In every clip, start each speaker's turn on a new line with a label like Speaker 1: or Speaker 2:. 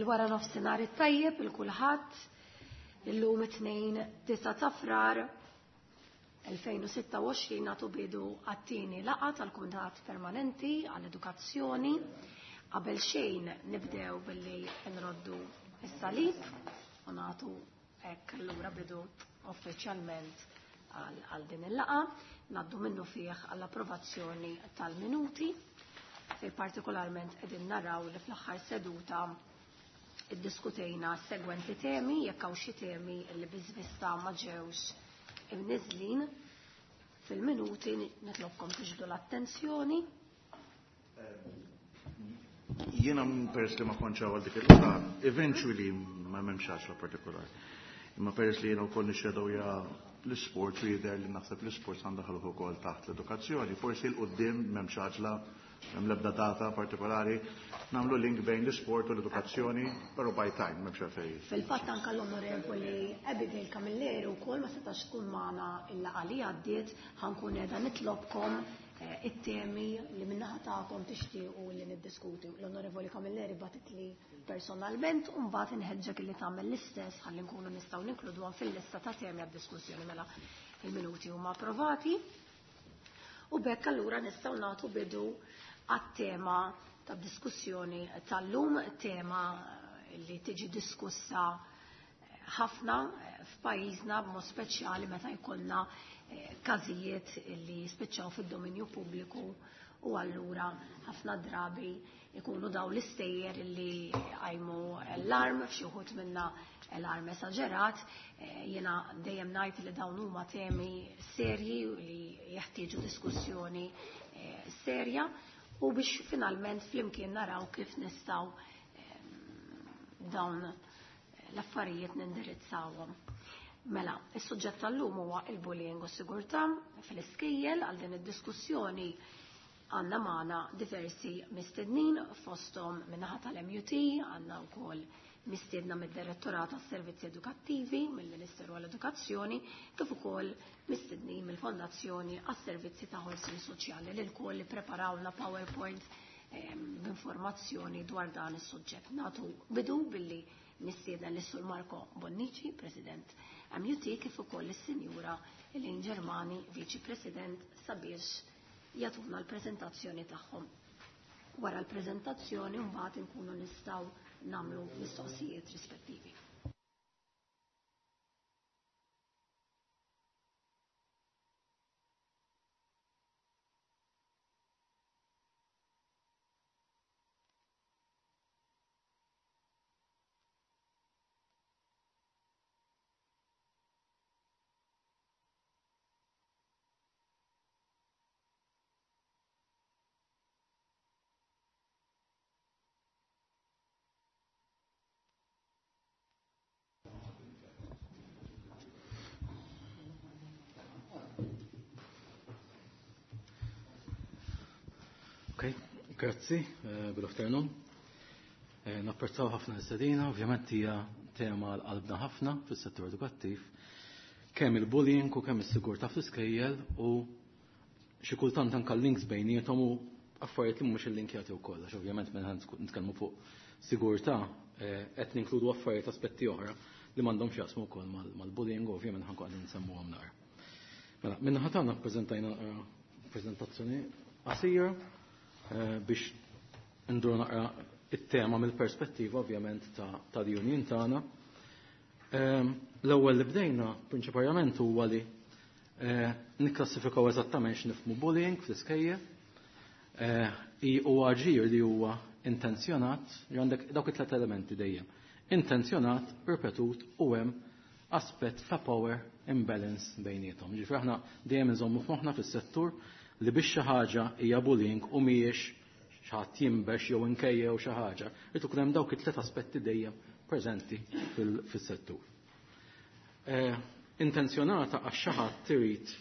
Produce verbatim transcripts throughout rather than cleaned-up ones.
Speaker 1: Il-wara nofsinhar it-tajjeb il kulħadd illum it-tnejn tisa' ta' Frar elfejn u sitta u għoxrin nagħtu bidu għat-tieni laqgħa tal-Kumitat Permanenti għall-Edukazzjoni. Qabel xejn nibdew billi nroddu s-salib u nagħtu hekk allura bidu uffiċjalment għal din il-laqgħa. Ngħaddu minnu fih għall-approvazzjoni tal-minuti, fej partikolarment qegħdin naraw li fl-aħħar seduta iddiskutejna s-segwenti temi, jekk hawn xi temi li biżvista ma ġewx imniżlin fil-minuti, nitlobkom tiġbdu l-attenzjoni.
Speaker 2: Jiena peress li ma kontx hawn għal dik il-laqgħa, eventually ma m'hemmx għaxla partikolari. Imma peress li jiena wkoll nixxedowja l-isport u jidher li naħseb l-isport għandha ħalluh ukoll taħt l-edukazzjoni, forsi l quddiem m'hemmx għaġla, m'hemm l-ebda data partikolari, nagħmlu link bejn l-isport u l-edukazzjoni, però by time m'hemmx għalfejn.
Speaker 1: Fil-fatt anke l-Onorevoli Abigail Camilleri wkoll ma setax tkun magħna il-laqgħa li għaddiet, ħankun qiegħda nitlobkom, eh, it-temi li min-naħa tagħkom tixtiequ li niddiskuti. L-Onorevoli Camilleri bagħtet li personalment u mbagħad inħeġġek li tagħmel l-istess ħalli nkunu nistgħu ninkluduhom fil-lista ta' temi għad-diskussjoni mela il-minuti huma approvati. U b'hekk allura nistgħu nagħtu bidu għat-tema ta' diskussjoni tal-lum, tema li tiġi diskussa ħafna f'pajjiżna b'mod speċjali meta jkollna, eh, każijiet li jispiċċaw fid-dominju pubbliku u allura ħafna drabi ikunu daw l-istejjer li għajmu l-arm, f'xi wħud minna l-arm esaġerat. Eh, jiena dejjem ngħid li dawn huma temi serji li jeħtieġu diskussjoni, eh, serja u biex finalment flimkien naraw kif nistgħu, eh, dawn l-affarijiet nindirizzawhom. Mela, is-suġġett tal-lum huwa il-bullying u s-sigurtà fl-iskejjel. Għal din id-diskussjoni għandna magħna diversi mistednin, fosthom min-naħa tal-M U T, għandna wkoll mistiedna mid-Direttorat għas-Servizzi Edukattivi, mill-Ministeru għall-Edukazzjoni, kif ukoll mistednin mill-Fondazzjoni għas-Servizzi ta' Ħolsien Soċjali li lkoll li preparawna PowerPoint, ehm, b'informazzjoni dwar dan is-suġġett. Nagħtu bidu billi nistieden lis-Sur Marco Bonnici, President M U T, kif ukoll is-Sinjura Elaine Germani, Viċi President, sabiex jagħtuna l-preżentazzjoni tagħhom. Wara l-preżentazzjoni mbagħad inkunu nistgħu nagħmlu mistoqsijiet rispettivi.
Speaker 3: Okay, grazzi, eh, good afternoon. Eh, napprezzaw ħafna l-istedina, ovvjament hija tema għal qalbna ħafna fis-settur edukattiv, kemm il-bullying u kemm is-sigurtà fl-iskejjel u xi kultant anke l-links bejniethom u affarijiet li mhumiex illinkjati wkoll, għax ovvjament meta nitkellmu fuq sigurtà, eh, qed ninkludu affarijiet aspetti oħra li m'għandhomx jaqsmu wkoll mal-, mal-bullying u ovvjament ħankun qegħdin nsemmuhom naqra. Mela, minn naħa tagħna ppreżentajna naqra preżentazzjoni qasira, eh, biex ndur naqra it-tema mill-perspettiva ovvjament ta', ta' l-union tagħna. Ehm, l-ewwel li bdejna prinċipalment huwa li, eh, nikklassifikaw eżattament x'nifhmu bullying fl-iskejjel. Eh, i huwa ġir li huwa intenzjonat, li għandek dawk it-tliet elementi dejjem. Intenzjonat, ripetut u hemm aspett ta' power imbalance bejniethom. Ġifieri aħna dejjem inżommu f'moħħna fis-settur li biex xi ħaġa hija bullying u mhijiex xi ħadd jinbex jew inkejje jew xi ħaġa, irid ikun hemm dawk it-tliet aspetti dejjem preżenti fil-, fis-settur. Eh, intenzjonata għax xi ħadd irid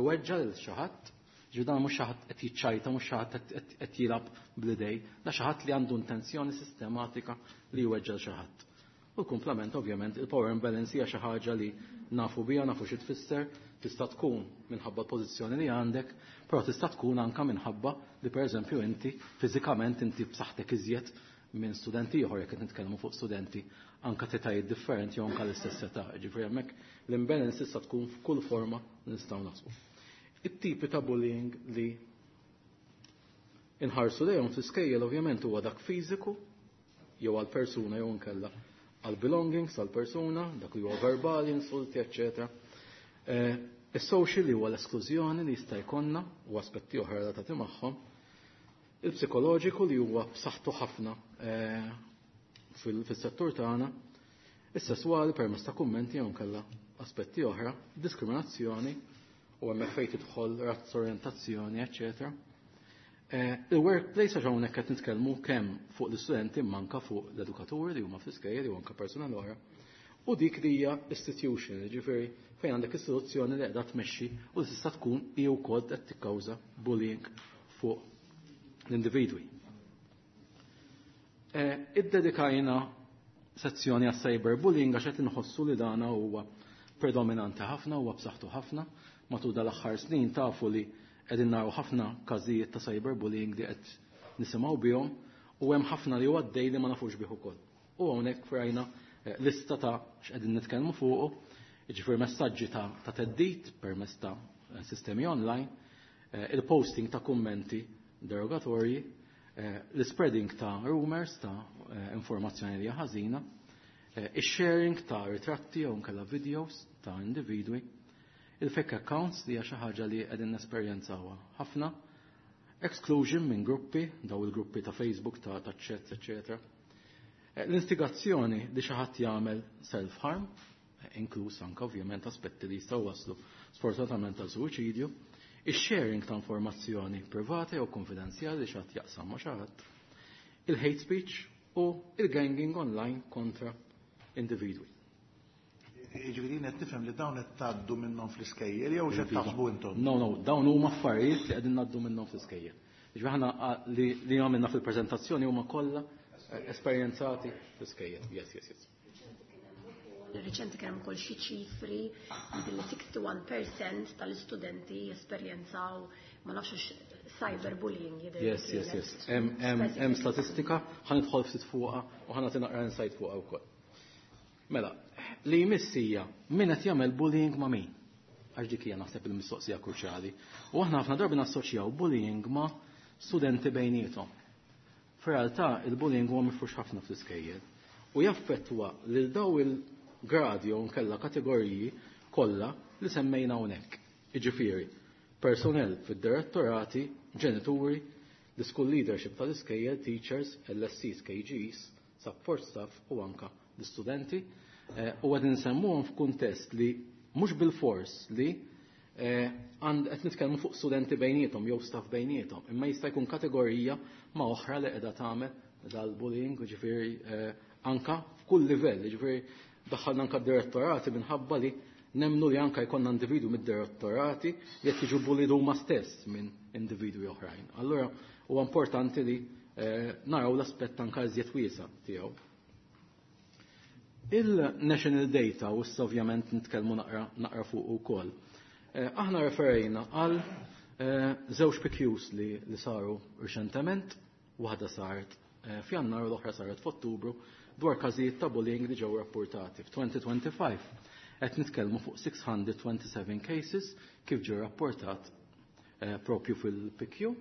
Speaker 3: iweġġa' lil xi ħadd, ġifieri dan mhux xi ħadd qed jiċċajta, mhux xi ħadd qed, qed, qed jilgħab bl-idej, da xi ħadd li għandu intenzjoni sistematika li jweġġa' lil xi ħadd. U l-kumplament ovvjament il-power imbalance hija xi ħaġa li nafu biha, nafu xi tfisser, tista' tkun minħabba l-pożizzjoni li għandek, però tista' tkun anke minħabba li pereżempju inti fiżikament inti b'saħħtek iżjed minn studenti ieħor jekk qed nitkellmu fuq studenti anka t'etajiet differenti jew anka l-istess età. Ġifieri hemmhekk l-imbalance issa tkun f'kull forma li nistgħu naħsbu. It-tipi ta' bullying li inħarsu lejhom fl-iskejjel ovvjament huwa dak fiżiku jew għal persuna jew inkella għal belongings għal persuna, dak li huwa verbali, insulti, eċċetera. Eh, Is-social li huwa l-esklużjoni li jista' jkollna u aspetti oħra relatati magħhom. Il-psikoloġiku li huwa b'saħħtu ħafna eh, fil-settur tagħna, is-sesswali permezz ta' kummenti jew inkella aspetti oħra, diskriminazzjoni u hemmhekk fejn tidħol razza, orjentazzjoni, eċċetera. Eh, il-workplace għax hawnhekk qed nitkellmu kemm fuq l-istudenti manka fuq l-edukaturi li huma fl-iskejjel jew anke personal oħra. U dik li hija institution, ġifieri fejn għandek istituzzjoni li qiegħda tmexxi u li tista' tkun hi wkoll qed tikkawża bullying fuq l-individwi. Eh, iddedikajna sezzjoni għas cyberbullying għax qed inħossu li dana huwa predominanti ħafna, huwa b'saħħtu ħafna. Matul dal-aħħar snin tafu li qegħdin naraw ħafna każijiet ta' cyberbullying li qed nisimgħu bihom u hemm ħafna li huwa għaddej li ma nafux bih ukoll. U hawnhekk rajna eh, lista ta' x'qegħdin nitkellmu fuqu, jiġifieri messaġġi ta' ta' theddid permezz ta' sistemi online, eh, il-posting ta' kummenti derogatorji, eh, l-spreading ta' rumors ta' informazzjoni li hija ħażina, ix-sharing ta' ritratti jew nkella videos ta' individwi, il-fake accounts li hija xi ħaġa li qegħdin nesperjenzawha ħafna, exclusion minn gruppi, daw il-gruppi ta' Facebook, ta' ta' chats, eccetera. L-instigazzjoni li xi ħadd jagħmel self-harm, inkluż anke ovvjament aspetti li jistgħu waslu sfortunatament għal suwiċidju, ix-sharing ta' informazzjoni privata jew konfidenzjali li xi ħadd jaqsam ma' xi ħadd, il-hate speech u il-ganging online kontra individwi.
Speaker 2: Ġifieri qed nifhem li dawn qed tgħaddu minnhom fl-iskejjel jew x'qed taħsbu intom?
Speaker 3: No, no, dawn huma affarijiet li qegħdin ngħaddu minnhom fl-iskejjel. Ġifieri aħna li li għamilna fil-preżentazzjoni huma kollha esperjenzati fl-iskejjel. Yes, yes, yes.
Speaker 1: Reċenti kien hemm ukoll xi ċifri billi sixty-one percent tal-istudenti jesperjenzaw, ma nafx, cyberbullying jidher.
Speaker 3: Yes, yes, yes. Hemm statistika, ħa nidħol ftit fuqha u ħa nagħti naqra insight fuqha wkoll. Mela, li jmiss hija min qed jagħmel bullying ma' min? Għax dik hija naħseb il-mistoqsija kruċjali. U aħna ħafna drabi nassoċjaw bullying ma' studenti bejniethom. F'realtà il-bullying huwa mifrux ħafna fl-iskejjel u jaffettwa lil daw il-gradi jew nkella kategoriji kollha li semmejna hawnhekk. Jiġifieri, personnel fid-direttorati, ġenituri, the school leadership tal-iskejjel, teachers, L S Cs, K Gs, support staff u anka l-istudenti. Eh, u qegħdin nsemmuhom f'kuntest li mhux bil-fors li eh, għand qed nitkellmu fuq studenti bejniethom jew staff bejniethom, imma jista' jkun kategorija ma' oħra li qiegħda tagħmel dal-bullying, ġifieri eh, anka f'kull livell, ġifieri daħħalna anka direttorati minħabba li nemnu li anka jkollna individwu mid-direttorati li qed jiġu bullied huma stess minn individwi oħrajn. Allura huwa importanti li naraw l-aspett anka iżjed wiesa' tiegħu. Il-national data, u issa ovvjament nitkellmu naqra, naqra fuq ukoll. Eh, aħna referejna għal eh, żewġ P Qs li, li saru reċentement, waħda saret eh, f'Jannar u l-oħra saret f'Ottubru, dwar każijiet ta' bullying li ġew rapportati. F'elfejn u ħamsa u għoxrin qed nitkellmu fuq sitt mija u disgħa u sebgħin cases kif ġew rapportat eh, propju fil-P Q.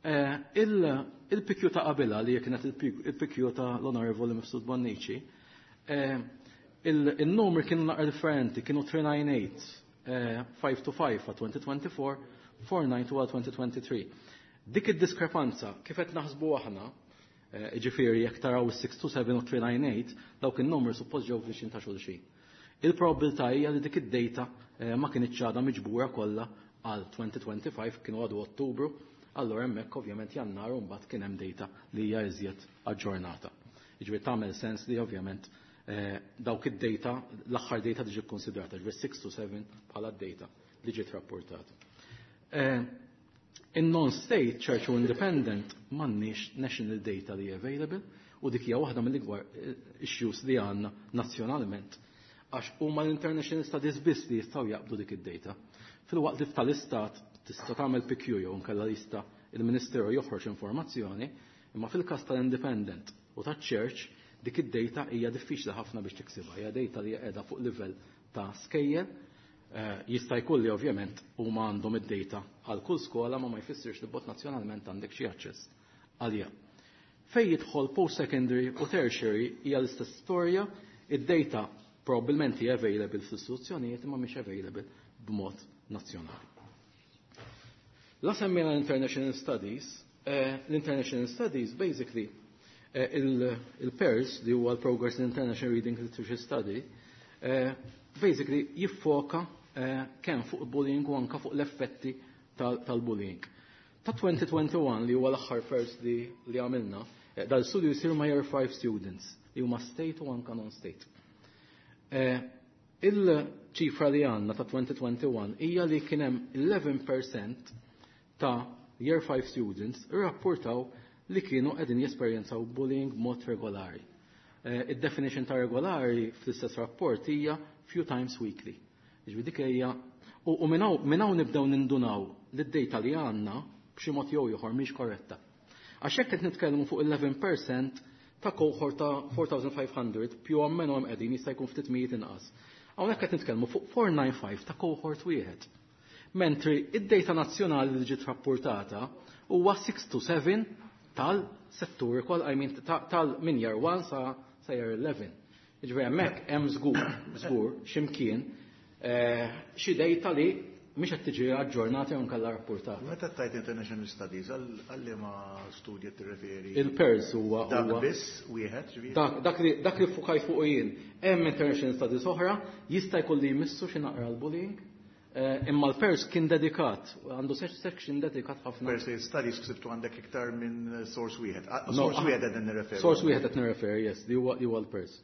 Speaker 3: Eh, Il-P Q ta' qabilha li kienet il-P Q ta' l-Onorevoli Mifsud Bonnici, eh, il-numri kienu naqra differenti, kienu tlieta tnejn tmena, tlieta tnejn ħamsa għal elfejn u erbgħa u għoxrin, erba' tnejn tnejn għal elfejn u tlieta u għoxrin. Dik id-diskrepanza, kif qed naħsbu aħna, ġifieri jekk taraw is-sitt tnejn seba' u tlieta tnejn tmena, dawk in-numri suppost ġew viċin ta' xulxin. Il-probabilità hija li dik id-data ma kinitx għadha miġbura kollha għal elfejn u ħamsa u għoxrin, kienu għadu Ottubru, allora hemmhekk ovvjament Jannar u mbagħad kien hemm data li hija iżjed aġġornata. Jiġifieri tagħmel sens li ovvjament dawk id-data, l-aħħar data tiġi kkonsidrata, ġifieri sitt to seba bħala d-data li ġiet rapportata. In non-state, church u independent, m'għandniex national data li available u dik hija waħda mill-ikbar issues li għandna nazzjonalment għax huma l-international studies biss li jistgħu jaqbdu dik id-data. Filwaqt li tal-istat tista' tagħmel P Q jew nkella jista' il-Ministeru joħroġ informazzjoni, Imma fil-każ tal-Independent u taċ-Church dik id-data hija diffiċli ħafna biex tiksibha, hija data li qiegħda fuq livell ta' skejjel. Eh, jista' jkun li ovvjament huma għandhom id-data għal kull skola ma ma jfissirx li bot nazzjonalment għandek xi aċċess għaliha. Fej jidħol post-secondary u tertiary hija l-istess storja, id-data probabbilment hija available fl-istituzzjonijiet imma mhix available b'mod nazzjonali. La semmejna l-International Studies, eh, l-International Studies basically eh, il-PIRLS li huwa l-Progress in International Reading Literature Study, eh, basically jiffoka kemm fuq bullying u anka fuq l-effetti tal-bullying. Ta' twenty twenty-one, li huwa l-aħħar PIRLS li, li għamilna, dal-studju jisir ma' year five students li huma state u anka non-state. Il-ċifra li għandna ta' twenty twenty-one hija li kien hemm eleven percent ta' year five students irrapportaw li kienu qegħdin jesperjenzaw bullying mod regolari. Id-definition ta' regolari fl-istess rapport hija few times weekly. Jiġifieri dik hija u, u minn hawn nibdew nindunaw li d-data li għandna b'xi mod jew ieħor mhix korretta. Għax hekk qed nitkellmu fuq eleven percent ta' cohort ta' four thousand five hundred più o meno hemm qegħdin, jista' jkun ftit mijiet inqas. Hawnhekk qed nitkellmu fuq four nine five ta' cohort wieħed. Mentri id-data nazzjonali li ġiet rapportata huwa six to seven tal-settur kol, I mean, tal min year one sa sa year eleven. Jiġifieri hemmhekk hemm żgur, żgur x'imkien eh, xi data li mhix qed tiġi aġġornata jew nkella rapportata.
Speaker 2: Meta tajt International Studies, għal liema studji tirreferi?
Speaker 3: Il-PIRLS huwa
Speaker 2: Dak biss wieħed, ġifieri?
Speaker 3: Dak dak li dak li fukajt fuq jien. Hemm International Studies oħra, jista' jkun li jmissu xi naqra l-bullying, eh, imma l-PIRLS kien dedikat, għandu section dedikat ħafna.
Speaker 2: Per se studies ksibtu għandek iktar minn source wieħed. Ah, source wieħed qed nirreferi.
Speaker 3: Source wieħed qed nirreferi, yes, li huwa li huwa l-PIRLS.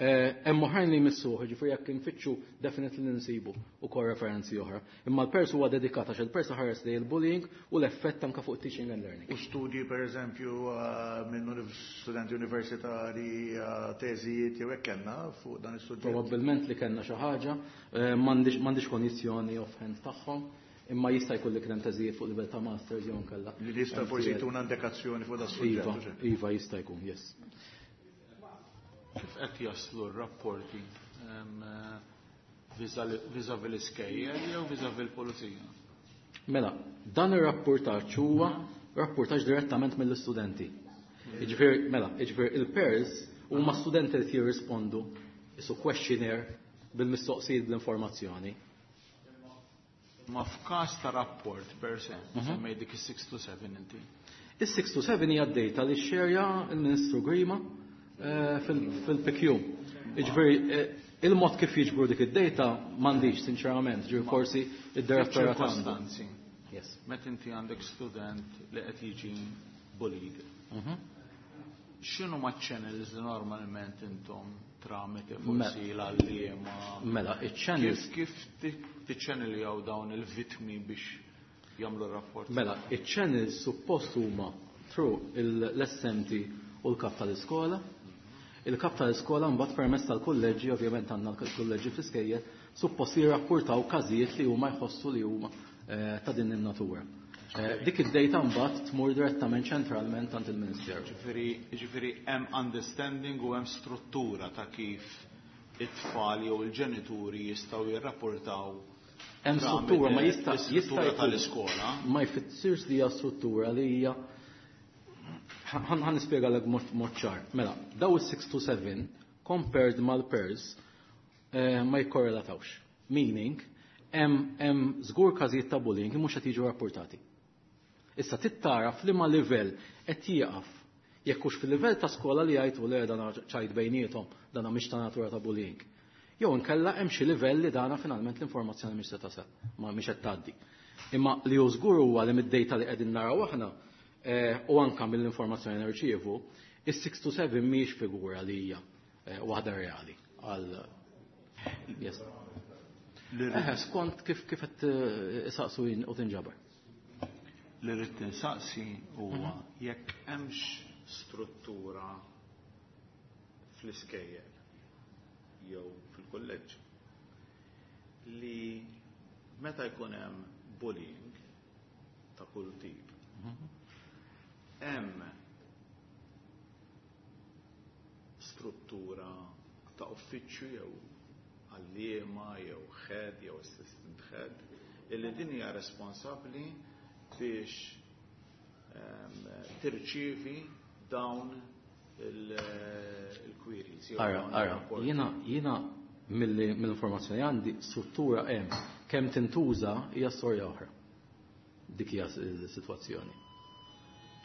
Speaker 3: Eh, hemm oħrajn li jmissuh, ġifieri jekk infittxu definitely nsibu ukoll referenzi oħra. Imma l-PIRLS huwa dedikat għax il-PIRLS ħares li l-bullying u l-effett anke fuq teaching and learning.
Speaker 2: U studji, per eżempju, eh, minn studenti universitari, eh, teżijiet jew hekk kellna fuq dan is-suġġett?
Speaker 3: Probabbilment li kellna xi ħaġa, m'għandix konjizzjoni offhand tagħhom, imma jista' jkun li kien hemm teżijiet fuq livell ta' masters jew nkella.
Speaker 2: Li jista' forsi jtuna indikazzjoni fuq dan
Speaker 3: is-suġġett. Iva, iva, jista' jkun, yes.
Speaker 4: Kif qed jaslu r-rapporti, vis-à-vis l-iskejjel jew vis-à-vis l-pulizija?
Speaker 3: Mela, dan ir-rapportaġġ huwa rapportaġġ direttament mill-istudenti. Jiġifieri, mela, jiġifieri il-PIRLS huma studenti li jirrispondu isu questionnaire bil-mistoqsijiet, bl-informazzjoni.
Speaker 4: Ma f'każ ta' rapport per se, mhm. semmej dik is-six to seven inti.
Speaker 3: Is-six to seven hija d-data li xerja il-Ministru Grima Eh, fil-P Q. Jiġifieri, eh, il-mod kif jiġbru dik id-data m'għandix, sinċerament, ġifieri forsi id-direttorat
Speaker 4: għandu. Yes. Meta inti għandek student li qed jiġi bullied. Mhm. X'inhu ma channels li normalment intom tramite forsi l-għalliema?
Speaker 3: Mela, iċ-channels
Speaker 4: Kif tiċċanneljaw dawn il-vitmi biex jagħmlu rapport?
Speaker 3: Mela, iċ-channels suppost huma through l-S M T u l-kap tal-iskola. Il-kap tal-iskola mbagħad permezz tal-kulleġġi, ovvjament għandna l-kulleġġi fl-iskejjel, suppost jirrapportaw każijiet li huma jħossu li huma eh, ta' din in-natura. Eh, dik id-data mbagħad tmur direttament ċentralment għand il-Ministeru.
Speaker 4: Ġifieri hemm understanding u hemm struttura ta' kif it-tfal jew il-ġenituri jistgħu jirrapportaw
Speaker 3: Hemm struttura, ma jista'
Speaker 4: jista' tal-iskola.
Speaker 3: Ma jfissirx li hija struttura li hija, ħa nispjegalek mod ċar. Mela, daw is-six to seven compared mal-PIRLS eh, ma jikkorrelatawx. Meaning, hemm żgur każijiet ta' bullying mhux qed jiġu rapportati. Issa tittara f'liema livell qed jieqaf. Jekk hux fil-livell ta' skola li jgħidu le, dana ċajt bejniethom, dana mhix ta' natura ta' bullying. Jew inkella hemm xi livell li dana finalment l-informazzjoni mhix se tasal, ma mhix qed tgħaddi. Imma li hu żgur huwa li mid-data li qegħdin naraw aħna eh, u anka mill-informazzjoni nirċievu, is-six to seven mhix figura li hija eh, waħda reali għal. Yes. Eh, skont kif kif qed eh, isaqsu u tinġabar.
Speaker 4: Li rrid tinsaqsi huwa jekk hemmx struttura fl-iskejjel jew fil-kulleġġ li meta jkun hemm bullying ta' kull tip, hemm struttura ta' uffiċċju jew għalliema jew head jew assistant head illi din hija responsabbli biex tirċievi dawn il-queries.
Speaker 3: Ara, ara, jiena jiena mill-informazzjoni għandi struttura hemm kemm tintuża hija storja oħra. Dik hija s-sitwazzjoni.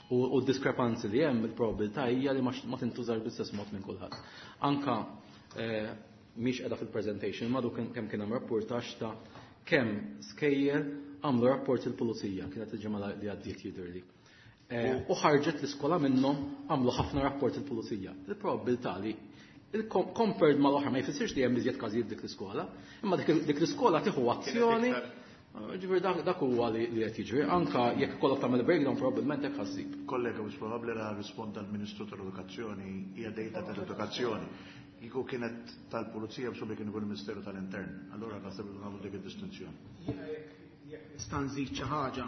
Speaker 3: U d-diskrepanzi li hemm il-probabilità hija li ma tintużax bl-istess mod minn kulħadd. Anka mhix qiegħda fil-presentation, madu kemm kien hemm rapportaġġ ta' kemm skejjel għamlu rapport il-pulizija, kienet il-ġimgħa li għaddiet jidhirli. U ħarġet l-iskola minnhom għamlu ħafna rapport il-pulizija. Il-probabilità li il-compared mal-oħra ma jfissirx li hemm iżjed każijiet dik l-iskola, imma dik l-iskola tieħu azzjoni. Ġifieri dak huwa li qed jiġri, anka jekk ikollok tagħmel breakdown probabbilment hekk ħassib.
Speaker 2: Kollega, mhux probabbli ra risponda l-Ministru tal-Edukazzjoni hija dejta tal-Edukazzjoni. Kieku kienet tal-Pulizija b'subi kien ikun il-Ministeru tal-Intern. Allura naħseb li nagħmlu dik id-distinzjoni.
Speaker 5: Jiena jekk nista' nżid xi ħaġa.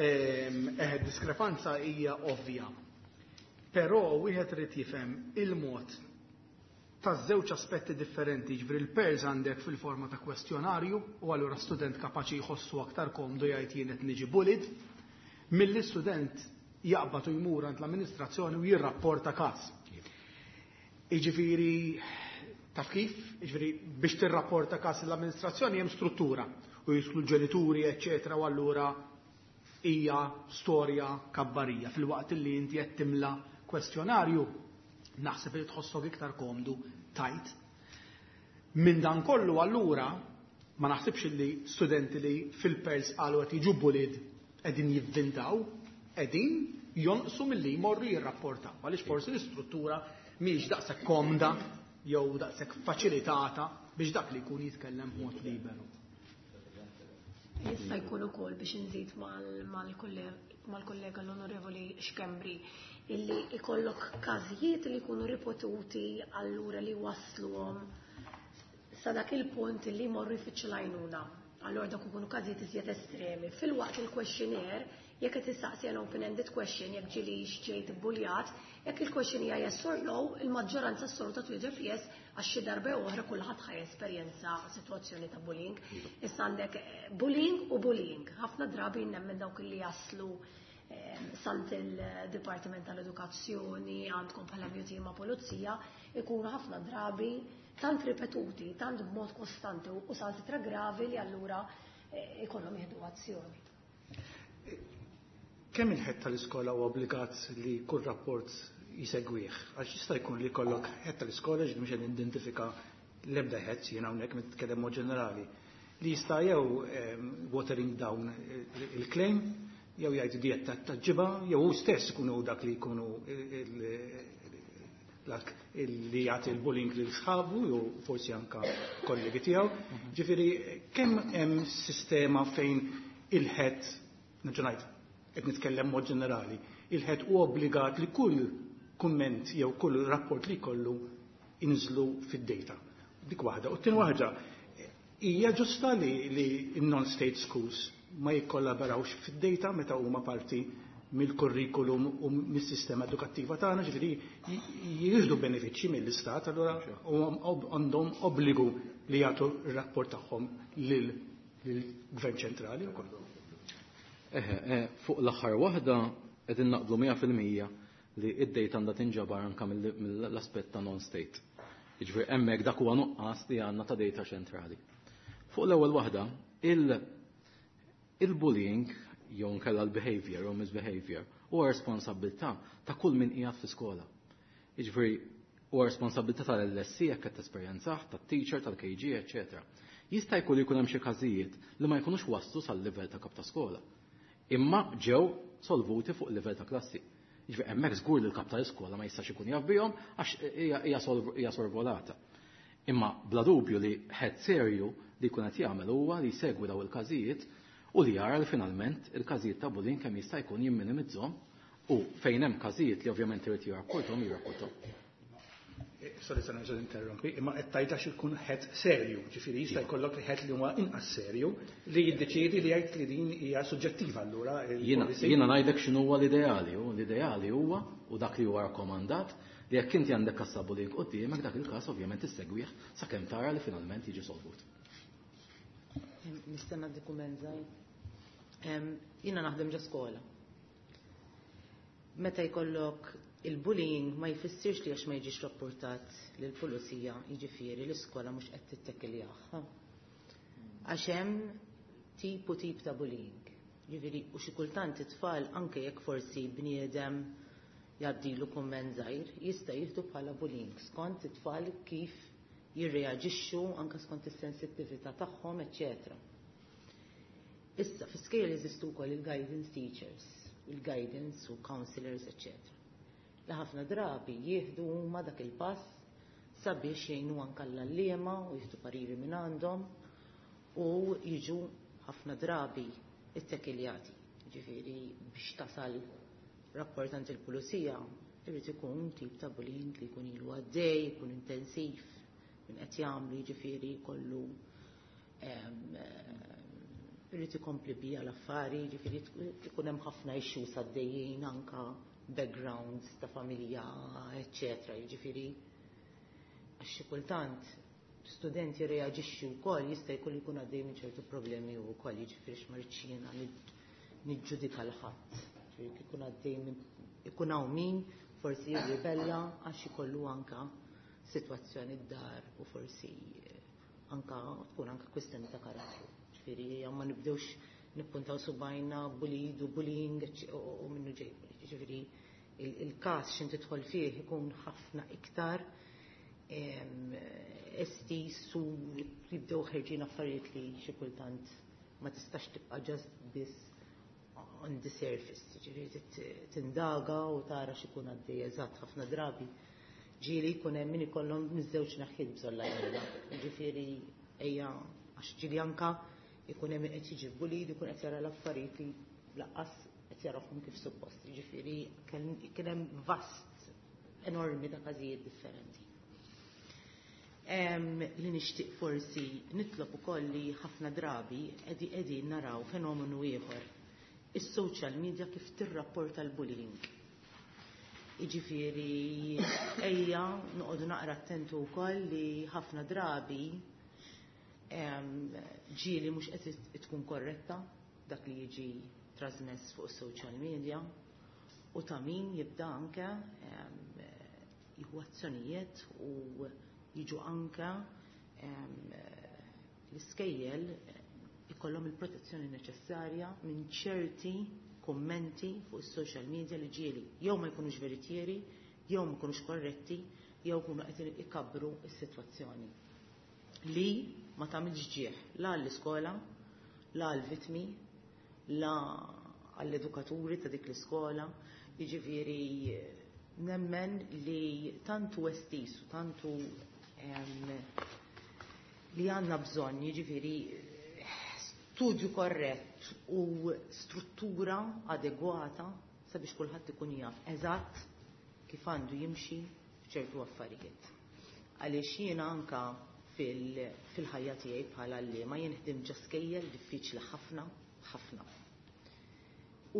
Speaker 5: Eh, diskrepanza hija ovvja. Però wieħed irid jifhem il-mod ta' żewġ aspetti differenti, ġifieri il-PEARLS għandek fil-forma ta' kwestjonarju u allura student kapaċi jħossu aktar komdu jgħid jien qed niġi bullied, milli student jaqbad u jmur għand l-amministrazzjoni u jirrapporta każ. Jiġifieri taf kif? Jiġifieri biex tirrapporta każ l-amministrazzjoni hemm struttura u jidħlu l-ġenituri, eċċetera, u allura hija storja kabbarija. Fil-waqt li inti qed timla kwestjonarju, naħseb li tħossok iktar komdu tajt. Minn dan kollu allura ma naħsibx li studenti li fil-PEARLS qalu qed jiġu bullied qegħdin jivvintaw, qegħdin jonqsu milli jmorru jirrapportaw. Għaliex forsi l-istruttura mhijiex daqshekk komda jew daqshekk faċilitata biex dak li jkun jitkellem b'mod liberu.
Speaker 1: Jista' jkun ukoll biex inżid mal-kollega l-Onorevoli Schembri illi ikollok każijiet li jkunu ripetuti allura li wasluhom sa dak il-punt li jmorru jfittxu l-għajnuna. Allura dak ikunu każijiet iżjed estremi. Fil-waqt il-questionnaire, jekk qed tistaqsi an open-ended question jekk ġilix ġejt ibbuljat, jekk il-question hija yes or no, il-maġġoranza assoluta twieġeb yes għax xi darba oħra kulħadd ħa jesperjenza sitwazzjoni ta' bullying. Issa għandek bullying u bullying. Ħafna drabi nemmen dawk li jaslu sant il-Dipartiment tal-Edukazzjoni, għandkom bħala M U T ma' Pulizija, ikunu ħafna drabi tant ripetuti, tant b'mod kostanti u sitra gravi li allura ikollhom jieħdu azzjoni.
Speaker 6: Kemm il-head tal-iskola huwa obbligat li kull rapport jisegwih? Għax jista' jkun li jkollok head tal-iskola ġifieri mhux qed identifika l-ebda head, jiena hawnhekk nitkellem mod ġenerali, li jista' jew watering down il-claim, jew jgħid diet ta' ġiba, jew hu stess ikunu dak li jkunu dak li jagħti l-bullying lil sħabu jew forsi anka kollegi tiegħu. Ġifieri kemm hemm sistema fejn il-head, nerġa' ngħid, qed nitkellem mod ġenerali, il-head hu obbligat li kull kumment jew kull rapport li jkollu inżlu fid-data. Dik waħda. U t-tieni waħda, hija ġusta li, li non-state schools ma jikkollaborawx fid-data meta huma parti mill-kurrikulum u mis-sistema edukattiva tagħna, ġifieri jieħdu benefiċċji mill-istat, allura għandhom obbligu li jagħtu r-rapport tagħhom lill-Gvern ċentrali wkoll.
Speaker 3: Eħe, fuq l-aħħar waħda qegħdin naqblu mija fil-mija li id-data għandha tinġabar anke mill-aspett ta' non-state. Jiġifieri hemmhekk dak huwa nuqqas li għandna ta' data ċentrali. Fuq l-ewwel waħda, il-bullying jew nkella l-behavior jew misbehavior huwa responsabilità ta' kull min qiegħed fl-iskola. Jiġifieri huwa responsabilità tal-L S C jekk qed tesperjenzah, tat-teacher, tal-K G, eċċetera. Jista' jkun li jkun hemm xi każijiet li ma jkunux waslu sal-livell ta' kap ta' skola. Imma ġew solvuti fuq livell ta' klassi. Jiġifieri hemmhekk żgur li l-kap tal-iskola ma jistax ikun jaf bihom għax hija, hija solv-, hija sorvolata. Imma bla dubju li head serju li jkun qed jagħmel huwa li jsegwi daw il-każijiet u li jara li finalment il-każijiet ta' bullying kemm jista' jkun jimminimizzhom u fejn hemm każijiet li ovvjament irid jirrapporthom, jirrapporthom.
Speaker 6: Sorry, se nerġa' interrompi, imma qed tgħid għax ikun head serju, ġifieri jista' jkollok head li huwa inqas serju li jiddeċiedi li jgħid li din hija suġġettiva allura il-
Speaker 3: Jiena
Speaker 6: policy.
Speaker 3: jiena ngħidlek x'inhu huwa l-ideali, u l-ideali huwa u dak li huwa rakkomandat Li jekk inti għandek każ ta' bullying quddiemek, dak il-każ ovvjament issegwih sakemm tara li finalment jiġi solvut.
Speaker 7: Nistenna dokument żgħir. Jiena naħdem ġo skola. Meta jkollok il-bullying ma jfissirx li għax ma jiġix rapportat lill-pulizija, jiġifieri l-iskola mhux qed tittekiljah. Għax hemm tip u tip ta' bullying. Jiġifieri u xi kultant it-tfal anke jekk forsi bniedem jgħaddilu kumment żgħir, jista' jieħdu bħala bullying skont it-tfal kif jirreaġixxu anke skont is-sensittività tagħhom, eċċetera. Issa fi skejjel jeżistu wkoll il-guidance teachers, il-guidance u counselors, eċċetera. Li ħafna drabi jieħdu huma dak il-pass sabiex jgħinu anke l-għalliema u jieħdu pariri minn għandhom u jiġu ħafna drabi ittekiljati. Ġifieri biex tasal rapport għand il-pulizija irid ikun tip ta' bullying li jkun ilu għaddej, jkun intensiv, minn qed jagħmlu, jiġifieri kollu irid ikompli bija l-affari, jiġifieri ikun hemm ħafna issues għaddejjin anka backgrounds ta' familja, eċċetera. Jiġifieri għax xi kultant studenti reaġixxi wkoll jista' jkun jkun għaddej minn ċertu problemi wkoll, jiġifieri x'ma rridx jiena niġġudika 'l ħadd. Jiġifieri ikun għaddej minn ikun hawn min forsi jirribella għax ikollu anka sitwazzjoni d-dar u forsi anka tkun anka kwistjoni ta' karattru. Ġifieri ma nibdewx nippuntaw subajna bullied u bullying u minnu ġej. Ġifieri il-każ x'in tidħol fih ikun ħafna iktar estis u jibdew ħerġin affarijiet li xi kultant ma tistax tibqa' just biss on the surface, ġifieri tindaga u tara x'ikun għaddej eżatt. Ħafna drabi ġieli jkun hemm min ikollhom miż-żewġ naħiet bżonn l-għajnuna. Ġifieri ejja, għax ġieli anka ikun hemm qed jiġi bullied, ikun qed jara l-affarijiet li lanqas qed jarahom kif suppost. Ġifieri kien hemm vast enormi ta' każijiet differenti. Li nixtieq forsi nitlob ukoll li ħafna drabi qegħdi qegħdin naraw fenomenu ieħor. Is-social media kif tirrapporta l-bullying. Jiġifieri ejja noqogħdu naqra attentu wkoll li ħafna drabi ġieli mhux qed tkun korretta dak li jiġi trasmess fuq is-social media u ta' min jibda anke jieħu azzjonijiet u jiġu anke l-iskejjel ikollhom il-protezzjoni neċessarja minn ċerti kommenti fuq is-social media li ġieli jew ma jkunux veritieri, jew ma jkunux korretti, jew jkunu qed ikabbru s-sitwazzjoni. Li ma tagħmilx ġieħ la għall-iskola, la għall-vittmi, la għall-edukaturi ta' dik l-iskola, jiġifieri nemmen li tantu estis u tantu li għandna bżonn, jiġifieri studju korrett u struttura adegwata sabiex kulħadd ikun jaf eżatt kif għandu jimxi f'ċertu affarijiet. Għaliex jiena anka fil-ħajja tiegħi bħala għalliema jien ħdim ġo skejjel diffiċli ħafna, ħafna.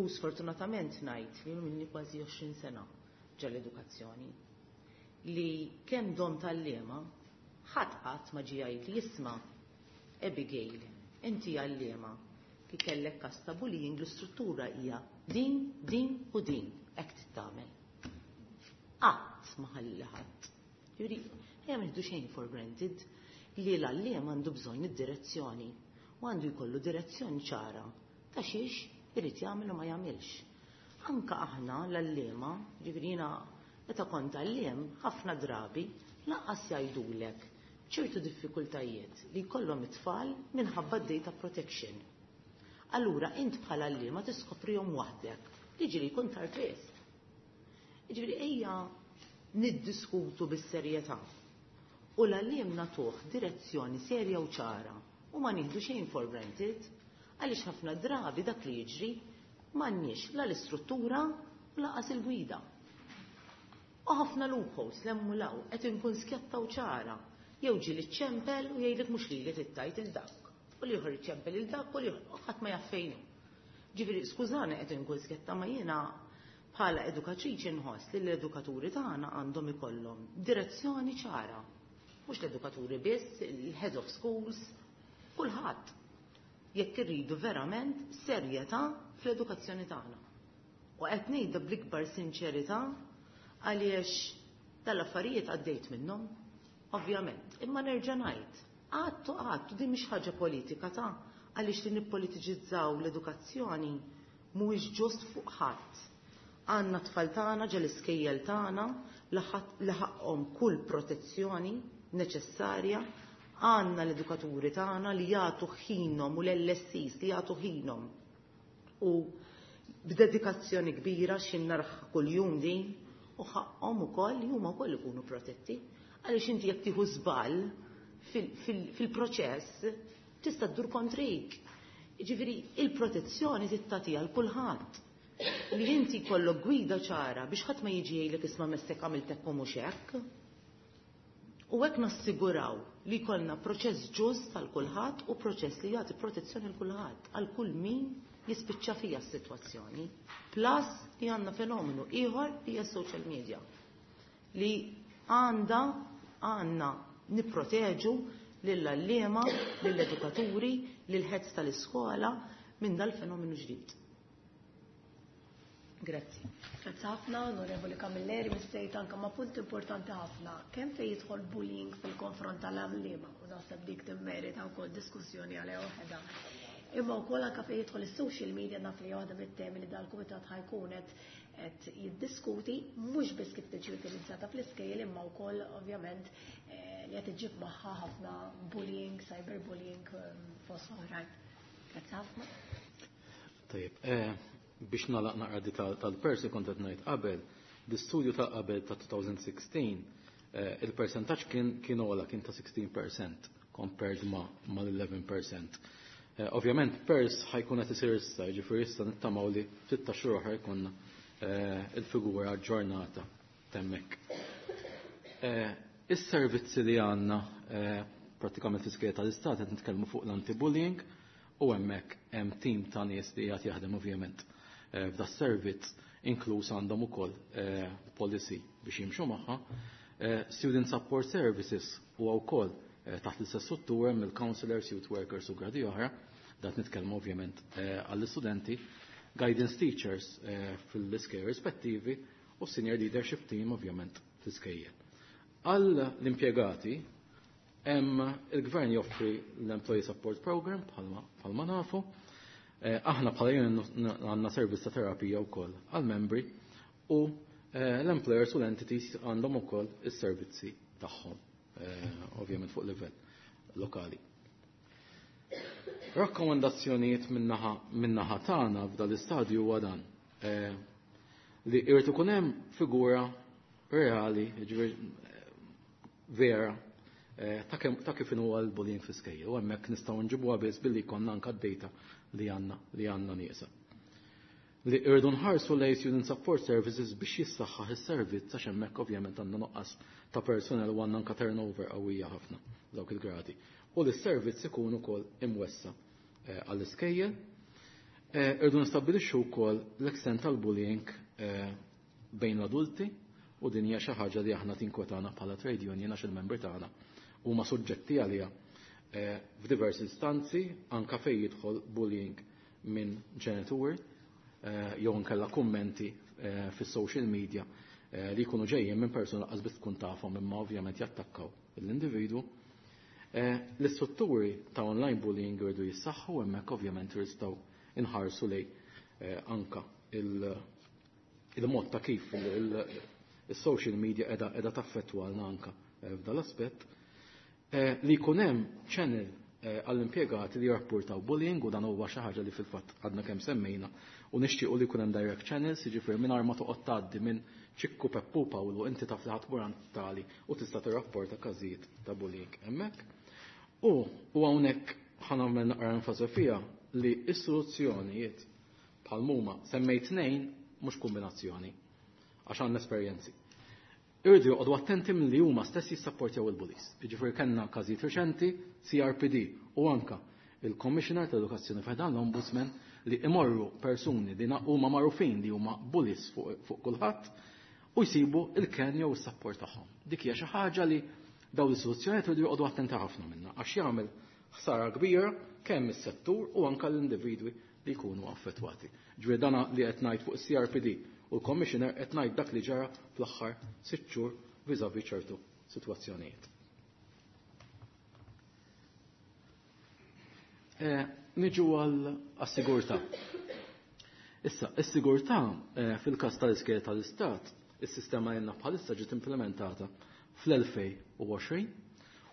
Speaker 7: U sfortunatament ngħid li minni kważi għoxrin sena ġol-edukazzjoni li kemm dom tal-liema ħadd qatt ma ġie jgħid li jisma' Abigail, inti għalliema ki kellek każ ta' bullying, l-istruttura hija din, din u din, hekk tittamel. Qatt ma ħalli ħadd. Jiġifieri, ejja ma nieħdu xejn for granted li l-għalliem għandu bżonn id-direzzjoni u għandu jkollu direzzjoni ċara ta' xiex irid jagħmel u ma jagħmilx. Anka aħna l-għalliema, ġifieri jiena meta kont għalliem, ħafna drabi lanqas jgħidulek ċertu diffikultajiet li jkollhom it-tfal minħabba data protection. Allura int bħala għalliema tiskoprihom waħdek, li ġieli jkun tard wisq. Ġifieri ejja niddiskutu bis-serjetà u l-għalliem nagħtuh direzzjoni serja u ċara u ma nieħdu xejn for granted, għaliex ħafna drabi dak li jiġri m'għandniex la l-istruttura u lanqas il-gwida. U ħafna loopholes lemmu law qed inkun skjatta u ċara. Jew ġieli ċempel u jgħidlek mhux lili tittajt il dak. U l-ieħor iċempel il dak u l-ieħor u ħadd ma jaf fejn hu. Ġifieri skużani qed inkun skjatta ma jiena Bħala edukatriċi nħoss li l-edukaturi tagħna għandhom ikollhom direzzjoni ċara. Mhux l-edukaturi biss, il-head of schools, kulħadd. Jekk irridu verament serjetà fl-edukazzjoni tagħna. U qed ngħidha bl-ikbar sinċerità għaliex dal-affarijiet għaddejt minnhom, ovvjament. Imma nerġa' ngħid, għattu għattu din mhix ħaġa politika ta' għaliex li nippolitiċizzaw l-edukazzjoni mhuwiex ġust fuq ħadd. Għandna tfal tagħna ġel iskejjel tagħna li ħaqhom kull protezzjoni neċessarja, għandna l-edukaturi tagħna li jagħtu ħinhom u l-L S Es li jagħtu ħinhom. U b'dedikazzjoni kbira xin narah kuljum din u ħaqhom ukoll li huma wkoll ikunu protetti. Għaliex inti jekk tieħu żball fil-proċess tista' ddur kontrik. Ġifieri il-protezzjoni tagħtiha għal kulħadd. Li inti jkollok gwida ċara biex ħadd ma jiġi jgħidlek, "Isma', messek għamilt hekk u mhux hekk." U hekk nassiguraw li jkollna proċess ġust għal kulħadd u proċess li jagħti protezzjoni l kulħadd, għal kull min jispiċċa fija s-sitwazzjoni. Plus li għandna fenomenu ieħor li hija social media li għandha għandna nipproteġu lill-għalliema, lill-edukaturi, lill-heads tal-iskola minn dal-fenomenu ġdid. Grazzi.
Speaker 1: Grazzi ħafna, Onorevoli Camilleri, missejt anka ma' punt importanti ħafna. Kemm fejn jidħol bullying fil-konfront tal-għalliema, u naħseb dik timmerita wkoll diskussjoni għaliha waħedha. Imma wkoll anka fejn jidħol is-social media, naf li waħda mit-temi li dal-kumitat ħa jkun qed jiddiskuti, mhux biss kif tiġi utilizzata fl-iskejjel, imma wkoll ovvjament eh, li qed iġib magħha ħafna bullying, cyberbullying ehm, fost oħrajn. Grazzi ħafna.
Speaker 3: Tajjeb, eh, biex nagħlaq naqra di tal-persi kont qed ngħid qabel, l-istudju ta' qabel ta' elfejn u sittax, eh, il-percentaġġ kien kien ogħla, kien ta' sittax fil-mija compared ma' mal-għaxra fil-mija. Eh, ovvjament PERS ħa jkun qed isir issa, jiġifieri issa nittamaw li ftit ta' xhur oħra jkollna il-figura aġġornata hemmhekk. Is-servizzi li għandna prattikament fl-iskejjel tal-istat, qed nitkellmu fuq l-anti-bullying u hemmhekk hemm tim ta' nies li qed jaħdem ovvjament eh, f'da servizz, inkluż għandhom ukoll eh, policy biex jimxu magħha. Eh, Student Support Services huwa wkoll taħt l-istess struttura mill-counselors, youth workers u gradi oħra, dat nitkellmu ovvjament għall-istudenti, guidance teachers fil-iskejjel rispettivi u senior leadership team ovvjament fl-iskejjel. Għall l-impjegati hemm il-gvern joffri l-Employee Support Program bħalma nafu. Eh, aħna bħala union għandna servizz ta' terapija wkoll għal-membri u eh, l-employers u l-entities għandhom ukoll is-servizzi tagħhom, eh, ovvjament fuq livell lokali. Rakkomandazzjonijiet min-naħa tagħna f'dal istadju huwa dan li irid ikun hemm figura reali, vera, ta' kif huwa l-bullying fl-iskejjel u hemmhekk nistgħu nġibuha biss billi jkollna anke d-data li għandna li għandna nieqsa. Li irdu nħarsu lejn Student Support Services biex jissaħħaħ is-servizz għax hemmhekk ovvjament għandna nuqqas ta' personnel u għandna anke turnover qawwija ħafna dawk il-gradi. U li s-servizz ikun ukoll imwessa eh, għall-iskejjel. Eh, irdu nistabbilixxu wkoll l-extent tal-bullying eh, bejn l-adulti u din hija xi ħaġa li aħna tinkwetana bħala trade union għax il-membri tagħna huma suġġetti għaliha eh, f'diversi istanzi, anka fejn jidħol bullying minn ġenituri eh, jew nkella kummenti eh, fis-social media li jkunu ġejjin minn persuna qas biss tkun tafhom, imma ovvjament jattakkaw l-individwu. L-istrutturi ta' online bullying jridu jissaħħu, hemmhekk ovvjament jistgħu inħarsu lej anka il-mod ta' kif il-social media qiegħda taffettwalna anka f'dal aspett. Eh, li jkun hemm channel eh, għall-impjegati li jirrapportaw bullying, u dan huwa xi ħaġa li fil-fatt għadna kemm semmejna u nixtiequ li jkun hemm direct channels, jiġifieri mingħajr ma toqgħod tgħaddi minn Ċikku, Peppu, Pawlu, inti taf li ħadd tali u tista' tirrapporta każijiet ta' bullying hemmhekk. U u hawnhekk ħa nagħmel naqra enfasi fiha li s-soluzzjonijiet bħal muma semmejt tnejn, mhux kombinazzjoni, għax għandna esperjenzi. Irridu joqogħdu attenti milli huma stess jissapportjaw il-bullies. Jiġifieri kellna każijiet reċenti, C R P D u anka il-Commissioner tal-Edukazzjoni f'dan l-Ombudsman li imorru persuni li huma magħrufin li huma bullies fuq fu kulħadd u jsibu il-ken jew is-support tagħhom. Dik hija xi ħaġa li dawn l-istituzzjonijiet iridu joqogħdu attenti ħafna minnha għax jagħmel ħsara kbira kemm is-settur u anke l-individwi li jkunu affettwati. Ġifieri dana li qed ngħid fuq is-C R P D u l-Commissioner qed ngħid dak li ġara fl-aħħar sitt xhur vis-à-vis ċertu sitwazzjonijiet. Eh, niġu għal-sigurtà. Issa, is-sigurtà eh, fil-każ tal-iskejjel tal-Istat, is-sistema li għandna bħalissa ġiet implementata fl-elfejn u għoxrin,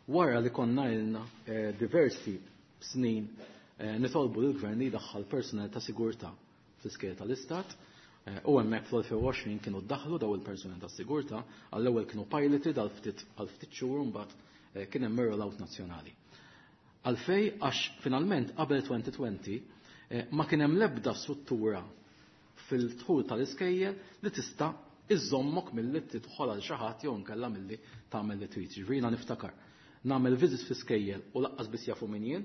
Speaker 3: wara li konna ilna eh, diversi snin eh, nitolbu lill-gvern li jdaħħal personal ta' sigurtà fl-iskejjel tal-Istat, eh, u hemmhekk fl-elfejn u għoxrin kienu ddaħlu daw il-personal ta' sigurtà, għall-ewwel kienu piloted għal ftit għal ftit xhur u mbagħad eh, kien hemm rollout nazzjonali. Għalfej għax finalment qabel twenty twenty eh, ma kien hemm l-ebda struttura fil-dħul tal-iskejjel li tista' iżommok milli tidħol għal xi ħadd jew inkella milli tagħmel li trid. Ġifieri jiena niftakar nagħmel visits fl-iskejjel u laqqas biss jafu min jien,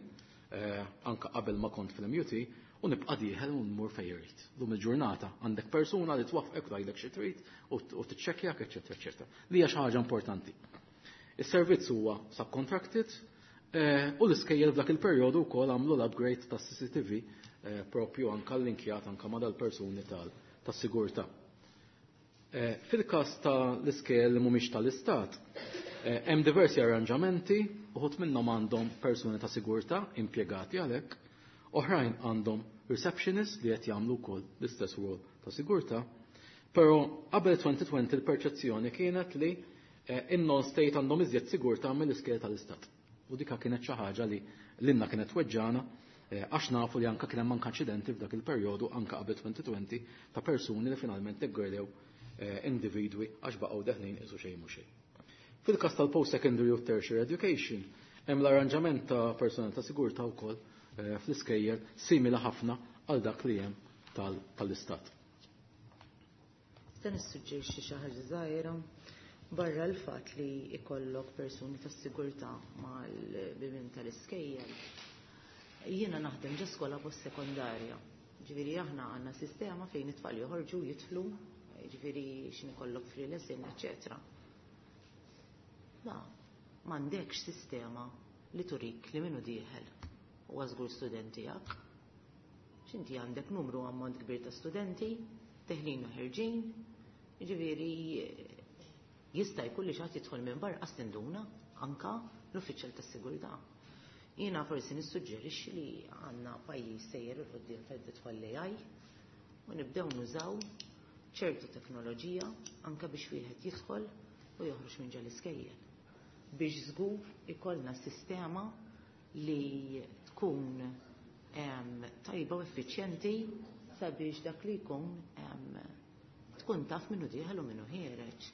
Speaker 3: eh, anke qabel ma kont fil-M U T, u nibqa' dieħel u nmur fejn irid. Lum il-ġurnata għandek persuna li twaffqek u tgħidlek xi trid u tiċċekkjak, eċċetera, eċċetera. Li hija xi ħaġa importanti. Is-servizz huwa subcontracted, eh, u l-iskejjel f'dak il-perjodu wkoll għamlu l-upgrade tas-C C T V, eh, propju anke linkjat anke ma' dal-persuni tal-, tas-sigurtà. Eh, fil-każ tal-iskejjel li mhumiex tal-istat, eh, hemm diversi arranġamenti, uħud minnhom għandhom persuni ta' sigurtà impjegati għalhekk, oħrajn għandhom receptionists li qed jagħmlu wkoll l-istess rol ta' sigurtà, però qabel twenty twenty l-perċezzjoni kienet li, eh, in-non-state għandhom iżjed sigurtà mill-iskejjel tal-istat. U dika kienet xi ħaġa li lilna kienet weġġana, eh, għax nafu li anke kien hemm anke inċidenti f'dak il-perjodu anke qabel twenty twenty ta' persuni li finalment iggredew, eh, individwi għax baqgħu deħlin isu xejn mhu xejn. Fil-każ tal-post-secondary u tertiary education hemm l-arranġament ta' personal ta' sigurtà wkoll, eh, fl-iskejjel simili ħafna għal dak li hemm tal-, tal-istat.
Speaker 7: Nista' nissuġġerixxi xi ħaġa żgħira barra l-fatt li ikollok persuni tas-sigurtà mal-bibien tal-iskejjel. Jiena naħdem ġo skola post-sekondarja. Ġifieri aħna għandna sistema fejn it-tfal joħorġu jidħlu, ġifieri x'in ikollok free lesson, eċċetera. La, m'għandekx sistema li turik li minnu dieħel huwa żgur studenti tiegħek. X'inti għandek numru ammont kbir ta' studenti, teħlin u ħerġin, ġifieri jista' jkun li xi ħadd jidħol minn barra qas tinduna anka l-uffiċjal tas-sigurtà. Jiena forsi nissuġġerixxi li għandna pajjiż sejjer il quddiem fejn tidħol l-A I u nibdew nużaw ċertu teknoloġija anke biex wieħed jidħol u joħroġ minn ġol-iskejjel. Biex żgur ikollna sistema li tkun, em, tajba u effiċjenti sabiex dak li jkun, em, tkun taf minnu dieħel u minnu ħiereġ.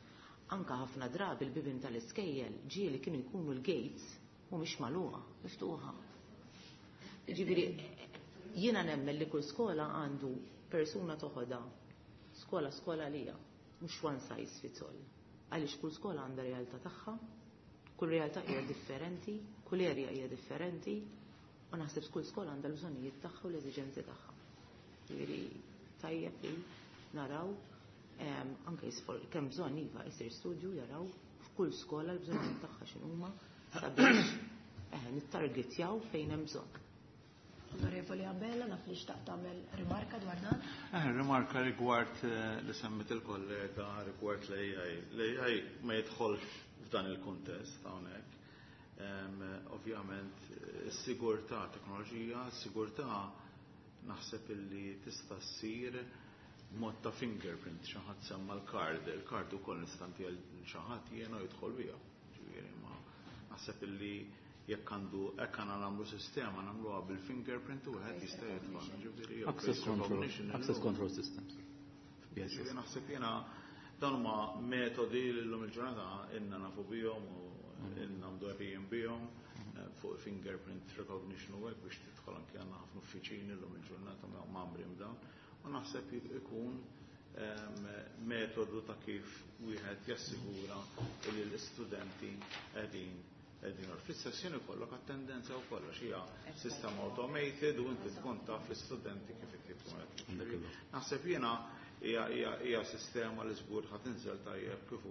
Speaker 7: Anka ħafna drabi l-bibien tal-iskejjel ġieli kienu jkunu l-gates mhumiex magħluqa, miftuħa. Jiġifieri jiena nemmen li kull skola għandu persuna toħodha skola skola lija, mhux one size fits all. Għaliex kull skola għandha realtà tagħha, kull realtà hija differenti, kull area hija differenti, u naħseb kull skola għandha l-bżonnijiet tagħha u l-eżiġenzi tagħha. Jiġifieri tajjeb li naraw, em, anke jisfor, kemm bżonn iva jsir studju jaraw f'kull skola l-bżonnijiet tagħha x'inhuma sabiex, eh, nittargetjaw fejn hemm bżonn.
Speaker 1: Onorevoli Abela, naf li xtaqt tagħmel rimarka dwar dan.
Speaker 4: Eh, rimarka rigward, eh, li semmit il-kollega rigward l-A I. L-A I ma jidħolx f'dan il-kuntest hawnhekk. Em, ovvjament, is-sigurtà, teknoloġija, s-sigurtà naħseb illi tista' ssir mod ta' fingerprint, xi ħadd semma l-kard, il-kard ukoll nistanti għal xi ħadd jiena u jidħol biha. Ġifieri ma naħseb illi jekk għandu hekk għandna nagħmlu sistema nagħmluha bil-fingerprint u wieħed jista' jidħol. Ġifieri jew
Speaker 3: Access
Speaker 4: face
Speaker 3: control,
Speaker 4: recognition
Speaker 3: access
Speaker 4: illum.
Speaker 3: control systems. Yes, yes.
Speaker 4: Ġifieri naħseb jiena dan huma metodi li llum il-ġurnata ilna nafu bihom u ilna mdorrijin bihom fuq fingerprint recognition u hekk biex tidħol anke għandna ħafna uffiċini llum il-ġurnata mgħammrin b'dawn. U naħseb ikun, em, metodu ta' kif wieħed jassigura li l-istudenti qegħdin Qegħdin fl-istess ħin ikollok attendenza u kollox hija sistema automated u inti tkun taf l-istudenti kif ikun. Naħseb jiena hija sistema li żgur ħa tinżel tajjeb kif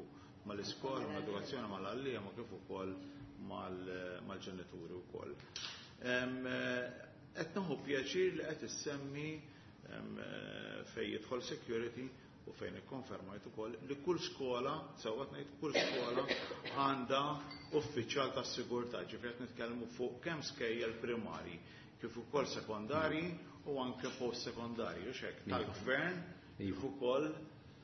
Speaker 4: mal-iskola, mal-edukazzjoni, mal-għalliema, kif ukoll mal-ġenituri wkoll. Qed nieħu pjaċir li qed issemmi fejn jidħol security u fejn ikkonfermajt ukoll li kull skola, sewwa ngħid kull skola għandha uffiċjal tas-sigurtà, ġifieri qed nitkellmu fuq kemm skejjel primarji kif ukoll sekondarji u anke post-sekondarji, u hekk tal-gvern kif ukoll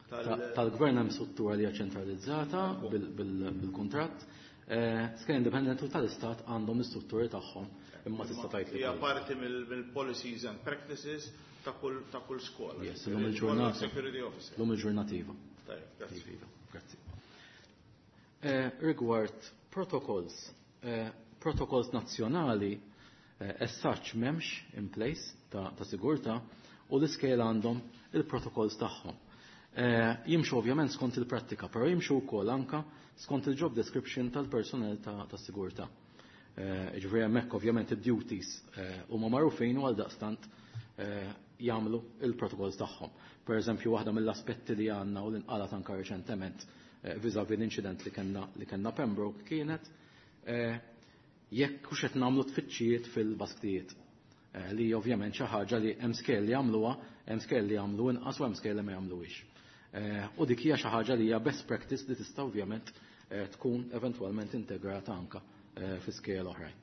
Speaker 3: tal-gvern hemm struttura li hija ċentralizzata bil-kuntratt. Skejjel indipendenti tal-istat għandhom l-istrutturi tagħhom imma tista' tgħid li
Speaker 4: hija parti mill-policies and practices ta' kull ta' kull skola.
Speaker 3: Yes, l-lum il-ġurnata. L-lum il-ġurnata iva.
Speaker 4: Tajjeb, grazzi.
Speaker 3: Grazzi. Rigward protocols, protocols nazzjonali as such m'hemmx in place ta' sigurtà u l-iskejjel għandhom il-protocols tagħhom. Jimxu ovvjament skont il-prattika, però jimxu wkoll anka skont il-job description tal-personel ta' sigurtà. Ġifieri hemmhekk ovvjament id-duties huma magħrufin u għal daqstant jagħmlu il-protokolls tagħhom. Per eżempju, waħda mill-aspetti li għandna u li nqalat anka reċentement vis-à-vis l-inċident li kellna li kellna Pembroke kienet jekk hux qed nagħmlu tfittxijiet fil-basktijiet. Li ovvjament xi ħaġa li hemm skejjel li jagħmluha, hemm skejjel li jagħmlu inqas u hemm skejjel li ma jagħmluhiex. U dik hija xi ħaġa li hija best practice li tista' ovvjament tkun eventwalment integrata anka fi skejjel oħrajn.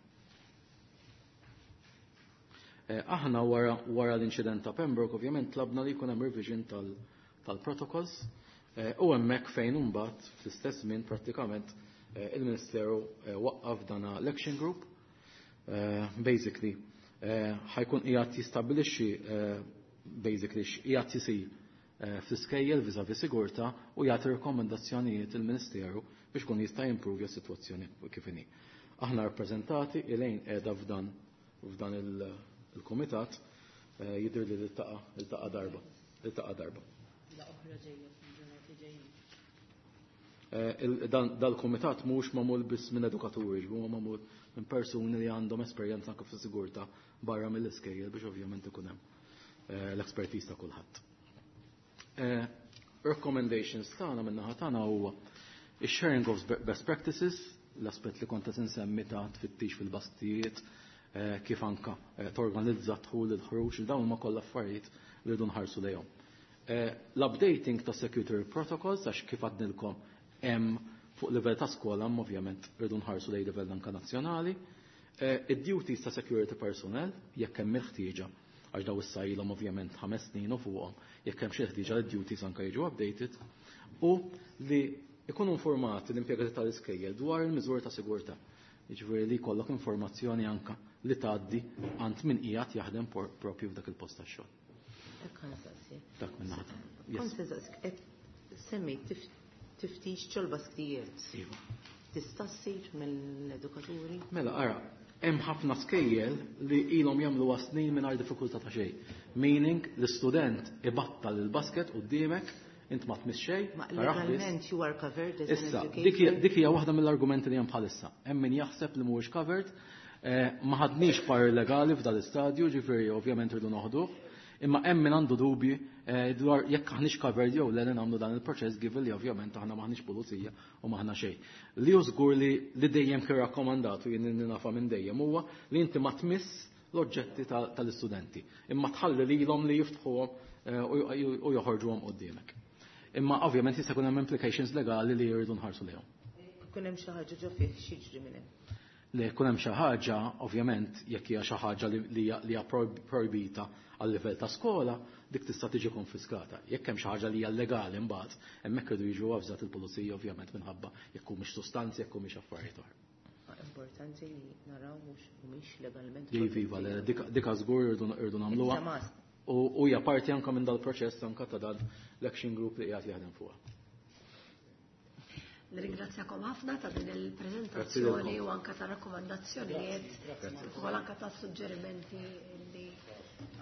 Speaker 3: Aħna wara, wara l-inċident ta' Pembroke ovvjament tlabna li jkun hemm revision tal-protocols u hemmhekk fejn imbagħad fl-istess żmien prattikament il-Ministeru waqqaf dana l-action group. Basically ħajkun qiegħed jistabbilixxi basically x'qiegħed isir fl-iskejjel vis-à-vis sigurtà u jagħti rekomendazzjonijiet il-Ministeru biex kun jista' jimprovja s-sitwazzjoni kif inhi. Aħna rappreżentati Elaine qiegħda f'dan f'dan il-komitat jidher li iltaqa' iltaqa' darba, iltaqa' darba. Dal-komitat mhux magħmul biss minn edukaturi, huwa magħmul minn persuni li għandhom esperjenza anke fis-sigurtà barra mill-iskejjel biex ovvjament ikun hemm l-expertise ta' kulħadd. Recommendations tagħna min-naħa tagħna huwa ix-sharing of best practices, l-aspett li kont qed insemmi ta' tfittix fil-bastijiet, kif anka torganizza dħul il-ħruġ, dawn huma kollha affarijiet li rridu nħarsu lejhom. L-updating ta' security protocols, għax kif għadnilkom hemm fuq livell ta' skola, ovvjament rridu nħarsu lejn livell anka nazzjonali. Id-duties ta' security personnel, jekk hemm il-ħtieġa, għax daw issa ilhom ovvjament ħames snin u fuqhom, jekk hemm xi ħtieġa li d-duties anka jiġu updated, u li ikunu informati l-impjegati tal-iskejjel dwar il-miżuri ta' sigurtà. Jiġifieri li jkollok informazzjoni anka li tgħaddi għand min qiegħed jaħdem propju f'dak il-post tax-xogħol. Dak minn naħa.
Speaker 7: Kont semmejt tiftix ġol-basktijiet. Tista' ssir mill-edukaturi?
Speaker 3: Mela ara, hemm ħafna skejjel li ilhom jagħmluha snin mingħajr diffikultà ta' xejn. Meaning l-istudent ibattal il-basket quddiemek, int ma tmiss xejn.
Speaker 7: Ma legalment you are covered as an
Speaker 3: educator. Issa, dik hija waħda mill-argumenti li hemm bħalissa. Hemm min jaħseb li mhuwiex covered, ma ħadniex par legali f'dal istadju, ġifieri ovvjament irdu noħduh, imma hemm min għandu dubji dwar jekk aħniex covered jew le nagħmlu dan il-proċess given li ovvjament aħna maħniex pulizija u maħna xejn. Li hu żgur li li dejjem kien rakkomandatu jien nafa minn dejjem huwa li inti ma tmiss l-oġġetti tal-istudenti, imma tħalli lilhom li jiftħuhom u joħorġuhom quddiemek. Imma ovvjament jista' jkun hemm implications legali li jridu nħarsu lejhom.
Speaker 7: Kun hemm xi ħaġa ġo fih x'jiġri minn hemm.
Speaker 3: Li jkun hemm xi ħaġa, ovvjament, jekk hija xi ħaġa li hija projbita għal livell ta' skola, dik tista' tiġi konfiskata. Jekk hemm xi ħaġa li hija legali mbagħad, hemmhekk irdu jiġu avżat il-pulizija ovvjament minħabba jekk humiex sustanzi, jekk humiex affarijiet oħra.
Speaker 7: Importanti li naraw mhux mhumiex legalment.
Speaker 3: Iva, dik żgur irdu nagħmluha. U hija parti anke minn dal-proċess anke ta' dan l-action group li qiegħed jaħdem fuqha.
Speaker 1: Nirringrazzjakom ħafna ta' din il-preżentazzjoni u anke ta' rakkomandazzjonijiet u anke ta' suġġerimenti li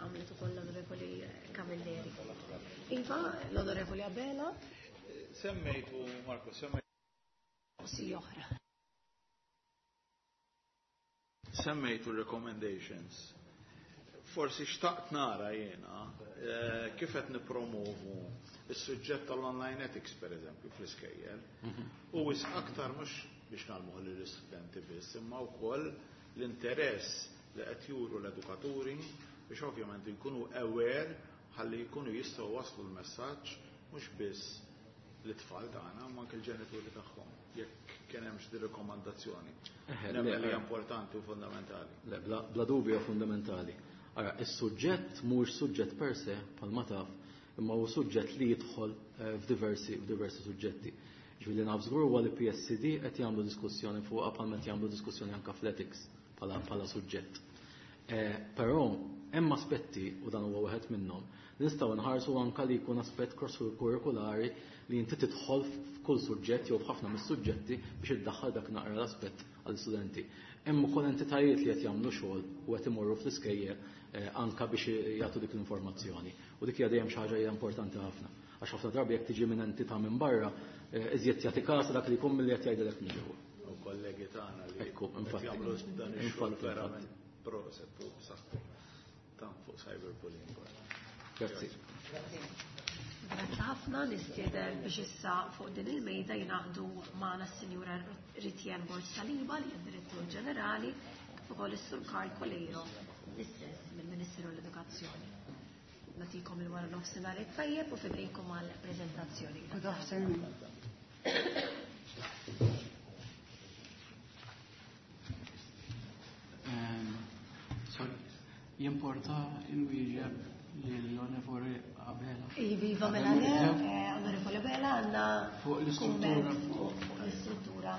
Speaker 1: għamlet ukoll l-Onorevoli Camilleri. Iva, l-Onorevoli Abela.
Speaker 4: Semmejtu, Marco, semmejtu.
Speaker 1: Si oħra.
Speaker 4: Semmejtu recommendations. Forsi xtaqt nara jiena eh, kif qed nippromovu is-suġġett tal-online ethics per eżempju fl-iskejjel. U wisq aktar mhux biex ngħallmuh lill-istudenti biss, imma wkoll l-interess li qed juru l-edukaturi biex ovvjament jkunu aware ħalli jkunu jistgħu waslu l-messaġġ mhux biss l-tfal tagħna ma anke l-ġenituri tagħhom jekk kien hemm xi rikomandazzjoni. Nemmen li hija importanti u fundamentali.
Speaker 3: Le, bla, bla dubju fundamentali. Ara, is-suġġett mhuwiex suġġett per se bħalma taf, imma huwa suġġett li jidħol eh, f'diversi f'diversi suġġetti. Ġifieri naf żgur huwa li P S C D qed jagħmlu diskussjoni fuqha bħalma qed jagħmlu diskussjoni anke fl-ethics bħala bħala suġġett. Eh, però hemm aspetti, u dan huwa wieħed minnhom, li nistgħu nħarsu anke li jkun aspett cross-curriculari li inti tidħol f'kull suġġett jew f'ħafna mis-suġġetti biex iddaħħal dak naqra l-aspett għall-istudenti. Hemm ukoll entitajiet li qed jagħmlu xogħol u qed imorru fl-iskejjel, eh, anke biex jagħtu dik l-informazzjoni. U dik hija dejjem xi ħaġa hija importanti ħafna. Għax ħafna drabi jekk tiġi minn entità minn barra, eh, iżjed jagħti każ dak li jkun milli qed jgħidilek minn ġewwa.
Speaker 4: U kollegi tagħna li
Speaker 3: Ekku,
Speaker 4: qed
Speaker 3: infatti.
Speaker 4: jagħmlu dan ix-xogħol
Speaker 3: Infatti,
Speaker 4: verament
Speaker 3: infatti.
Speaker 4: proset u b'saħħtu. Ta' fuq cyberbullying.
Speaker 3: Grazzi.
Speaker 1: Grazzi ħafna, nistieden biex issa fuq din il-mejda jingħaqdu magħna s-Sinjura Ritienne Borg Saliba li hija Direttur Ġenerali, kif ukoll is-Sur Karl Coleiro, l-istess mill-Ministeru l-Edukazzjoni. Nagħtikom il-wara nofsinhar it-tajjeb u fidejkom għall-preżentazzjoni.
Speaker 8: Good afternoon.
Speaker 9: Um, sorry, jimporta inwieġeb lill-Onorevoli Abela.
Speaker 1: Iva, mela le, eh, Onorevoli Abela, għandna
Speaker 9: Fuq l-istruttura.
Speaker 1: kumment fuq l-istruttura.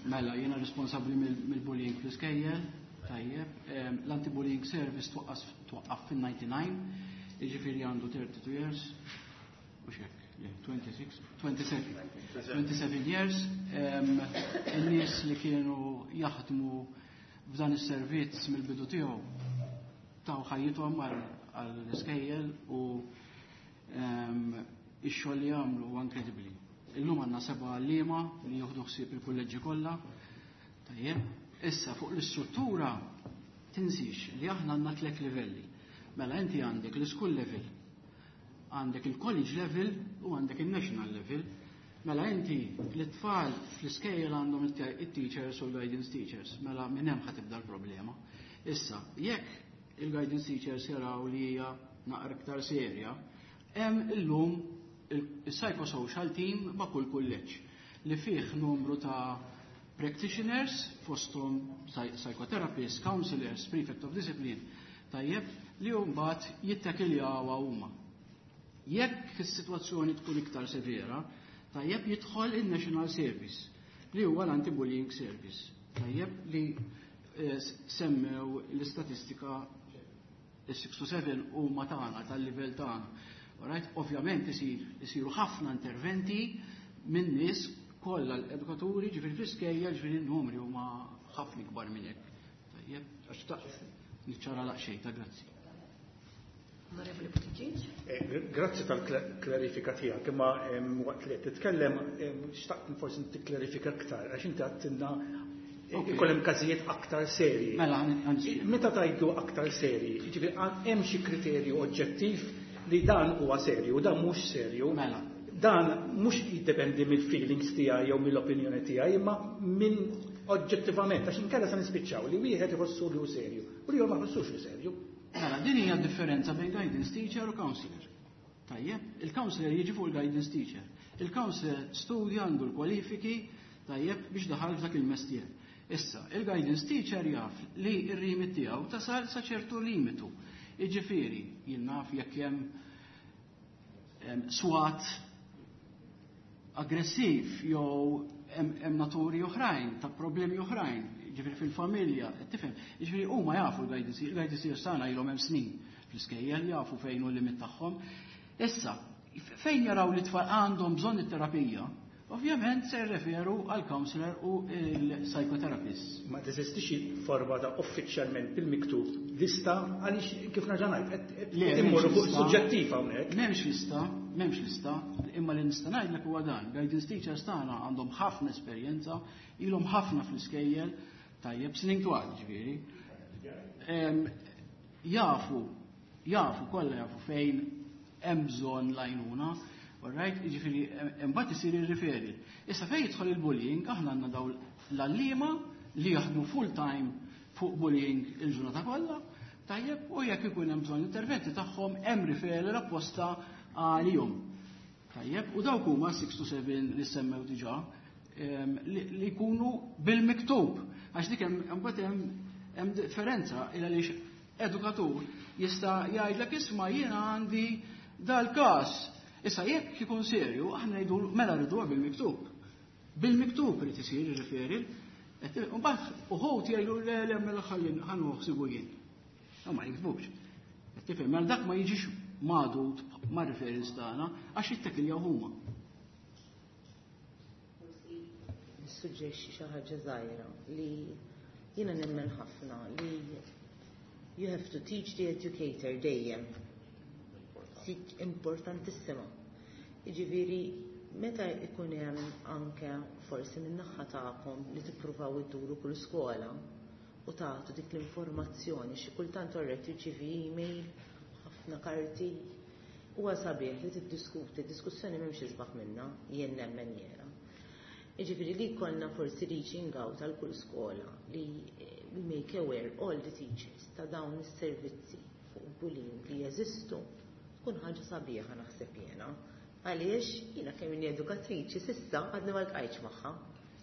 Speaker 9: Mela, jiena responsabbli mill-, mill-bullying fl-iskejjel, tajjeb. Em, l-anti-bullying service twaqqas, twaqqaf fin-ninety-nine, jiġifieri għandu thirty-two years, u xek, le, twenty-six, twenty-seven. twenty-seven years. Em, in-nies li kienu jaħdmu f'dan is-servizz mill-bidu tiegħu taw ħajjithom għal, għall-iskejjel u, em, ix-xogħol li jagħmlu huwa inkredibbli. Illum għandna seba' għalliema li jieħdu ħsieb il-kulleġġi kollha. Tajjeb, issa fuq l-istruttura tinsix li aħna għandna tliet livelli. Mela inti għandek l-school level, għandek il-college level u għandek il-national level. Mela inti l-tfal fl-iskejjel għandhom it-teachers u l-guidance teachers, mela minn hemm ħa tibda l-problema. Issa, jekk il-guidance teachers jaraw li hija naqra iktar serja, hemm illum il-psychosocial team ma' kull kulleġġ li fih numru ta' practitioners, fosthom psy-, psychotherapists, counselors, prefect of discipline, tajjeb, li mbagħad jittakiljaw huma. Jekk is-sitwazzjoni tkun iktar severa, tajjeb jidħol il-National Service, li huwa l-Anti-Bullying Service, tajjeb li, eh, semmew l-istatistika is-six to seven huma tagħna tal-livell tagħna. Alright, ovvjament isir, isiru ħafna interventi minn nies kollha l-edukaturi, ġifieri fl-iskejjel, ġifieri n-numri huma ħafna ikbar minn hekk. Tajjeb, għax taqt niċċara laqxejn, ta' grazzi.
Speaker 1: Onorevoli Buttigieg.
Speaker 6: Eh, gr-, grazzi tal-klarifika tiegħek, imma, em, waqt li qed titkellem, em, xtaqt forsi tikklarifika aktar, għax inti għedtilna
Speaker 9: Ok.
Speaker 6: ikoll hemm każijiet aktar serji.
Speaker 9: Mela, għan-, għan-,
Speaker 6: Meta tajdu aktar serji, jiġifieri għan-, hemm xi kriterju oġġettiv li dan huwa serju u dan mhux serju.
Speaker 9: Mela.
Speaker 6: Dan mhux jiddependi mill-feelings tiegħi jew mill-opinjoni tiegħi, imma minn oġġettivament, għax inkella se nispiċċaw li wieħed iħossu li hu serju u li ma jħossux li serju.
Speaker 9: Mela, din hija differenza bejn guidance teacher u counselor. Tajjeb, il-counselor jiġi fuq il-guidance teacher. Il-counselor studja, għandu l-kwalifiki, tajjeb, biex daħal f'dak il-mestier. Issa, il-guidance teacher jaf li r-limit tiegħu tasal sa ċertu limitu. Jiġifieri, jien naf jekk hemm, em, swat aggressiv jew hemm, hemm naturi oħrajn, ta' problemi oħrajn, jiġifieri fil-familja, tifhem. Jiġifieri huma jafu l-guidance, il-guidance teachers tagħna ilhom hemm snin fl-iskejjel, jafu fejn hu l-limit tagħhom. Issa, fejn jaraw li tfal għandhom bżonn it-terapija, ovvjament se jirreferu għal counselor u l-psychotherapist.
Speaker 6: Ma teżistix forma ta' uffiċjalment bil-miktub lista għaliex kif nerġa' ngħid, qed, qed
Speaker 9: Le,
Speaker 6: qed immorru
Speaker 9: m'hemmx
Speaker 6: fuq
Speaker 9: lista.
Speaker 6: suġġettiv hawnhekk.
Speaker 9: M'hemmx lista, m'hemmx lista, imma li nista' ngħidlek huwa dan. Guidance teachers tagħna għandhom ħafna esperjenza, ilhom ħafna fl-iskejjel, Tajjeb, snin twal ġifieri. Jafu, jafu, kollha jafu fejn hemm bżonn l-għajnuna, alright, jiġifieri imbagħad isir ir-referral. Issa fejn jidħol il-bullying, aħna għandna dawn l-għalliema li jaħdmu full time fuq bullying il-ġurnata kollha, tajjeb, u jekk ikun hemm bżonn interventi tagħhom hemm referral apposta għalihom. Tajjeb, u dawk huma six to seven li semmew diġà li jkunu bil-miktub. Għax dik hemm imbagħad hemm differenza il għaliex edukatur jista' jgħidlek isma' jiena għandi dal-każ. Issa jekk ikun serju, aħna ngħidu mela rriduha bil-miktub. Bil-miktub irid isir ir-referral. Mbagħad uħud jgħidu le le mela ħalli ħa nieħu jien. Ma jiktbux. Tifhem, mela dak ma jiġix magħdud ma' referrals tagħna għax jittekiljaw huma.
Speaker 7: Forsi nissuġġerixxi xi ħaġa żgħira li jiena nemmen ħafna li you have to teach the educator dejjem. Importantissima. Jiġifieri meta ikun hemm anke forsi min-naħa tagħkom li tippruvaw idduru kull skola u tagħtu dik l-informazzjoni, xi kultant orret tirċievi email, ħafna karti, huwa sabiħ li tiddiskuti, diskussjoni m'hemmx isbaħ minnha, jien nemmen jiena. Jiġifieri li jkollna forsi reaching out għal kull skola li we make aware all the teachers ta' dawn is-servizzi fuq bullying li jeżistu, tkun ħaġa sabiħa naħseb jiena. Għaliex jiena kemm inni edukatriċi s'issa għadni ma ltqajtx magħha.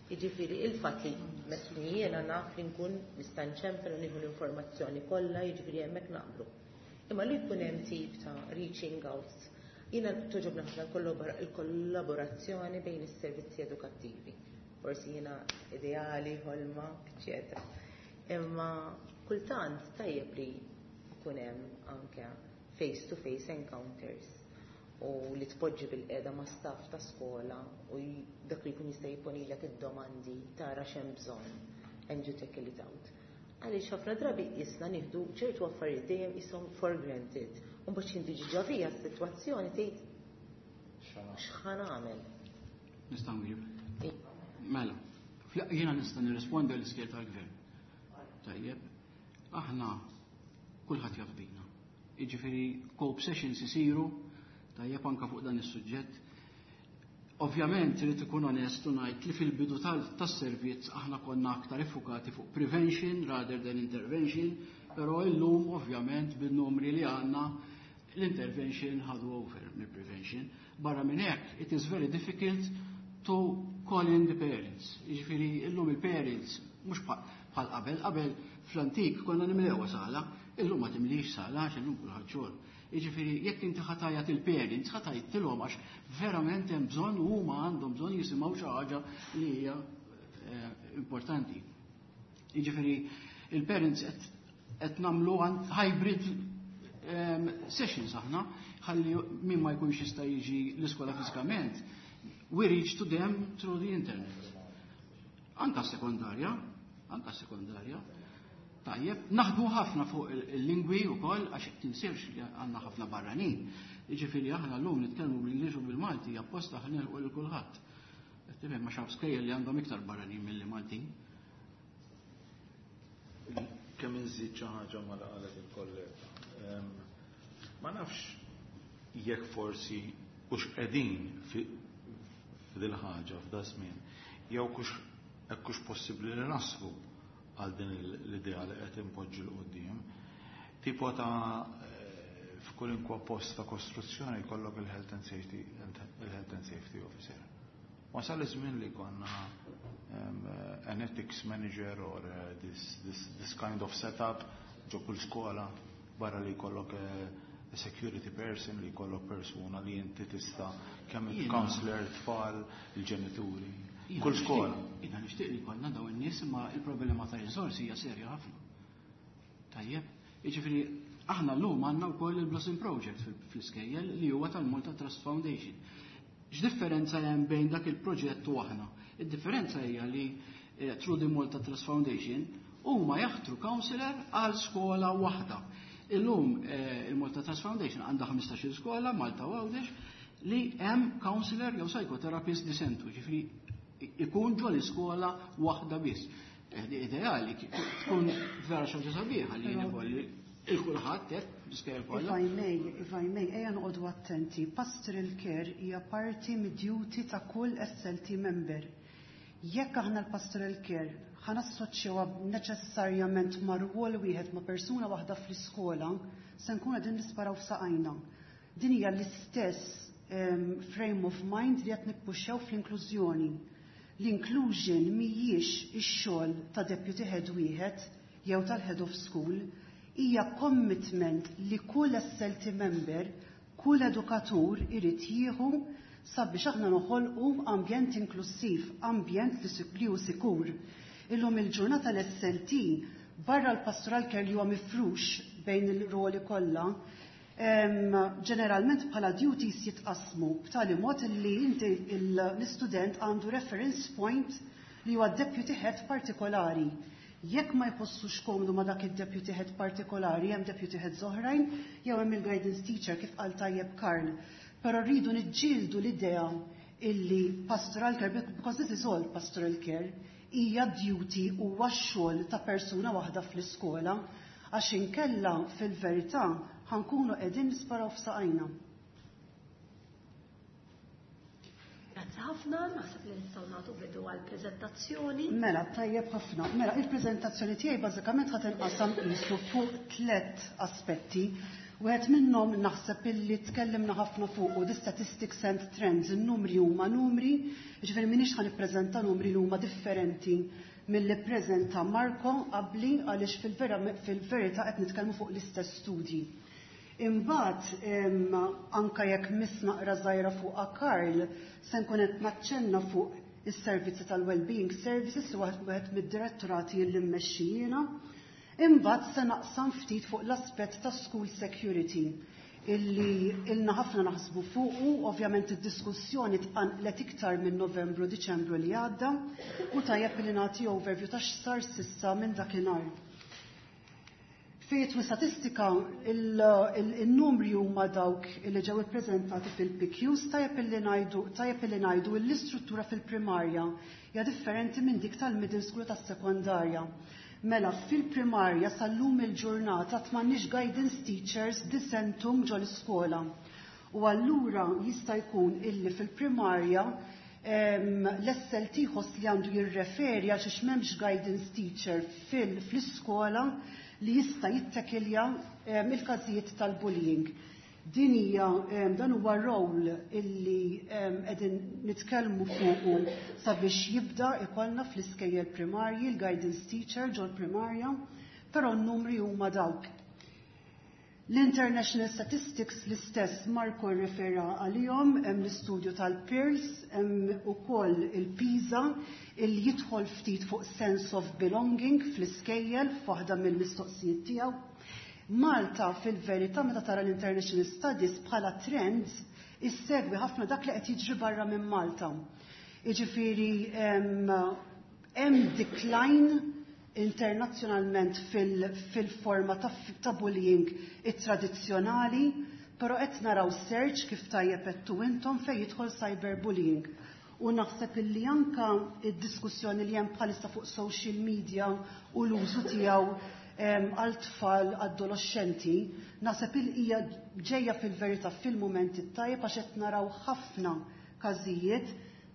Speaker 7: Jiġifieri il-fatt li mesni jiena naf li nkun nista' nċempel u nieħu l-informazzjoni kollha, jiġifieri hemmhekk naqblu. Imma li jkun hemm tip ta' reaching out, jiena togħġobni ħafna il-kollaborazzjoni bejn is-servizzi edukattivi. Forsi jiena ideali, ħolma, eċċetera. Imma kultant tajjeb li jkun hemm anke face-to-face encounters u li tpoġġi bil-qiegħda ma' staff ta' skola u dak li jkun jista' jipponilek id-domandi tara x'hemm bżonn and you tackle it out. Għaliex ħafna drabi jisna nieħdu ċertu affarijiet dejjem qishom for granted. U mbagħad xi tiġi ġo fija s-sitwazzjoni tgħid x'ħa nagħmel.
Speaker 9: Nista' nwieġeb. Mela, jiena nista' nirrispondi l-iskejjel tal-gvern. Tajjeb, aħna kulħadd jaf bina. Jiġifieri cope sessions isiru tajjeb anka fuq dan is-suġġett. Ovvjament irid ikun onest u ngħid li fil-bidu tas-servizz aħna konna aktar iffukati fuq prevention rather than intervention, però illum ovvjament bin-numri li għandna l-intervention ħadu over mill-prevention. Barra minn hekk, it is very difficult to call in the parents. Jiġifieri illum il-parents mhux bħal qabel, qabel fl-antik konna nimlewha sala, illum ma timlix sala għax illum kulħadd xogħol. Jiġifieri jekk inti ħa tgħajjat il-parents, ħa tgħidilhom għax verament hemm bżonn u huma għandhom bżonn jisimgħu xi ħaġa li hija importanti. Jiġifieri il-parents qed nagħmlu hybrid sessions aħna, ħalli min ma jkunx jista' jiġi l-iskola fiżikament, we reach to them through the internet. Anka sekondarja, anka sekondarja. Tajjeb, naħdmu ħafna fuq il-lingwi u koll, għax tinsirx li għandna ħafna barranin. Jiġifieri aħna llum nitkellmu bl-Ingliż u bil-Malti apposta ħa nilħqu lil kulħadd. Tifhem ma xaf skejjel li għandhom iktar barranin milli Maltin.
Speaker 4: Kemm inżid xi ħaġa ma qalet il-kollega. Ma nafx jekk forsi hux qegħdin f'dil ħaġa f'da żmien, jew kux hekk hux possibbli li naslu għal din l-idea li qed impoġġu 'l quddiem. Tipo ta' f'kwalunkwe post ta' kostruzzjoni jkollok il-health and safety il-health and safety officer. Wasal iż-żmien li konna um, an ethics manager or uh, this, this, this kind of setup ġo kull skola barra li jkollok uh, a security person li jkollok persuna li inti tista' kemm il-counselor, tfal, il-ġenituri. Kull skola.
Speaker 9: Jiena nixtieq li jkollna dawn in-nies imma il-problema ta' riżorsi hija serja ħafna. Tajjeb, jiġifieri aħna llum għandna wkoll il-Blossom Project fl-iskejjel li huwa tal-Malta Trust Foundation. X'differenza hemm bejn dak il-proġett u aħna? Id-differenza hija li through the Malta Trust Foundation huma jaħtru counselor għal skola waħda. Illum il-Malta Trust Foundation għandha ħmistax-il skola Malta u Għawdex li hemm counselor jew psychotherapist disentu, ġifieri ikun ġo l-iskola waħda biss. Ideali tkun vera xi ħaġa sabiħa li jien ikolli il-kulħadd hekk l-iskejjel kollha.
Speaker 8: If I may, if I may, ejja noqogħdu attenti. Pastoral care hija parti mid-duty ta' kull S L T member. Jekk aħna l-pastoral care ħa nassoċjawha neċessarjament ma' rwol wieħed, ma' persuna waħda fl-iskola, se nkun qegħdin nisparaw f'saqajna. Din hija l-istess um, frame of mind li qed nippuxxjaw fl-inklużjoni. L-inclusion mhijiex ix-xogħol ta' deputy head wieħed jew tal-head of school, hija commitment li kull S L T member, kull edukatur irid jieħu sabiex aħna noħolqu ambjent inklusiv, ambjent li hu sikur. Illum il-ġurnata l-S L T barra l-pastoral care li huwa mifrux bejn il-roli kollha, ġeneralment bħala duties jitqasmu b'tali mod li inti l-istudent għandu reference point li huwa deputy head partikolari. Jekk ma jħossux komdu ma dak il-deputy head partikolari, hemm deputy heads oħrajn, jew hemm il-guidance teacher, kif qal tajjeb Karl. Però rridu niġġieldu l-idea illi pastoral care, because this is all pastoral care, hija duty, huwa x-xogħol ta' persuna waħda fl-iskola, għax inkella fil-verità ħa nkunu qegħdin nisparaw f'saqajna.
Speaker 1: Grazzi ħafna, naħseb li nistgħu nagħtu bidu għall-preżentazzjoni.
Speaker 8: Mela, tajjeb ħafna. Mela, il-preżentazzjoni tiegħi bażikament ħa tinqasam qisu fuq tliet aspetti. Wieħed minnhom naħseb illi tkellimna ħafna fuq the statistics and trends, in-numri huma numri, jiġifieri m'iniex ħa nippreżenta numri li huma differenti milli ppreżenta Marco qabli, għaliex fil-verità qed nitkellmu fuq l-istess studji. Imbagħad, anka jekk miss naqra żgħira fuq Karl, se nkun qed naċċenna fuq is-servizzi tal-Wellbeing Services li wieħed mid-direttorati li mmexxi jiena. Imbagħad se naqsam ftit fuq l-aspett ta' school security illi ilna ħafna naħsbu fuqu, ovvjament id-diskussjoni tqanqlet iktar minn Novembru, Diċembru li għadda, u tajjeb li nagħti overview ta' x'sar s'issa minn dakinhar. Fejn statistika, il-numri huma dawk li ġew ippreżentati fil-P Qs. tajjeb li ngħidu tajjeb li ngħidu l-istruttura fil-primarja hija differenti minn dik tal-middle school, tas-sekondarja. Mela, fil-primarja sal-lum il-ġurnata m'għandniex guidance teachers disentum ġol iskola. U allura jista' jkun illi fil-primarja l-S L T jħoss li għandu jirreferi għal xiex m'hemmx guidance teacher fil-iskola li jista' jittekilja il-każijiet tal-bullying. Din hija dan huwa role illi qegħdin nitkellmu fuqu sabiex jibda ikollna fl-iskejjel primarji l-guidance teacher ġol primarja, però n-numri huma dawk. L-International Statistics l-istess, Marco refera għalihom, hemm l-istudju tal-Pirls, hemm ukoll il-PISA il jidħol ftit fuq sense of belonging fl-iskejjel f'waħda mill-mistoqsijiet tiegħu. Malta fil-verità, meta tara l-International Studies bħala trends, issegwi ħafna dak li qed jiġri barra minn Malta. Jiġifieri hemm decline internazzjonalment fil-forma ta', ta bullying it-tradizzjonali, però qed naraw surge, kif tajjeb għedtu intom, fejn jidħol cyberbullying. U naħseb illi anka id-diskussjoni li hemm bħalissa fuq social media u l-użu tiegħu għal tfal adolescenti, naħseb il hija ġejja fil-verità fil-mument it-tajjeb, għax qed naraw ħafna każijiet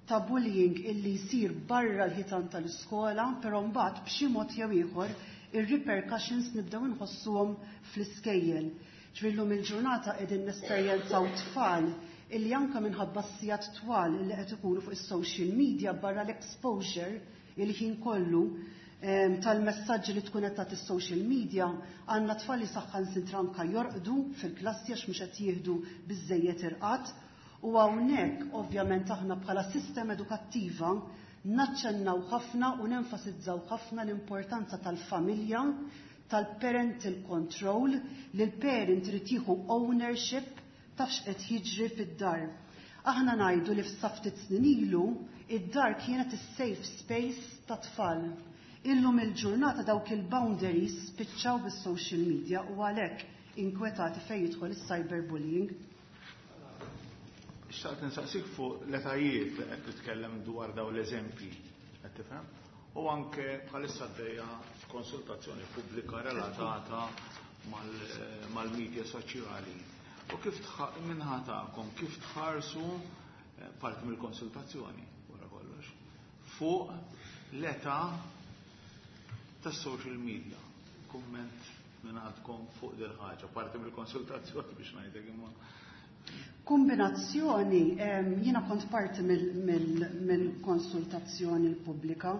Speaker 8: ta' bullying illi jsir barra l-ħitan tal-iskola, però mbagħad b'xi mod jew ieħor ir-repercussions nibdew inħossuhom fl-iskejjel. Ġvillum il-ġurnata qegħdin nesperjenzaw tfal illi anka minħabba sigħat twal illi qed ikunu fuq is-social media, barra l-exposure il-ħin kollu tal-messaġġi li tkun qed tagħti social media, għandna tfal li saħansitra anka jorqdu fil-klassi għax mhux qed jieħdu biżejjed irqad. U hawnhekk ovvjament aħna bħala sistema edukattiva naċċennaw ħafna u nenfasizzaw ħafna l-importanza tal-familja, tal-parental control, li l-parent irid jieħu ownership taf x'qed jiġri fid-dar. Aħna ngħidu li sa ftit snin ilu id-dar kienet is-safe space ta' tfal. Illum il-ġurnata dawk il-boundaries spiċċaw bis-social media u għalhekk inkwetati fejn jidħol is-cyberbullying.
Speaker 4: Xtaqt nsaqsik fuq l-etajiet li qed titkellem dwar daw l-eżempji, qed tifhem? U anke bħalissa għaddejja konsultazzjoni pubblika relatata mal-media soċjali. U kif min-naħa tagħkom, kif tħarsu parti mill-konsultazzjoni, wara kollox, fuq l-età tas-social media. Kumment minn għandkom fuq dil ħaġa, parti mill-konsultazzjoni biex ngħidlek imma.
Speaker 8: Kombinazzjoni, jiena kont parti mill-konsultazzjoni pubblika.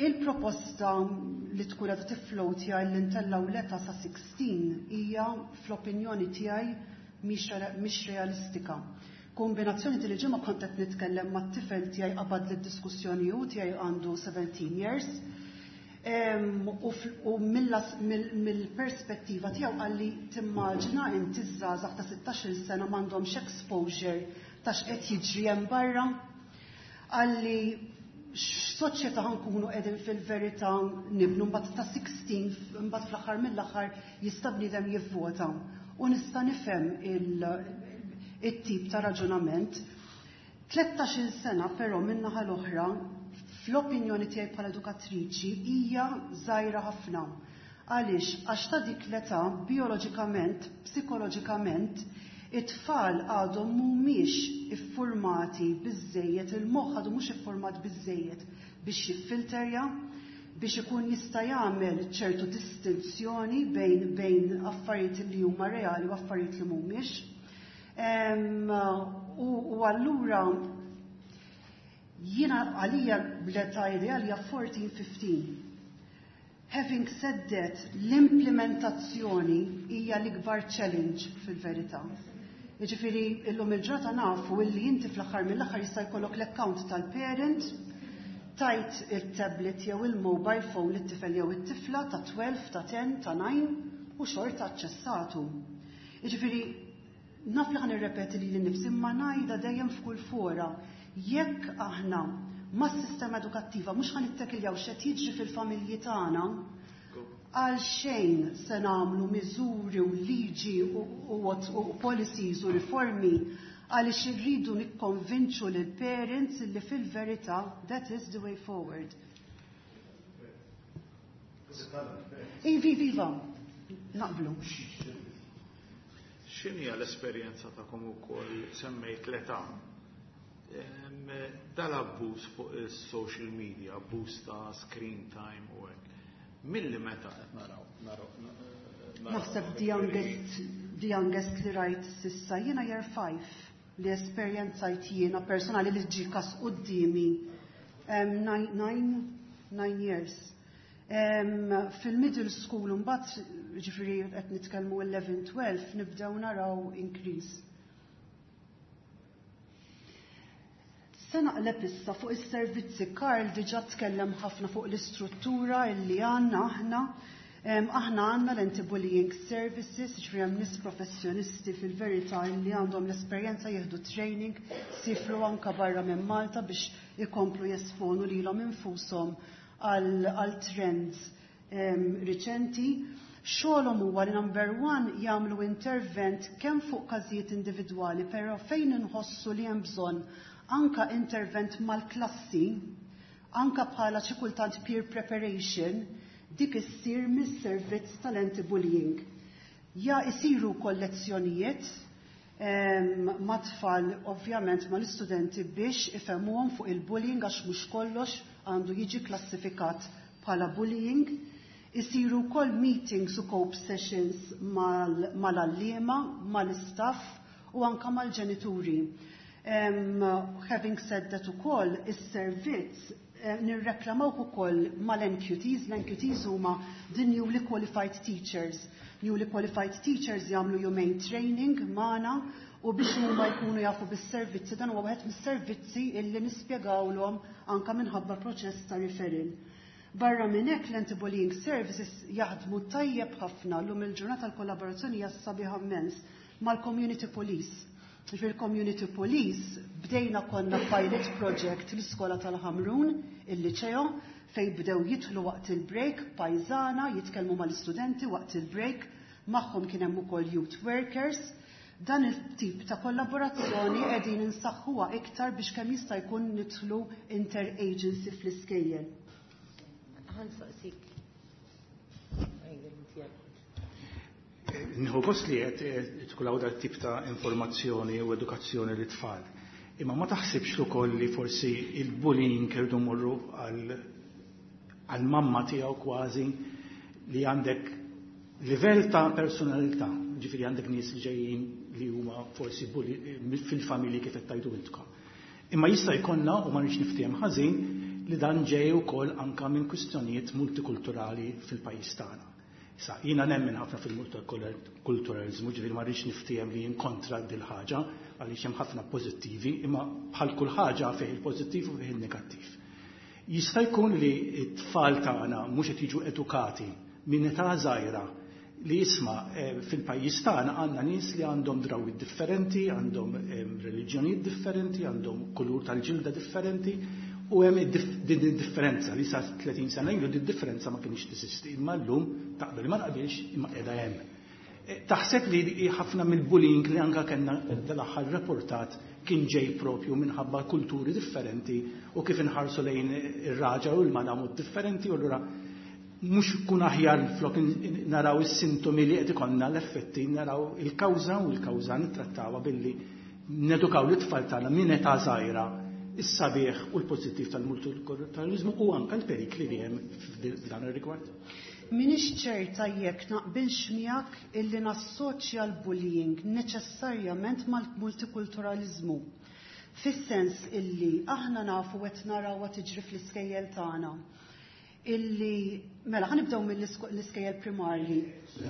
Speaker 8: Il-proposta li tkun qed tifflowtja li ntellgħu l-età sa sixteen hija fl-opinjoni tiegħi mhix realistika. Kombinazzjoni li ġimgħa kont qed nitkellem mat-tifel tiegħi qabad lid-diskussjoni hu tiegħi għandu seventeen years. U mill-perspettiva tiegħu qalli timmaġina inti żgħażagħ ta' sittax-il sena m'għandhomx exposure ta' x'qed jiġri hemm barra. Qalli x'soċjetà ħankunu qegħdin fil-verità nibnu mbagħad ta' sixteen mbagħad fl-aħħar mill-aħħar jista' bniedem jivvota. U nista' nifhem it-tip ta' raġunament. Tlettax-il sena però min-naħa l-oħra fl-opinjoni tiegħi bħala edukatriċi hija żgħira ħafna. Għaliex? Għax ta' dik l-età bioloġikament, psikoloġikament, it-tfal għadhom mhumiex iffurmati biżżejjed, il-moħħ għadu mhux iffurmat biżżejjed biex jiffilterja, biex ikun jista' jagħmel ċertu distinzjoni bejn bejn affarijiet li huma reali u affarijiet li mhumiex. U allura jiena għalija l-età ideali hija fourteen fifteen. Having said that, l-implementazzjoni hija l-ikbar challenge fil-verità. Jiġifieri illum il-ġrata nafu illi inti fl-aħħar mill-aħħar jista' jkollok l-account tal-parent, tajt il-tablet jew il-mobile phone lit-tifel jew it-tifla ta' twelve, ta' ten, ta' nine u xorta aċċessatu. Jiġifieri naf li ħa nirrepeti lili nnifsi imma ngħidha dejjem f'kull fora. Jekk aħna mas-sistema edukattiva mhux ħa nittekiljaw x'qed jiġri fil-familji tagħna, għal xejn se nagħmlu miżuri u liġi u policies u riformi għaliex irridu nikkonvinċu lil parents li fil-verità that is the way forward. Ivi, viva, naqblu.
Speaker 4: X'inhi l-esperjenza tagħkom ukoll semmejt l-età? Dal-abbuż fuq is-social media, abbuż ta' screen time u hekk. Milli meta qed naraw?
Speaker 8: Naħseb the youngest, the youngest li rajt sissa jiena year five li esperjenzajt jiena personali li ġie kas quddiemi nine, nine, nine years. Fil-middle school mbagħad ġifieri qed nitkellmu eleven, twelve nibdew naraw increase. Se naqleb issa fuq is-servizzi. Karl diġà tkellem ħafna fuq l-istruttura illi għandna aħna. Aħna għandna l-anti-bullying services, ġifieri hemm nies professjonisti fil-verità illi għandhom l-esperjenza jieħdu training, sifru anka barra minn Malta biex ikomplu jesponu lilhom infushom għal trends riċenti. Xogħolhom huwa li number one jagħmlu intervent kemm fuq każijiet individwali, però fejn inħossu li hemm bżonn anka intervent mal-klassi, anka bħala xi kultant peer preparation, dik issir mis-servizz tal-anti-bullying. Ja isiru kollezzjonijiet ma' tfal ovvjament mal-istudenti biex ifhmuhom fuq il-bullying għax mhux kollox għandu jiġi klassifikat bħala bullying. Isiru wkoll meetings u cope sessions mal-għalliema, mal-istaff u anka mal-ġenituri. Um, having said that ukoll, is-servizz eh, nirreklamaw ukoll mal-N Q Ts. L-N Q Ts huma the newly qualified teachers. Newly qualified teachers jagħmlu jumejn training magħna u biex huma jkunu jafu bis-servizzi, dan huwa wieħed mis-servizzi illi nispjegawlhom anka minħabba proċess ta' referral. Barra minn hekk l-anti-bullying services jaħdmu tajjeb ħafna llum il-ġurnata l-kollaborazzjoni hija sabiħa immens mal-community police. Fil-community police bdejna konna pilot project l-iskola tal-Ħamrun, il-liceo, fej bdew jidħlu waqt il-break, pajzana, jitkellmu mal-istudenti waqt il-break, magħhom kien hemm ukoll youth workers Dan il-tip ta' kollaborazzjoni qegħdin insaħħuha iktar biex kemm jista' jkun nidħlu inter-agency fl-iskejjel.
Speaker 7: Ħa nsaqsik.
Speaker 6: Nieħu gost li qed tkun hawn dat tip ta' informazzjoni u edukazzjoni lit-tfal. Imma ma taħsibx ukoll li forsi il-bullying irdu morru għal mamma tiegħu kważi li għandek livell ta' personalità, ġifieri għandek nies li ġejjin li huma forsi fil-familji kif qed tgħidu intkom. Imma jista' jkollna u ma rridx niftiehem ħażin li dan ġej ukoll anka minn kwistjonijiet multikulturali fil-pajjiż tagħna. Issa, jiena nemmen ħafna fil-multikulturalizmu, ġifieri ma rridx niftiehem li jien kontra dil ħaġa għaliex hemm ħafna pożittivi, imma bħal kull ħaġa fih il-pożittiv u fih il-negattiv. Jista' jkun li t-tfal tagħna mhux qed jiġu edukati minn età żgħira li jisma' fil-pajjiż tagħna għandna nies li għandhom drawwiet differenti, għandhom reliġjonijiet differenti, għandhom kulur tal-ġilda differenti, u hemm din id-differenza li sa tletin sena ilu din differenza ma kienx teżisti, imma llum taqbel ma taqbilx imma qiegħda hemm. Taħseb li ħafna mill-bullying li anka kellna dal-aħħar rapportat kien ġej propju minħabba kulturi differenti u kif inħarsu lejn ir-raġa u l-mara mod differenti, u allura mhux kun aħjar flok naraw is-sintomi li qed ikollna l-effetti, naraw il-kawża u l-kawża nittrattawha billi nedukaw l-itfal tagħna minn età żgħira is-sabiħ u l-pożittiv tal-multikulturalizmu u anka l-perikli li hemm f'dan ir-rigward.
Speaker 8: Minix ċerta jekk naqbilx miegħek illi nassoċja l-bullying neċessarjament mal-multikulturalizmu. Fis-sens illi aħna nafu qed narawha tiġri fl-iskejjel tagħna. Illi mela ħa nibdew mill-iskejjel primarji.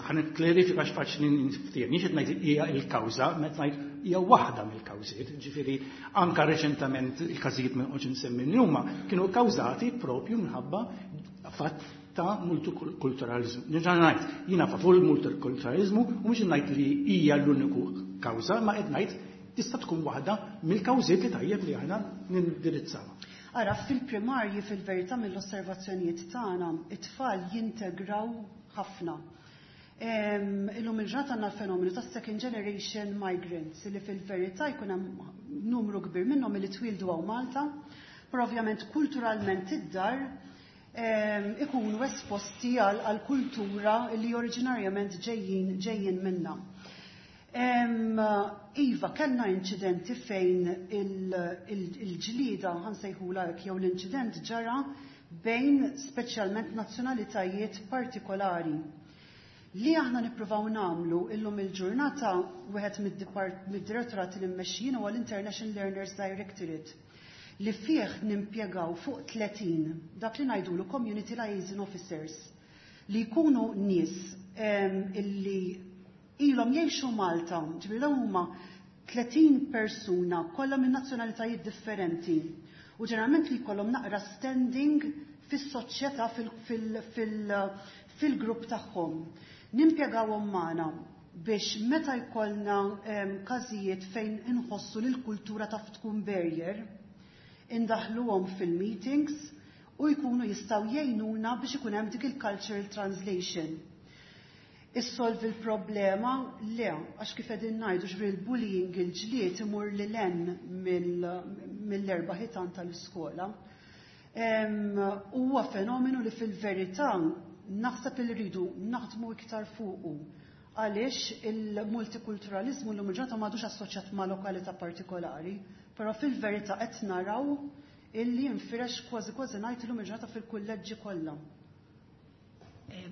Speaker 6: Ħa nikklarifika x'faċli niftiehem. Mhix qed ngħid hija l-kawża, meta ngħid hija waħda mill-kawżiet. Ġifieri anka reċentament il-każijiet minn qogħod insemmi huma kienu kkawżati propju minħabba fatt ta' multikulturalizmu. Nerġa' ngħid, jiena favur il-multikulturalizmu u mhux ngħid li hija l-uniku kawża, ma qed ngħid tista' tkun waħda mill-kawżiet li tajjeb li aħna nindirizzawha.
Speaker 8: Ara, fil-primarji fil-verità mill-osservazzjonijiet tagħna, it-tfal jintegraw ħafna. Illum il-ġurnata għandna l-fenomenu ta' second generation migrants li fil-verità jkun hemm numru kbir minnhom li twildu hawn Malta, però ovvjament kulturalment id-dar ikunu esposti għal kultura li oriġinarjament ġejjin ġejjin minna. Iva, kellna inċidenti fejn il-ġlida, ħansejħula hekk, jew l-inċident ġara bejn speċjalment nazzjonalitajiet partikolari. Li aħna nippruvaw nagħmlu illum il-ġurnata wieħed mid-direttorat li mmexxin huwa l-International Learners Directorate li fih nimpjegaw fuq tletin dak li ngħidulu Community Liaison Officers li jkunu nies illi ilhom jgħixu Malta, ġifieri dawn huma tletin persuna kollha minn nazzjonalitajiet differenti u ġeneralment li jkollhom naqra standing fis-soċjetà fil-grupp tagħhom. Nimpjegawhom magħna biex meta jkollna każijiet fejn inħossu li l-kultura taf tkun barrier, indaħluhom fil-meetings u jkunu jistgħu jgħinuna biex ikun hemm dik il-cultural translation. Issolvi l-problema? Le, għax kif qegħdin ngħidu ġifieri l-bullying il-ġlied imur lil hemm mill-erba' ħitan tal-iskola. Huwa fenomenu li fil-verità naħseb li rridu naħdmu iktar fuqu għaliex il-multikulturalizmu llum il-ġurnata m'għadux assoċjat ma' lokalità partikolari, però fil-verità qed naraw illi jinfirex kważi kważi ngħid illum il-ġurnata fil-kulleġġi kollha.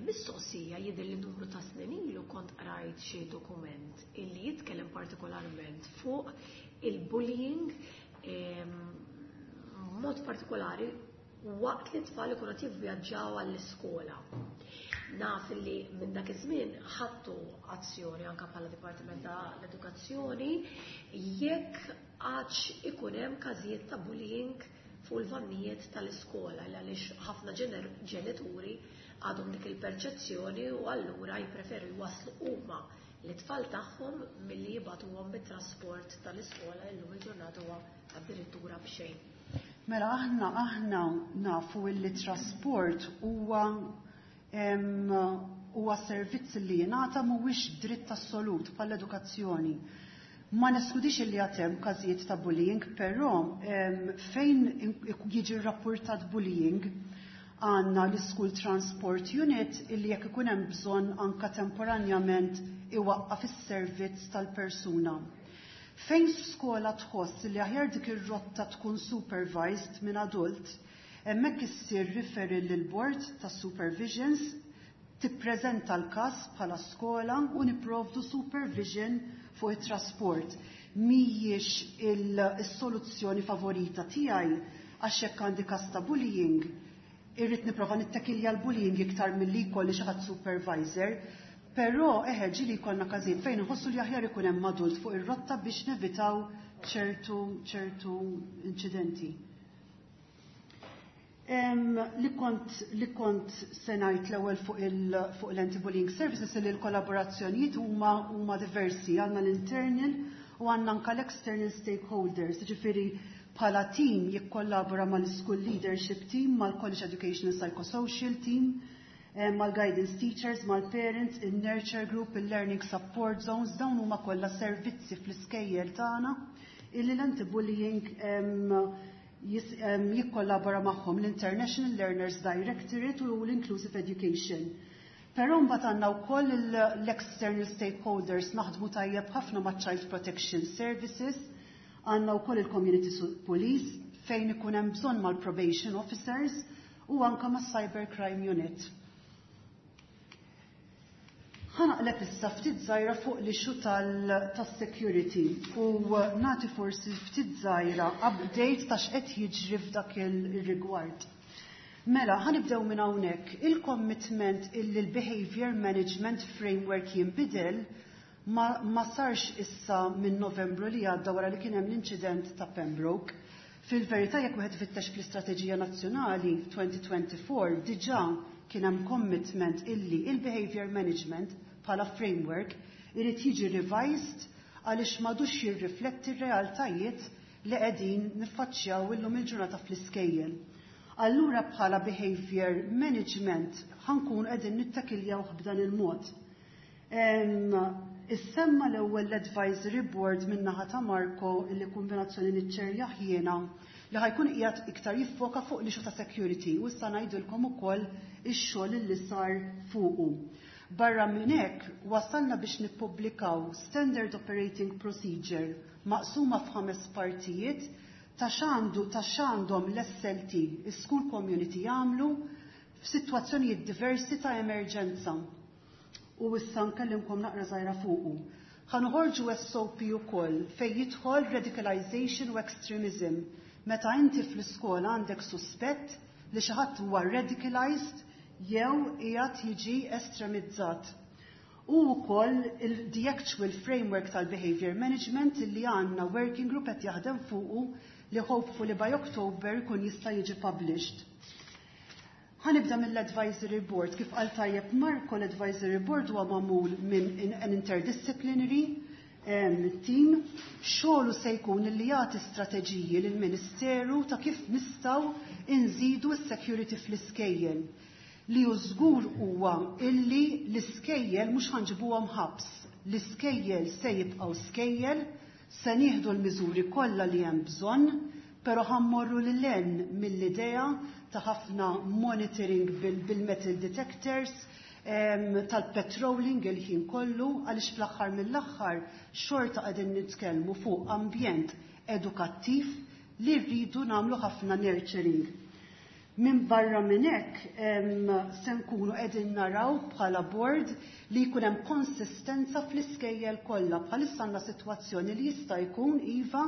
Speaker 1: Mistoqsija, jidher li numru ta' snin ilu kont qrajt xi dokument illi jitkellem partikolarment fuq il-bullying mod partikolari waqt li t-tfal ikunu qed jivvjaġġaw għall-iskola. Naf li minn dak iż-żmien ħadtu azzjoni anke bħala Dipartiment tal-Edukazzjoni jekk għadx ikun hemm każijiet ta' bullying fuq il-vannijiet tal-iskola għaliex ħafna ġenituri għadhom dik il-perċezzjoni u allura jippreferu jwasslu huma l-tfal tagħhom milli jibgħatuhom bit-trasport tal-iskola illum il-ġurnata huwa addirittura b'xejn.
Speaker 8: Mela aħna aħna nafu li trasport huwa huwa servizz li jingħata mhuwiex dritt assolut bħall-edukazzjoni. Ma neskludix li għad hemm każijiet ta' bullying, però fejn jiġi rapportat bullying għandna l-School Transport Unit illi jekk ikun hemm bżonn anka temporanjament iwaqqaf is-servizz tal-persuna. Fejn skola tħoss li aħjar dik ir-rotta tkun supervised minn adult, hemmhekk issir referral lil board ta' supervisions, tippreżenta l-każ bħala skola u nipprovdu supervision fuq it-trasport. Mhijiex il-soluzzjoni favorita tiegħi, għax jekk għandi każ ta' bullying, irrid nipprova nittakilja l-bullying iktar milli jkolli xi ħadd supervisor, però eħe ġieli jkollna każijiet fejn nħossu li aħjar ikun hemm adult fuq ir-rotta biex nevitaw ċertu ċertu inċidenti. Li kont li kont se ngħid l-ewwel fuq il fuq l-anti-bullying services, li l-kollaborazzjonijiet huma huma diversi, għandna l-internal u għandna anka l-external stakeholders, ġifieri bħala team jikkollabora mal-school leadership team, mal-college education and psychosocial team, mal-guidance teachers, mal-parents, il-nurture group, il-learning support zones. Dawn huma kollha servizzi fl-iskejjel tagħna illi l-anti-bullying jikkollabora magħhom, l-International Learners Directorate u l-Inclusive Education. Però mbagħad għandna wkoll l-external stakeholders. Naħdmu tajjeb ħafna ma' Child Protection Services, għandna wkoll il-Community Police, fejn ikun hemm bżonn mal-probation officers u anka ma' Cyber Crime Unit. Ħa naqleb issa ftit żgħira fuq l-issue tas-security u nagħti forsi ftit żgħira update ta' x'qed jiġri f'dak il-rigward. Mela, ħa nibdew minn hawnhekk. Il-commitment illi l-Behavior Management Framework jinbidel ma, ma sarx issa minn Novembru li għadda wara li kien hemm l-inċident ta' Pembroke. Fil-verità, jekk wieħed fittex fl-Istrateġija Nazzjonali elfejn u erbgħa u għoxrin, diġà kien hemm commitment illi il-behavior management bħala framework irid jiġi revised għaliex m'għadux jirrifletti r-realtajiet li qegħdin niffaċċjaw illum il-ġurnata fl-iskejjel. Allura bħala behavior management ħa nkun qegħdin nittakiljaw b'dan il-mod. Issemma l-ewwel l-advisory board min-naħa ta' Marco, illi kombinazzjoni niċċerjah jiena, li ħa jkun qiegħed iktar jiffoka fuq l-issue ta' security, u issa ngħidulkom ukoll ix-xogħol li sar fuqu. Barra minn hekk, wasalna biex nippubblikaw Standard Operating Procedure maqsuma f'ħames partijiet ta' x'għandu ta' x'għandhom l-S L T, is-school community, jagħmlu f'sitwazzjonijiet diversi ta' emerġenza. U issa nkellimkom naqra żgħira fuqu. Ħa noħorġu S O P ukoll fejn jidħol radicalization u extremism. Meta inti fl-iskola għandek suspett li xi ħadd huwa radicalized jew qiegħed jiġi estremizzat. U wkoll the actual framework tal-behavior management li għandna working group qed jaħdem fuqu, li hopefully by October kun jista' jiġi published. Ħa nibda mill-advisory board. Kif qal tajjeb Marco, l-advisory board huwa magħmul minn an interdisciplinary team. Xogħlu se jkun li jagħti strateġiji lill-Ministeru ta' kif nistgħu inżidu s-security fl-iskejjel. Li hu żgur huwa illi l-iskejjel mhux ħa nġibuhom ħabs. L-iskejjel se jibqgħu skejjel, se nieħdu l-miżuri kollha li hemm bżonn, però ħa mmorru lil hinn mill-idea ta' ħafna monitoring bil-metal detectors, tal-patrolling il-ħin kollu, għaliex fl-aħħar mill-aħħar xorta qegħdin nitkellmu fuq ambjent edukattiv li rridu nagħmlu ħafna nurturing. Minn barra minn hekk, se nkunu qegħdin naraw bħala board li jkun hemm konsistenza fl-iskejjel kollha. Bħalissa għandna sitwazzjoni li jista' jkun, iva,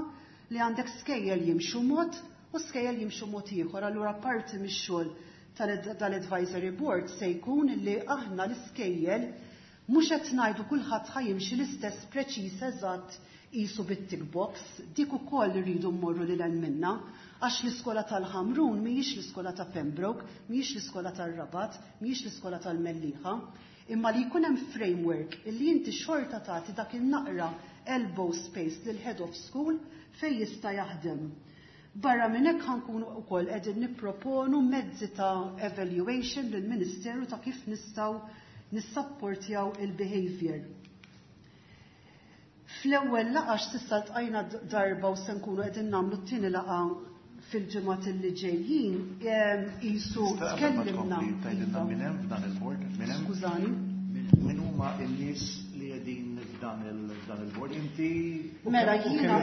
Speaker 8: li għandek skejjel jimxu mod u skejjel jimxu mod ieħor. Allura parti mix-xogħol tal-advisory board se jkun li aħna l-iskejjel mhux qed ngħidu kulħadd ħa jimxi l-istess preċiż eżatt qisu bit-tick box, dik ukoll irridu mmorru lil minna, għax l-iskola tal-Ħamrun mhijiex l-iskola ta' Pembroke, mhijiex l-iskola tal-Rabat, mhijiex l-iskola tal-Mellieħa, imma li jkun hemm framework illi inti xorta tagħti dak il-naqra elbow space lil head of school fejn jista' jaħdem. Barra minn hekk, ħa nkunu wkoll qegħdin nipproponu mezzi ta' evaluation lill-Ministeru ta' kif nistgħu nissapportjaw il-behavior. Fl-ewwel laqgħa s'issa ltqajna darba u se nkunu qegħdin nagħmlu t-tieni laqgħa fil-ġimgħat li ġejjin, qisu tkellimna.
Speaker 2: Tgħidilna min hemm f'dan il-board? Min hemm?
Speaker 8: Skużani.
Speaker 2: Min huma n-nies li qegħdin f'dan il-board? Inti
Speaker 8: Mela jiena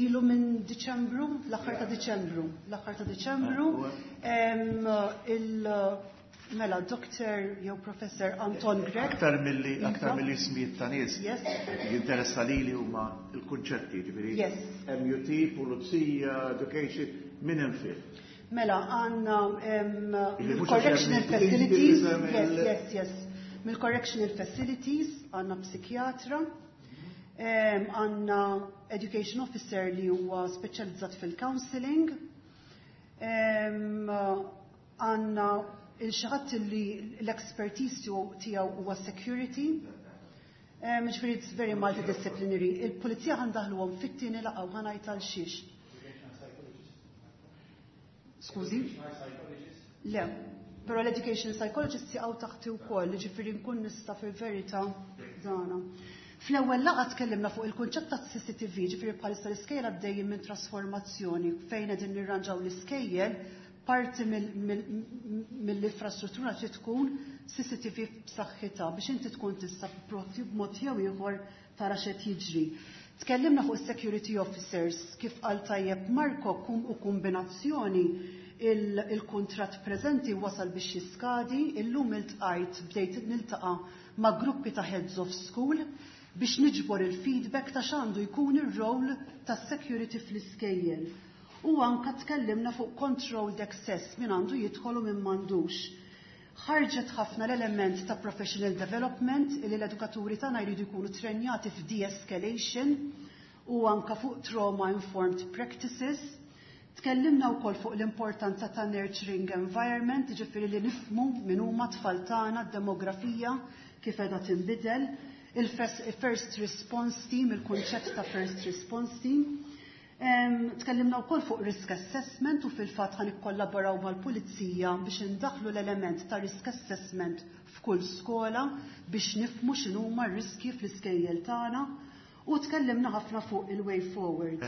Speaker 8: ilu minn Diċembru, l-aħħar ta' Diċembru, l-aħħar ta' Diċembru, il Mela, Doktor jew Professor Anton Grech.
Speaker 2: Aktar milli aktar milli ismijiet ta' nies. Jinteressa lili huma l-kunċetti, ġifieri. M U T, Pulizija, Education, min hemm fih?
Speaker 8: Mela, għandna mill-Correctional Facilities, yes, yes, yes. Mill-Correctional Facilities għandna psikjatra, għandna Education Officer li huwa speċjalizzat fil-counseling, għandna lil xi ħadd li l-expertise tiegħu huwa security. Ġifieri it's very multidisciplinary. Il-pulizija ħa ndaħħluhom fit-tieni laqgħa u ħa ngħid għal xiex. Skużi? Le, però l-education psychologist jaqgħu taħti wkoll, ġifieri nkun nista' fil-verità dana. Fl-ewwel laqgħa tkellimna fuq il-kunċett ta' C C T V, ġifieri bħalissa l-iskejjel għaddejjin minn trasformazzjoni fejn qegħdin nirranġaw l-iskejjel, parti mill-infrastruttura trid tkun C C T V b'saħħitha biex inti tkun tista' b'mod jew ieħor tara x'qed jiġri. Tkellimna fuq security officers, kif qal tajjeb Marko, kum u kombinazzjoni il-kontrat preżenti wasal biex jiskadi, illum iltqajt, bdejt niltaqa' ma' gruppi ta' heads of school biex niġbor il-feedback ta' x'għandu jkun ir-role tas security fl-iskejjel. U anka tkellimna fuq controlled access, min għandu jidħol u min m'għandux. Ħarġet ħafna l-element ta' professional development, li l-edukaturi tagħna jridu jkunu trenjati f'de-escalation u anka fuq trauma informed practices. Tkellimna wkoll fuq l-importanza ta' nurturing environment, ġifieri li nifhmu min huma tfal tagħna, demografija kif qiegħda tinbidel, il-first response team, il-kunċett ta' first response team. Tkellimna wkoll fuq risk assessment u fil-fatt ħa nikkollaboraw mal-pulizija biex indaħlu l-element ta' risk assessment f'kull skola biex nifhmu x'inhuma r-riski fl-iskejjel tagħna u tkellimna ħafna fuq il-way forward.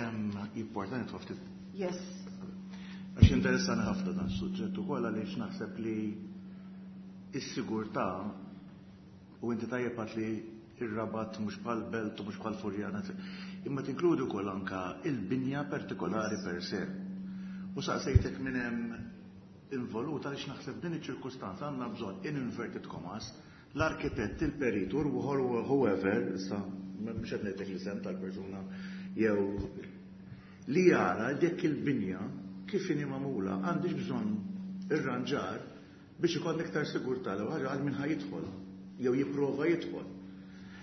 Speaker 2: Importanti ftit.
Speaker 8: Yes.
Speaker 2: Għax interessani ħafna dan suġġett ukoll, għaliex naħseb li s-sigurtà, u inti tajjeb li ir-Rabat mhux bħal Belt u mhux bħal Furjana, imma tinkludi wkoll anka il-binja partikolari per se. U saqsejtek minn hemm involuta għaliex naħseb din iċ-ċirkustanza għandna bżonn, in inverted commas, l-arkitett, il-perit, or whoever, issa mhux qed ngħidlek l-isem tal-persuna jew li jara dik il-binja kif inhi magħmula, għandix bżonn irranġar biex ikoll iktar sigurtà l ħaġa għal min ħa jidħol jew jipprova jidħol.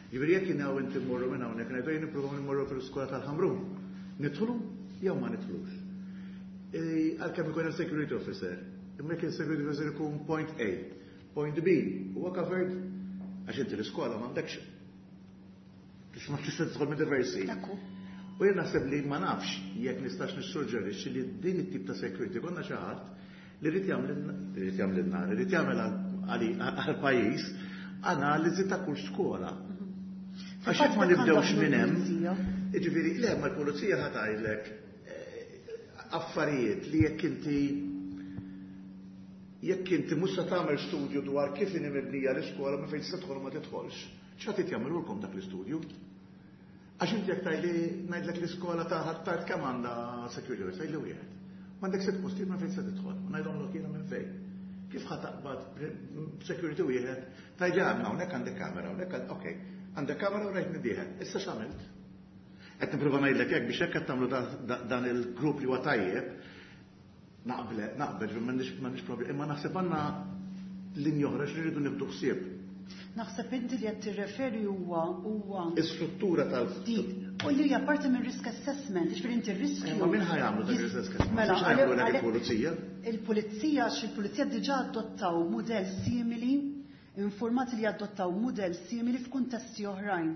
Speaker 2: Ġifieri jekk jien inti mmorru minn hawnhekk ngħidu jien nippruvaw nimmorru fil-iskola tal-Ħamrun. Nidħlu jew ma nidħlux? E, għalkemm ikun hemm security officer, imma jekk il-security officer ikun point A, point B, huwa covered, għax inti l-iskola m'għandekx ma tista' tidħol minn diversi. U jien naħseb li ma nafx jekk nistax nissuġġerixxi li din it-tip ta' security konna xi ħadd li rrid jagħmel rrid jagħmel rrid jagħmel għall-pajjiż analiżi ta' kull skola. Għax jekk ma nibdewx minn hemm, jiġifieri le, ma l-pulizija ħa tgħidlek eh, affarijiet li jekk inti jekk inti mhux se tagħmel studju dwar kif inhi mibnija l-iskola, ma fejn tista' tidħol ma tidħolx. X'ħadd jagħmlulkom dak l-istudju? Għax inti jekk tgħidli, ngħidlek l-iskola ta' Ħ'Attard kemm għandha security, tgħidli wieħed. M'għandek sitt postijiet ma fejn se tidħol, u ngħidhomlok jiena minn fejn. Kif ħa taqbad security wieħed, tgħidli għandna hawnhekk għandek kamera, hawnhekk, okej, għandek kamera u rajt dieħel. Issa x'għamilt? Qed nipprova ngħidlek hekk biex hekk qed tagħmlu dan il-grupp li huwa tajjeb, naqbel, naqbel, m'għandix problemi, imma naħseb għandna linja oħra xi rridu nibdu ħsieb.
Speaker 8: Naħseb inti li qed tirreferi huwa huwa
Speaker 2: Is-struttura tal
Speaker 8: dik. U li hija parti minn risk assessment, ġifieri inti r-riskju.
Speaker 2: Ma min ħa jagħmlu dak risk assessment?
Speaker 8: Mela,
Speaker 2: Mela, jagħmlu il-pulizija?
Speaker 8: Il-pulizija, għax il-pulizija diġà adottaw mudell simili, informati li adottaw mudell simili f'kuntesti oħrajn.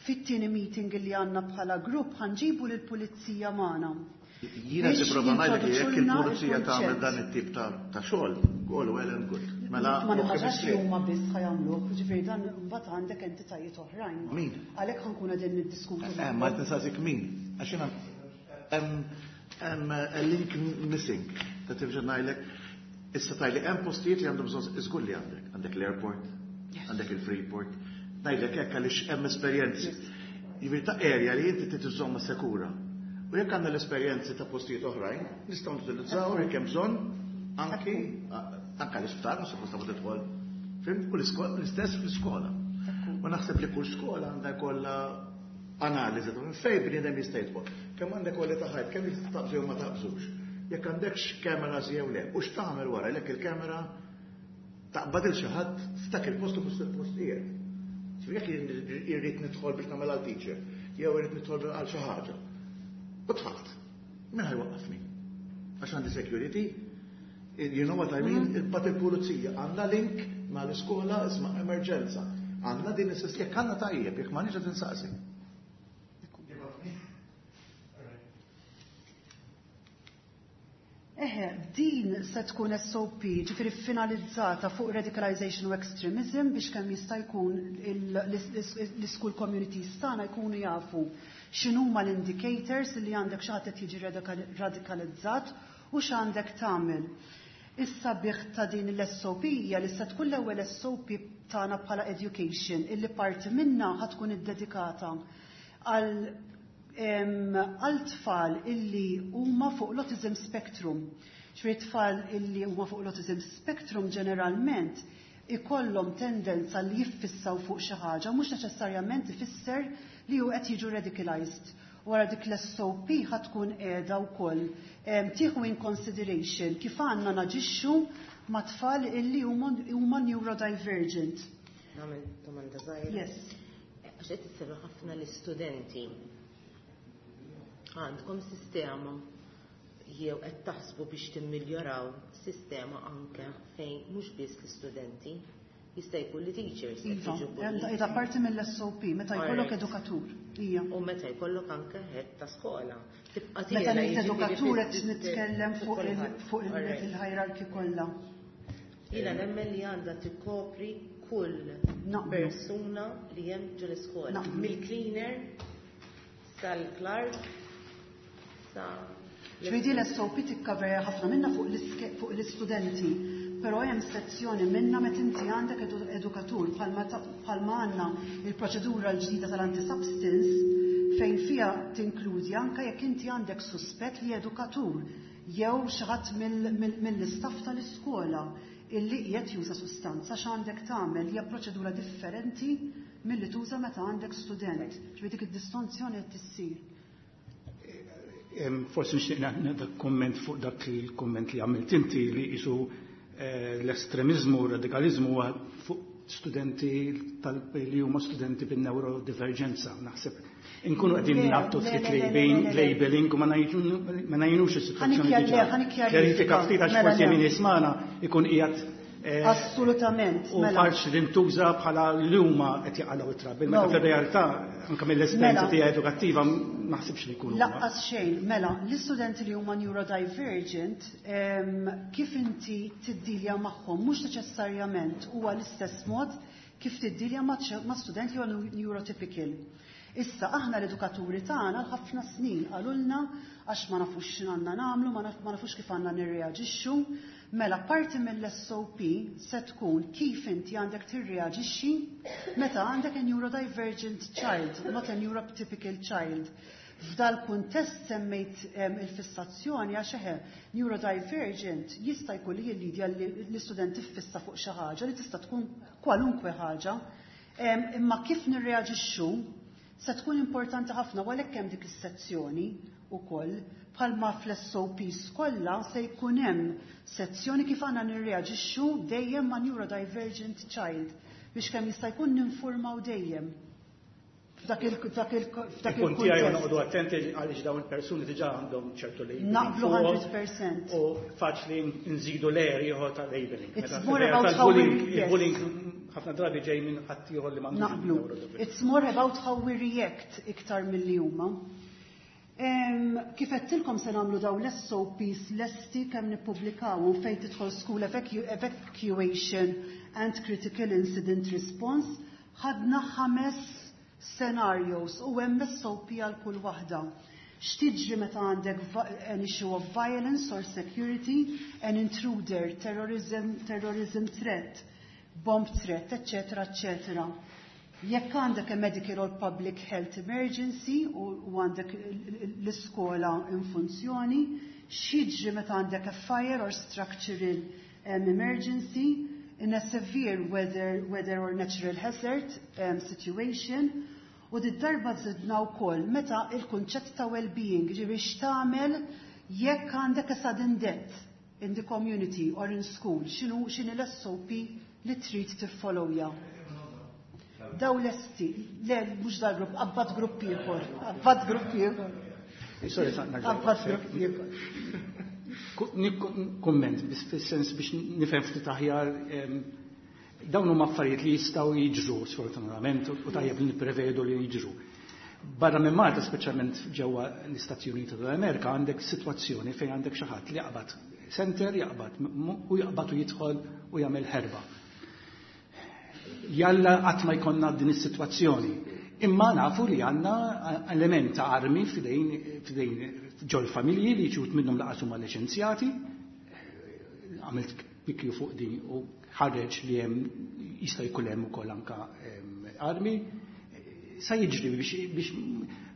Speaker 8: Fit-tieni meeting li għandna bħala grupp ħa nġibu lill-pulizija magħna.
Speaker 2: Jiena nipprova ngħidlek li jekk il-pulizija tagħmel dan it-tip ta' xogħol, all well and good. Mela
Speaker 8: ma nimmaġinax li huma biss ħa jagħmluh, ġifieri dan mbagħad għandek entitajiet oħrajn.
Speaker 2: Min?
Speaker 8: Għalhekk ħa nkunu qegħdin niddiskutu.
Speaker 2: Eh, ma tinsaqsik min? Għax jiena hemm a link missing. Ta' tifġa ngħidlek, issa tgħidli hemm postijiet li għandhom bżonn żgur li għandek. Għandek l-airport, għandek il-Freeport. Ngħidlek hekk għaliex hemm esperjenzi. Jiġifieri ta' area li inti trid iżżommha sekura. U jekk għandna l-esperjenzi ta' postijiet oħrajn, nistgħu nutilizzaw jekk hemm bżonn anki anke l-isptar mhux suppost ma tidħol. Fhimt? U l-iskola l-istess fl-iskola. U naħseb li kull skola għandha jkollha analiżi ta' minn fejn bniedem jista' jidħol. Kemm għandek kwalità ħajt, kemm jista' taqbżu jew ma taqbżux. Jekk għandekx cameras jew le, u x'tagħmel wara jekk il-kamera taqbad il xi ħadd f'dak il-post u fost il-post qiegħed. Jekk irrid nidħol biex nagħmel għal teacher, jew irrid nidħol għal xi ħaġa. U dħalt. Min ħa jwaqqafni? Għax għandi security, you know what I mean? Il-bat il-pulizija għandna link ma l-iskola isma' emerġenza. Għandna din is jekk għandna tajjeb, jekk m'għandniex qed insaqsi.
Speaker 8: Eħe, din se tkun S O P, ġifieri finalizzata fuq radicalization u extremism biex kemm jista' jkun l-school communities tagħna jkunu jafu x'inhuma l-indicators li għandek xi ħadd qed jiġi radikalizzat u x'għandek tagħmel. Issa bih ta' din l-S O P hija li se tkun l-ewwel S O P tagħna bħala education illi parti minna ħa tkun iddedikata għal għal tfal illi huma fuq l-autism spectrum. Ġifieri tfal illi huma fuq l-autism spectrum ġeneralment ikollhom tendenza li jiffissaw fuq xi ħaġa, mhux neċessarjament ifisser li hu qed jiġu radicalized. Wara dik l-S O P ħa tkun qiegħda wkoll tieħu in consideration kif għandna naġixxu ma' tfal illi huma neurodivergent.
Speaker 7: Nagħmel domanda żgħira.
Speaker 8: Yes.
Speaker 7: Għax qed issemmi ħafna l-istudenti. Għandkom sistema jew qed taħsbu biex timmiljoraw sistema anke fejn mhux biss l-istudenti, jista' jkun li teachers qed
Speaker 8: Iva,
Speaker 7: jiġu bullied.
Speaker 8: Iva, parti mill-S O P, meta jkollok
Speaker 7: Alright.
Speaker 8: edukatur. Ija.
Speaker 7: U meta jkollok anke head ta' skola. Tibqa'
Speaker 8: Meta
Speaker 7: tiela
Speaker 8: ngħid
Speaker 7: jiġifieri
Speaker 8: edukatur qed
Speaker 7: fis-sistema
Speaker 8: nitkellem fuq il-,
Speaker 7: kulħadd.
Speaker 8: fuq il-,
Speaker 7: Alright.
Speaker 8: il-hierarchy kollha.
Speaker 7: Jiena nemmen li għandha tikkopri kull
Speaker 8: Naqblu.
Speaker 7: persuna li hemm ġol iskola.
Speaker 8: Naqblu.
Speaker 7: Mill-cleaner sal-clerk sa
Speaker 8: Ġifieri l-S O P tikkaverja ħafna minna fuq l-iske-, fuq l-istudenti, però hemm sezzjoni minna meta inti għandek edu-, edukatur bħalma ta-, bħalma għandna il-proċedura l-ġdida tal-anti-substance fejn fiha tinkludi anke jekk inti għandek suspett li edukatur jew xi ħadd mill-, mill-, mill-istaff tal-iskola illi qiegħed juża sustanza, x'għandek tagħmel hija proċedura differenti milli tuża meta għandek student. Ġifieri dik id-distinzjoni qed tissir.
Speaker 6: Em, forsi nixtieq nagħti komment fuq dak il-komment li għamilt inti li qisu, eh, l-estremizmu u r-radikalizmu huwa fuq studenti tal-, li huma studenti bin-neurodivergenza, naħseb. Inkunu qegħdin
Speaker 8: Le,
Speaker 6: nagħtu
Speaker 8: le,
Speaker 6: ftit
Speaker 8: le, le,
Speaker 6: labeling,
Speaker 8: le, le, le.
Speaker 6: labeling u ma ngħidu-, ma ngħinux is-sitwazzjoni
Speaker 8: Ħanikjar-
Speaker 6: diġà.
Speaker 8: le, ħanikjar-
Speaker 6: Kjarifika ftit għax
Speaker 8: Mela,
Speaker 6: forsi
Speaker 8: le.
Speaker 6: min jismana ikun qiegħed, eh,
Speaker 8: Assolutament,
Speaker 6: u
Speaker 8: mela.
Speaker 6: faċli li ntuża bħala li huma qed jaqalgħu it-trabi. Meta
Speaker 8: No.
Speaker 6: fir-realtà anke mill-esperjenza
Speaker 8: Mela.
Speaker 6: tiegħi edukattiva ma naħsibx li jkunu huma.
Speaker 8: Laqqas xejn, mela, l-istudenti li huma neurodivergent, em, kif inti tiddilja magħhom mhux neċessarjament huwa l-istess mod kif tiddilja ma' ċe-, ma' student li huwa neurotypical. Issa aħna l-edukaturi tagħna l-ħafna snin qalulna għax ma nafux x'għandna nagħmlu, ma naf-, ma nafux kif għandna nirreaġixxu. Mela parti mill-S O P se tkun kif inti għandek tirreaġixxi meta għandek a neurodivergent child, not a neurotypical child. F'dal kuntest semmejt, em, il-fissazzjoni għax eħe neurodivergent jista' jkun li jillidja li l-istudent tiffissa fuq xi ħaġa li tista' tkun kwalunkwe ħaġa. Em, imma kif nirreaġixxu se tkun importanti ħafna u għalhekk hemm dik is-sezzjoni wkoll bħalma fl-S O Ps kollha se jkun hemm sezzjoni kif għandna nirreaġixxu dejjem ma' neurodivergent child biex kemm jista' jkun ninfurmaw dejjem. F'dak il-, f'dak il-, f'dak
Speaker 6: Il-punt tiegħi
Speaker 8: il-kuntest.
Speaker 6: noqogħdu attenti għaliex dawn il-persuni diġà għandhom ċertu labeling
Speaker 8: Naqblu
Speaker 6: fuqhom
Speaker 8: hundred percent.
Speaker 6: U faċli nżidu layer ieħor ta' labeling.
Speaker 8: It's
Speaker 6: Meta
Speaker 8: more
Speaker 6: fil-realtà
Speaker 8: about how we
Speaker 6: il-bullying,
Speaker 8: yes.
Speaker 6: il-bullying ħafna drabi ġej minn ħadd ieħor li m'għandux
Speaker 8: Naqblu.
Speaker 6: neurodivergenza.
Speaker 8: It's more about how we react iktar milli huma. Kif għedtilkom se nagħmlu daw l-S O Ps lesti kemm nippubblikaw u fejn tidħol school evacuation and critical incident response, ħadna ħames scenarios u hemm S O P għal kull waħda. X'tiġri meta għandek an issue of violence or security, an intruder, terrorism, terrorism threat, bomb threat, eccetera, eccetera. Jekk għandek a medical or public health emergency u għandek l-iskola in funzjoni, x'jiġri meta għandek a fire or structural um, emergency, in a severe weather, weather or natural hazard um, situation, u d-darba zidna wkoll meta il-kunċett ta' well-being, ġifieri x'tagħmel jekk għandek a sudden death in the community or in school, x'inhu x'inhi l-S O P li trid tiffollowja. Daw lesti, le, mhux dal-grupp, abbad grupp ieħor, abbad grupp ieħor.
Speaker 6: Sorry,
Speaker 8: Abbad grupp ieħor.
Speaker 6: Komment, biss fis-sens biex nifhem ftit aħjar, dawn huma affarijiet li jistgħu jiġru sfortunatament u tajjeb li nipprevedu li jiġru. Barra minn Malta, speċjalment ġewwa l-Istati Uniti tal-Amerika, għandek sitwazzjoni fejn għandek xi ħadd li jaqbad senter, jaqbad u jaqbad u jidħol u jagħmel ħerba. Jalla qatt ma jkollna din is-sitwazzjoni. Imma nafu li għandna element ta' armi f'idejn f'idejn ġol familji li ċut minnhom lanqas huma liċenzjati. Għamilt pikju fuq din u ħareġ li hemm jista' jkun hemm ukoll anka armi. Sa jiġri biex, biex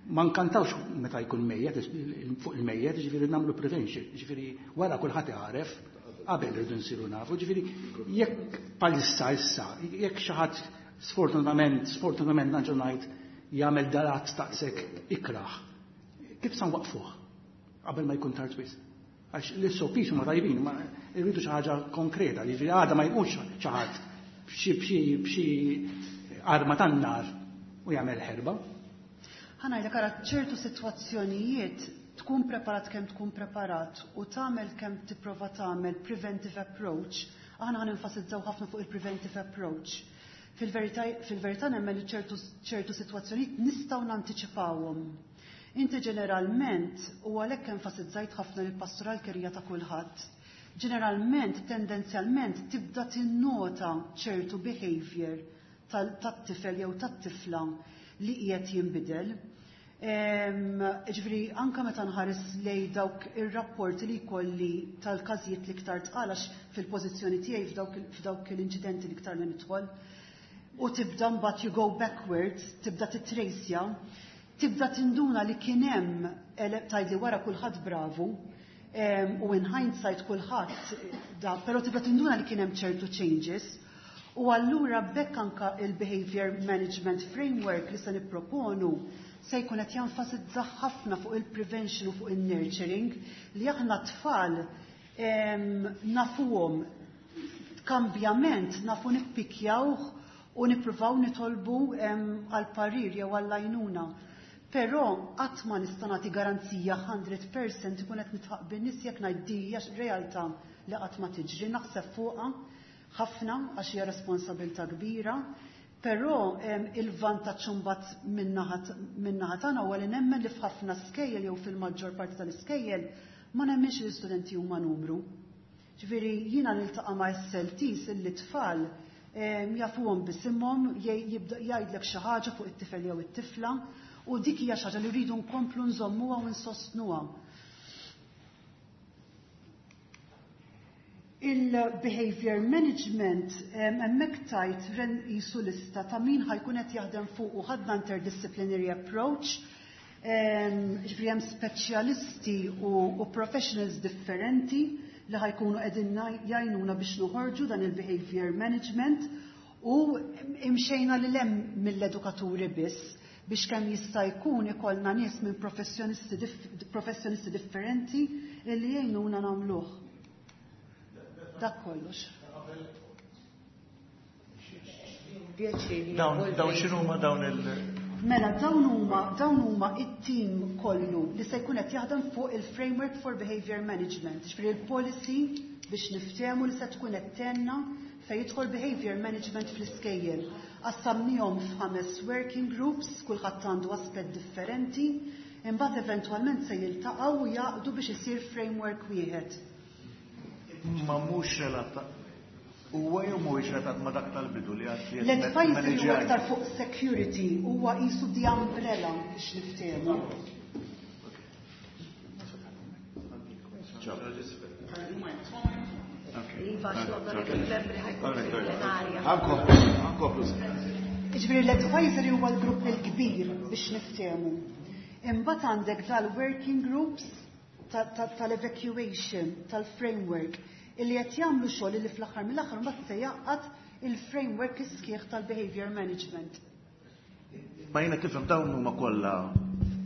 Speaker 6: ma nkantawx meta jkun mejjet fuq il-mejjet, ġifieri nagħmlu prevention, ġifieri wara kulħadd jagħref, qabel irridu nsiru nafu, ġifieri jekk palissa issa, jekk xi ħadd sfortunatament, sfortunatament nerġa' ngħid, jagħmel dalat taqsek ikraħ. Kif sa nwaqfuh? Qabel ma jkun tard wisq. Għax l-S O Ps huma tajbin, ma irridu xi ħaġa konkreta, li għada ma jkunx xi ħadd b'xi b'xi b'xi arma tan-nar u jagħmel ħerba.
Speaker 8: Ħa ngħidlek, ara, ċertu sitwazzjonijiet tkun preparat kemm tkun preparat u tagħmel kemm tipprova tagħmel preventive approach, aħna ħa nenfasizzaw ħafna fuq il-preventive approach. Fil-verità fil-verità nemmen li ċertu ċertu sitwazzjonijiet nistgħu nantiċipawhom. Inti ġeneralment, u għalhekk enfasizzajt ħafna li pastoral care hija ta' kulħadd, ġeneralment, tendenzjalment, tibda tinnota ċertu behavior tat-tifel jew tat-tifla li qiegħed jinbidel. Ġifieri, anka meta nħares lej dawk ir-rapporti li jkolli tal-każijiet l-iktar tqal, għax fil-pożizzjoni tiegħi f'dawk l-inċidenti l-iktar li nidħol, u tibda mbagħad you go backwards, tibda titrejsja, tibda tinduna li kien hemm, tgħidli wara kulħadd bravu, u in hindsight kulħadd da, però tibda tinduna li kien hemm ċertu changes. U allura bekk anka il-Behavior Management Framework li se nipproponu se jkun qed jenfasizza ħafna fuq il-prevention u fuq il-nurturing li aħna tfal nafuhom, kambjament nafu nippikjawh u nippruvaw nitolbu għal parir jew għall-għajnuna. Però qatt ma nista' nagħti garanzija mija fil-mija, ikun qed nidħaq bin-nies jekk ngħid di hija realtà li qatt ma tiġri. Naħseb fuqha ħafna għax hija responsabilità kbira, però il-vantaġġ imbagħad min-naħa tagħna huwa li nemmen li f'ħafna skejjel jew fil-maġġor parti tal-iskejjel ma nemmenx li l-istudenti huma numru. Ġifieri jiena niltaqa' ma' S L Ts illi tfal jafuhom bisimhom, jgħidlek xi ħaġa fuq it-tifel jew it-tifla, u dik hija xi ħaġa li rridu nkomplu nżommuha u nsostnuha. Il-behavior management, hemmhekk tajt ren jisu lista ta' min ħa jkun qed jaħdem fuq u ħadna interdisciplinary approach, ġifieri hemm speċjalisti u, u professionals differenti li ħa jkunu qegħdin jgħinuna biex noħorġu dan il-behavior management u imxejna li lem mill-edukaturi biss biex kemm jista' jkun ikollna nies minn professjonisti, dif professjonisti differenti li jgħinuna nagħmluh. Dak kollox.
Speaker 2: Dawn dawn x'inhuma dawn il-
Speaker 8: Mela, dawn huma dawn huma it-team kollu li se jkun qed jaħdem fuq il-Framework for Behavior Management, ġifieri il-policy biex niftehmu li se tkun qed tgħinna fejn jidħol behavior management fl-iskejjel. Qassamnihom f'ħames working groups, kulħadd għandu aspett differenti. Imbagħad eventwalment se jiltaqgħu u jaqdu biex isir framework wieħed.
Speaker 2: Ma mhux relata huwa jew mhuwiex relatat ma' dak tal-bidu li għad li
Speaker 8: L-advisory huwa aktar fuq security, huwa qisu the umbrella biex niftehmu.
Speaker 1: Iva, l-onorevoli membri ħa jkun fil-plenarja.
Speaker 2: Ħankomplu.
Speaker 8: Jiġifieri l-advisory huwa l-grupp il-kbir biex niftehmu. Imbagħad għandek dal-working groups tal-evacuation, tal-framework, illi qed jagħmlu xogħol li fl-aħħar mill-aħħar mbagħad se jaqgħad il-framework is-sħiħ tal-behavior management.
Speaker 2: Ma jiena tifhem dawn huma kollha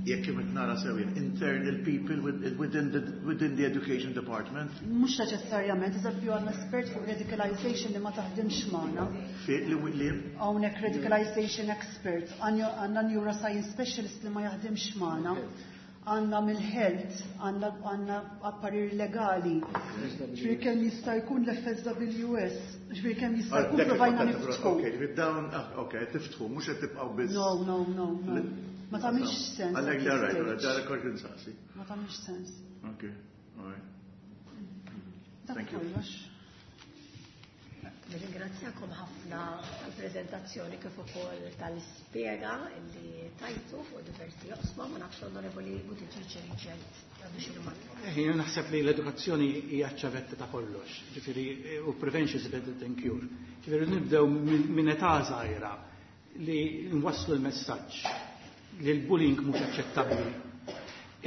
Speaker 2: jekk kif nara sew jien, internal people within the, within the education department.
Speaker 8: Mhux neċessarjament, eżempju għandna espert fuq radicalization li ma taħdimx magħna.
Speaker 2: Fi li li
Speaker 8: Hawnhekk radicalization expert, għandna neuroscience specialist li ma jaħdimx magħna. Għandna mill-health, għandna apparir legali. Ġifieri kemm jista' jkun l-F S W S, ġifieri kemm jista' jkun provajna niftħu.
Speaker 2: Ok, ġifieri dawn, ah, ok, tiftħu, mhux qed tibqgħu biss.
Speaker 8: No, no, no, no. Ma tagħmilx sens.
Speaker 2: Għalhekk all right, all right, dak kont insaqsi.
Speaker 8: Ma tagħmilx sens.
Speaker 2: Ok, all right.
Speaker 8: Dak
Speaker 2: Thank you.
Speaker 8: kollox.
Speaker 1: Nirringrazzjakom ħafna tal-prezentazzjoni kif ukoll tal-ispjega li tajtu fuq diversi oqsma. Ma nafx l-Onorevoli Buttigieg Richard għandu xi rimarka.
Speaker 6: Jien naħseb li l-edukazzjoni hija ċ-ċavetta ta' kollox, ġifieri u prevention is better than cure. Ġifieri nibdew minn età żgħira li nwasslu l-messaġġ li l-bullying mhux aċċettabbli.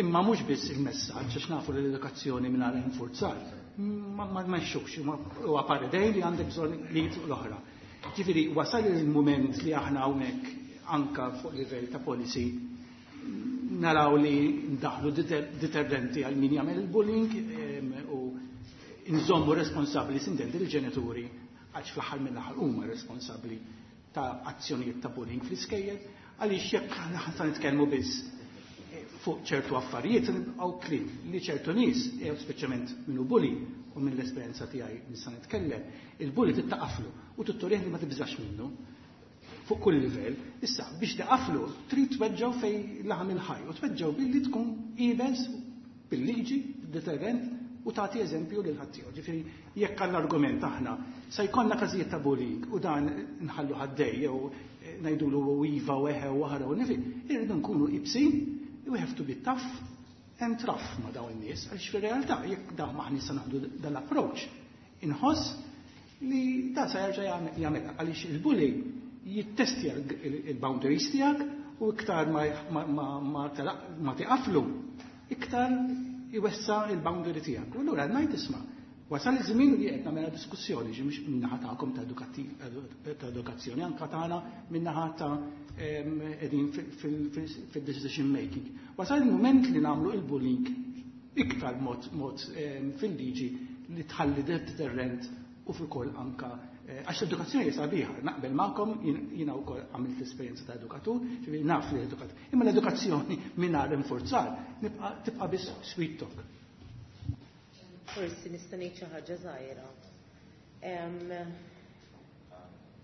Speaker 6: Imma mhux biss il-messaġġ, għax nafu li l-edukazzjoni mingħajr infurzar ma ma ma jxux, huwa paredej li għandek bżonn li l-oħra. Ġifieri wasal il-mument li aħna hawnhekk anka fuq livell ta' policy naraw li ndaħlu deterrenti għal min jagħmel il-bullying u nżommu responsabbli sintendi l-ġenituri, għax fl-aħħar mill-aħħar huma responsabbli ta' azzjonijiet ta' bullying fl-iskejjel, għaliex jekk aħna nitkellmu biss fuq ċertu affarijiet nibqgħu kliem li ċertu nies, speċjalment minnu bully u minn l-esperjenza tiegħi nista' nitkellem, il-bully tittaqaflu u tutturih li ma tibżax minnu fuq kull livell. Issa biex taqaflu trid tweġġgħu fej laħam il-ħaj u tweġġgħu billi tkun iebes bil-liġi, deterrent u tagħti eżempju lil ħaddieħor. Ġifieri jekk għall-argument aħna se jkollna każijiet ta' bullying u dan nħallu ħaddej jew ngħidulu iva u eħe u aħra u nifi, irridu nkunu ibsin, we have to be tough and rough ma' dawn in-nies, għaliex fir-realtà jekk dawn maħni se naħdu dal-approach, inħoss li da se jerġa' jagħmilha, għaliex il-bully jittestja il-boundaries tiegħek u iktar ma tiqaflu, iktar iwessa il-boundary tiegħek. U allura ngħid isma', wasal iż-żmien li qed nagħmel diskussjoni ġi mhux min-naħa tagħkom ta' edukazzjoni, anka tagħna min-naħa ta' qegħdin fil-decision making. Wasal il-mument li nagħmlu il-bullying iktar mod fil-liġi li tħalli deterrent u fil-koll anka għax l-edukazzjoni hija sabiħa, naqbel magħkom, jiena wkoll għamilt l-esperjenza ta' edukatur, ġifieri naf li edukat. Imma l-edukazzjoni mingħajr infurzar tibqa' biss sweet talk.
Speaker 7: Forsi nista' ngħid xi ħaġa żgħira.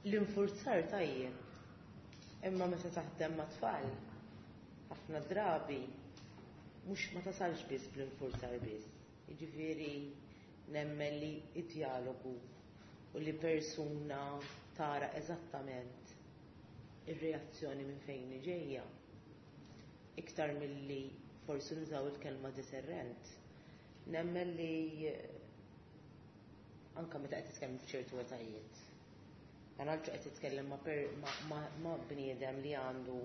Speaker 7: L-infurzar tajjeb. Imma meta taħdem ma' tfal, ħafna drabi mhux ma tasalx biss bl-infurzar biss. Jiġifieri nemmen li id-dialogu u li persuna tara eżattament ir-reazzjoni minn fejn ġejja. Iktar milli forsi nużaw il-kelma deterrent. Nemmen li anka meta qed titkellem f'ċertu etajiet. Dan għalġu qed titkellem ma' bniedem li għandu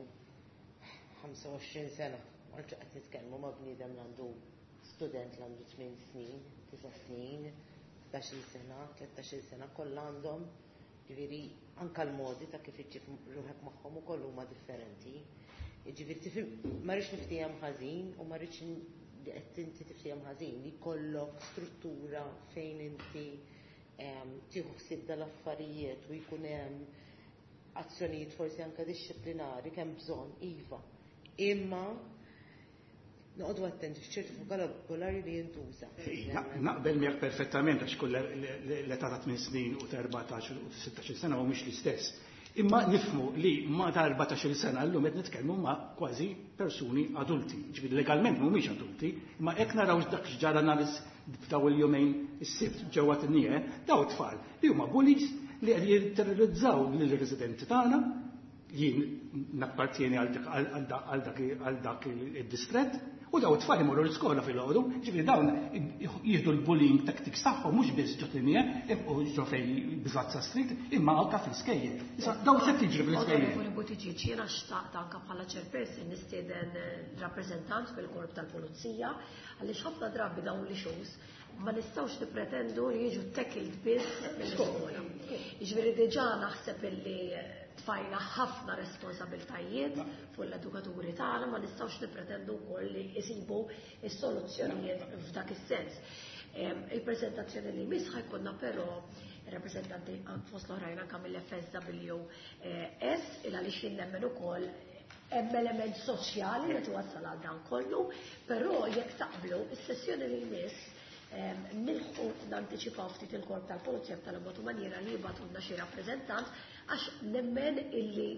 Speaker 7: ħamsa u għoxrin sena, għalġu qed nitkellmu ma' bniedem li għandu student li għandu tmien snin, tisa' snin, ħdax-il sena, tlettax-il sena, kollha għandhom, ġifieri anka l-modi ta' kif iġġib ruħek magħhom ukoll huma differenti. Ġifieri tifhem, ma rridx niftiehem ħażin u ma rridx li qed inti tiftiehem ħażin li jkollok struttura fejn inti tieħu ħsieb dal-affarijiet u jkun hemm azzjonijiet forsi anke dixxiplinari kemm bżonn, iva. Imma noqogħdu attenti f'ċertu vokabolarju li jintuża.
Speaker 6: Naqbel miegħek perfettament, għax kull l-età ta' tmien snin u ta' erbatax u sittax-il sena mhumiex l-istess. Imma nifhmu li ma ta' erbatax-il sena llum qed nitkellmu ma' kważi persuni adulti. Ġifieri legalment mhumiex adulti, imma hekk naraw dak x'ġara nhar f'daw il-jumejn is-Sibt ġewwa Tignè, daw tfal li huma bullies li qed jitterrorizzaw lill-residenti tagħna. Jien nappartieni għal dak id-distrett, u daw it-tfal imorru l-iskola fil-għodu, ġifieri dawn jieħdu l-bullying tactics tagħhom mhux biss ġo Tignè u ġo fejn Biżazza Street, imma anke fl-iskejjel. Issa daw se tiġri fl-iskejjel.
Speaker 1: Onorevoli Buttigieg, jiena xtaqt anke bħala chairperson nistieden rappreżentant fil-korp tal-Pulizija, għaliex ħafna drabi dawn l-issues ma nistgħux nippretendu li jiġu tackled biss mill-iskola. Jiġifieri diġà naħseb illi tfajna ħafna responsabiltajiet fuq l-edukaturi tagħna, ma nistgħux nippretendu wkoll li jsibu s-soluzzjonijiet f'dak is-sens. Il-preżentazzjoni li jmiss ħa jkollna però rappreżentanti fost l-oħrajn anke mill-F S W S, il għaliex jien nemmen ukoll hemm element soċjali li twassal għal dan kollu, però jekk taqblu, is-sessjoni li jmiss nilħqu nantiċipaw ftit il-korp tal-Pulizija tal-mod maniera li jibgħatulna xi rappreżentant, għax nemmen illi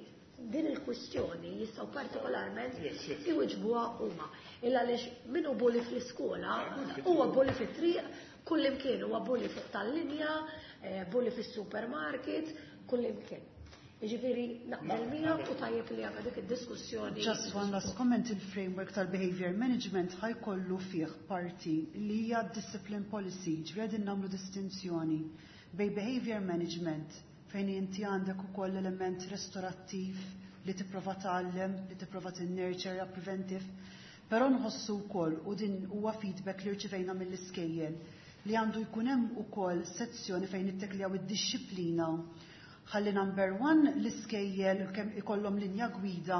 Speaker 1: din il-kwistjoni jistgħu partikolarment iwiġbuha huma. Illa għaliex min hu bully fl-iskola huwa bully fit-triq, kullimkien huwa bully fuq tal-linja, bully fis-supermarket, kullimkien. Jiġifieri naqbel miegħek u tajjeb li għandna dik id-diskussjoni.
Speaker 8: Just one last comment, il-framework tal-behavior management ħa jkollu fih parti li hija discipline policy, ġifieri nagħmlu distinzjoni bejn behavior management fejn inti għandek ukoll element restorattiv li tipprova tgħallem, li tipprova tinnurture, preventive, però nħossu wkoll, u din huwa feedback li rċivejna mill-iskejjel, li għandu jkun hemm ukoll sezzjoni fejn ittekljaw id-dixxiplina, ħalli number one l-iskejjel kemm ikollhom linja gwida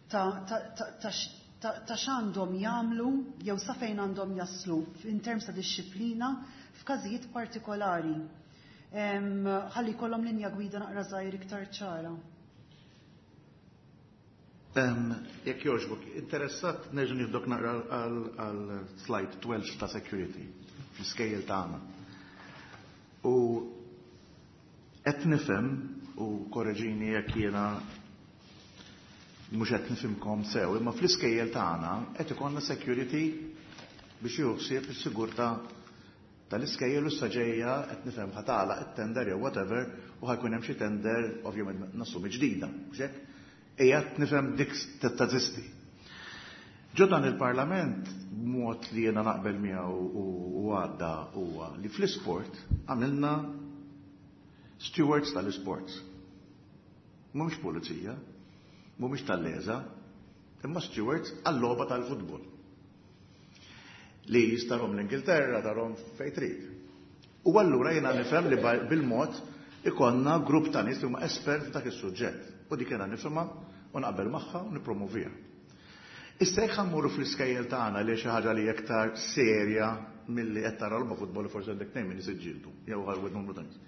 Speaker 8: ta' ta' x'għandhom jagħmlu jew sa fejn għandhom jaslu in terms ta' dixxiplina f'każijiet partikolari. Ħalli jkollhom linja gwida naqra żgħir iktar ċara.
Speaker 2: Jekk jogħġbok, interessat nerġa' nieħdok naqra għal slide tnax ta' security fl-iskejjel tagħna. U qed nifhem, u korreġini jekk jiena mhux qed nifhimkom sew, imma fl-iskejjel tagħna qed ikollna security biex jieħu ħsieb is-sigurtà tal-iskejjel, u ġejja qed nifhem ħa tagħlaq it-tender jew whatever u ħa jkun hemm xi tender, ovvjament nassumi ġdida, mhux hekk? Qiegħed nifhem dik teżisti. Ġo dan il-Parlament, mod li jiena naqbel miegħu u għadda, huwa li fl-isport għamilna stewards tal-isports. Mhumiex pulizija, mhumiex tal-LESA, imma stewards għall-logħba tal-futbol. Li jistarhom l-Ingilterra, tarahom fejn trid. U allura jiena nifhem li bil-mod ikollna grupp ta' nies li huma espert f'dak is-suġġett. U dik jiena nifhimha u naqbel magħha u nippromovija. Issa jekk mmorru fl-iskejjel tagħna, li xi ħaġa li aktar serja milli qed tara logħba futbol, forsi għandek tnejn min isiġġieldu jew ħalwed numru ta' nies.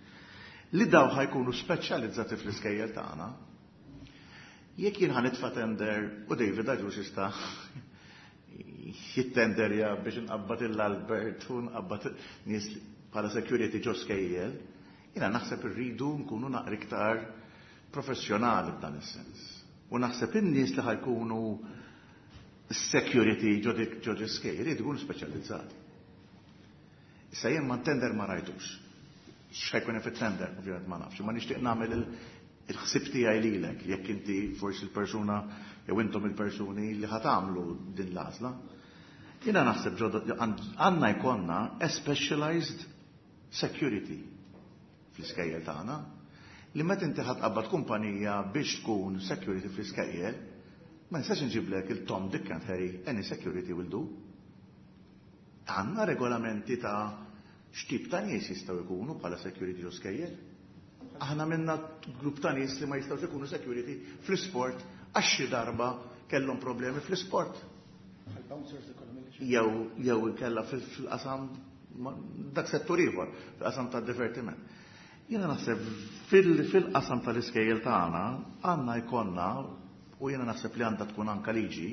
Speaker 2: Li daw ħa jkunu speċjalizzati fl-iskejjel tagħna. Jekk jien ħa nitfa' tender u David Agius jista' jittenderja biex nqabbad il-Albert u nqabbad nies bħala security ġo skejjel, jiena naħseb irridu nkunu naqra iktar professjonali f'dan is-sens. U naħseb in-nies li ħa jkunu security ġo dik ġo skejjel jridu jkunu speċjalizzati. Issa jien ma tender ma rajtux. X'ħa jkun fit-tender, ovvjament ma nafx, ma nixtieq nagħmel il-ħsib tiegħi lilek, jekk inti forsi l-persuna jew intom il-persuni li ħa tagħmlu din l-għażla. Jiena naħseb għandna jkollna a specialized security fl-iskejjel tagħna, li meta inti ħa tqabbad kumpanija biex tkun security fl-iskejjel, ma nistax nġiblek il-Tom, Dick and Harry, any security will do. Għandna regolamenti ta' x'tip ta' nies jistgħu jkunu bħala security ġo skejjel. Aħna minna grupp ta' nies li ma jistgħux ikunu security fl-isport għax xi darba kellhom problemi fl-isport. Jew jew kella fil-qasam dak settur ieħor, fil-qasam tad-divertiment. Jiena naħseb fil-qasam tal-iskejjel tagħna għandna jkollna, u jiena naħseb li għandha tkun anka liġi,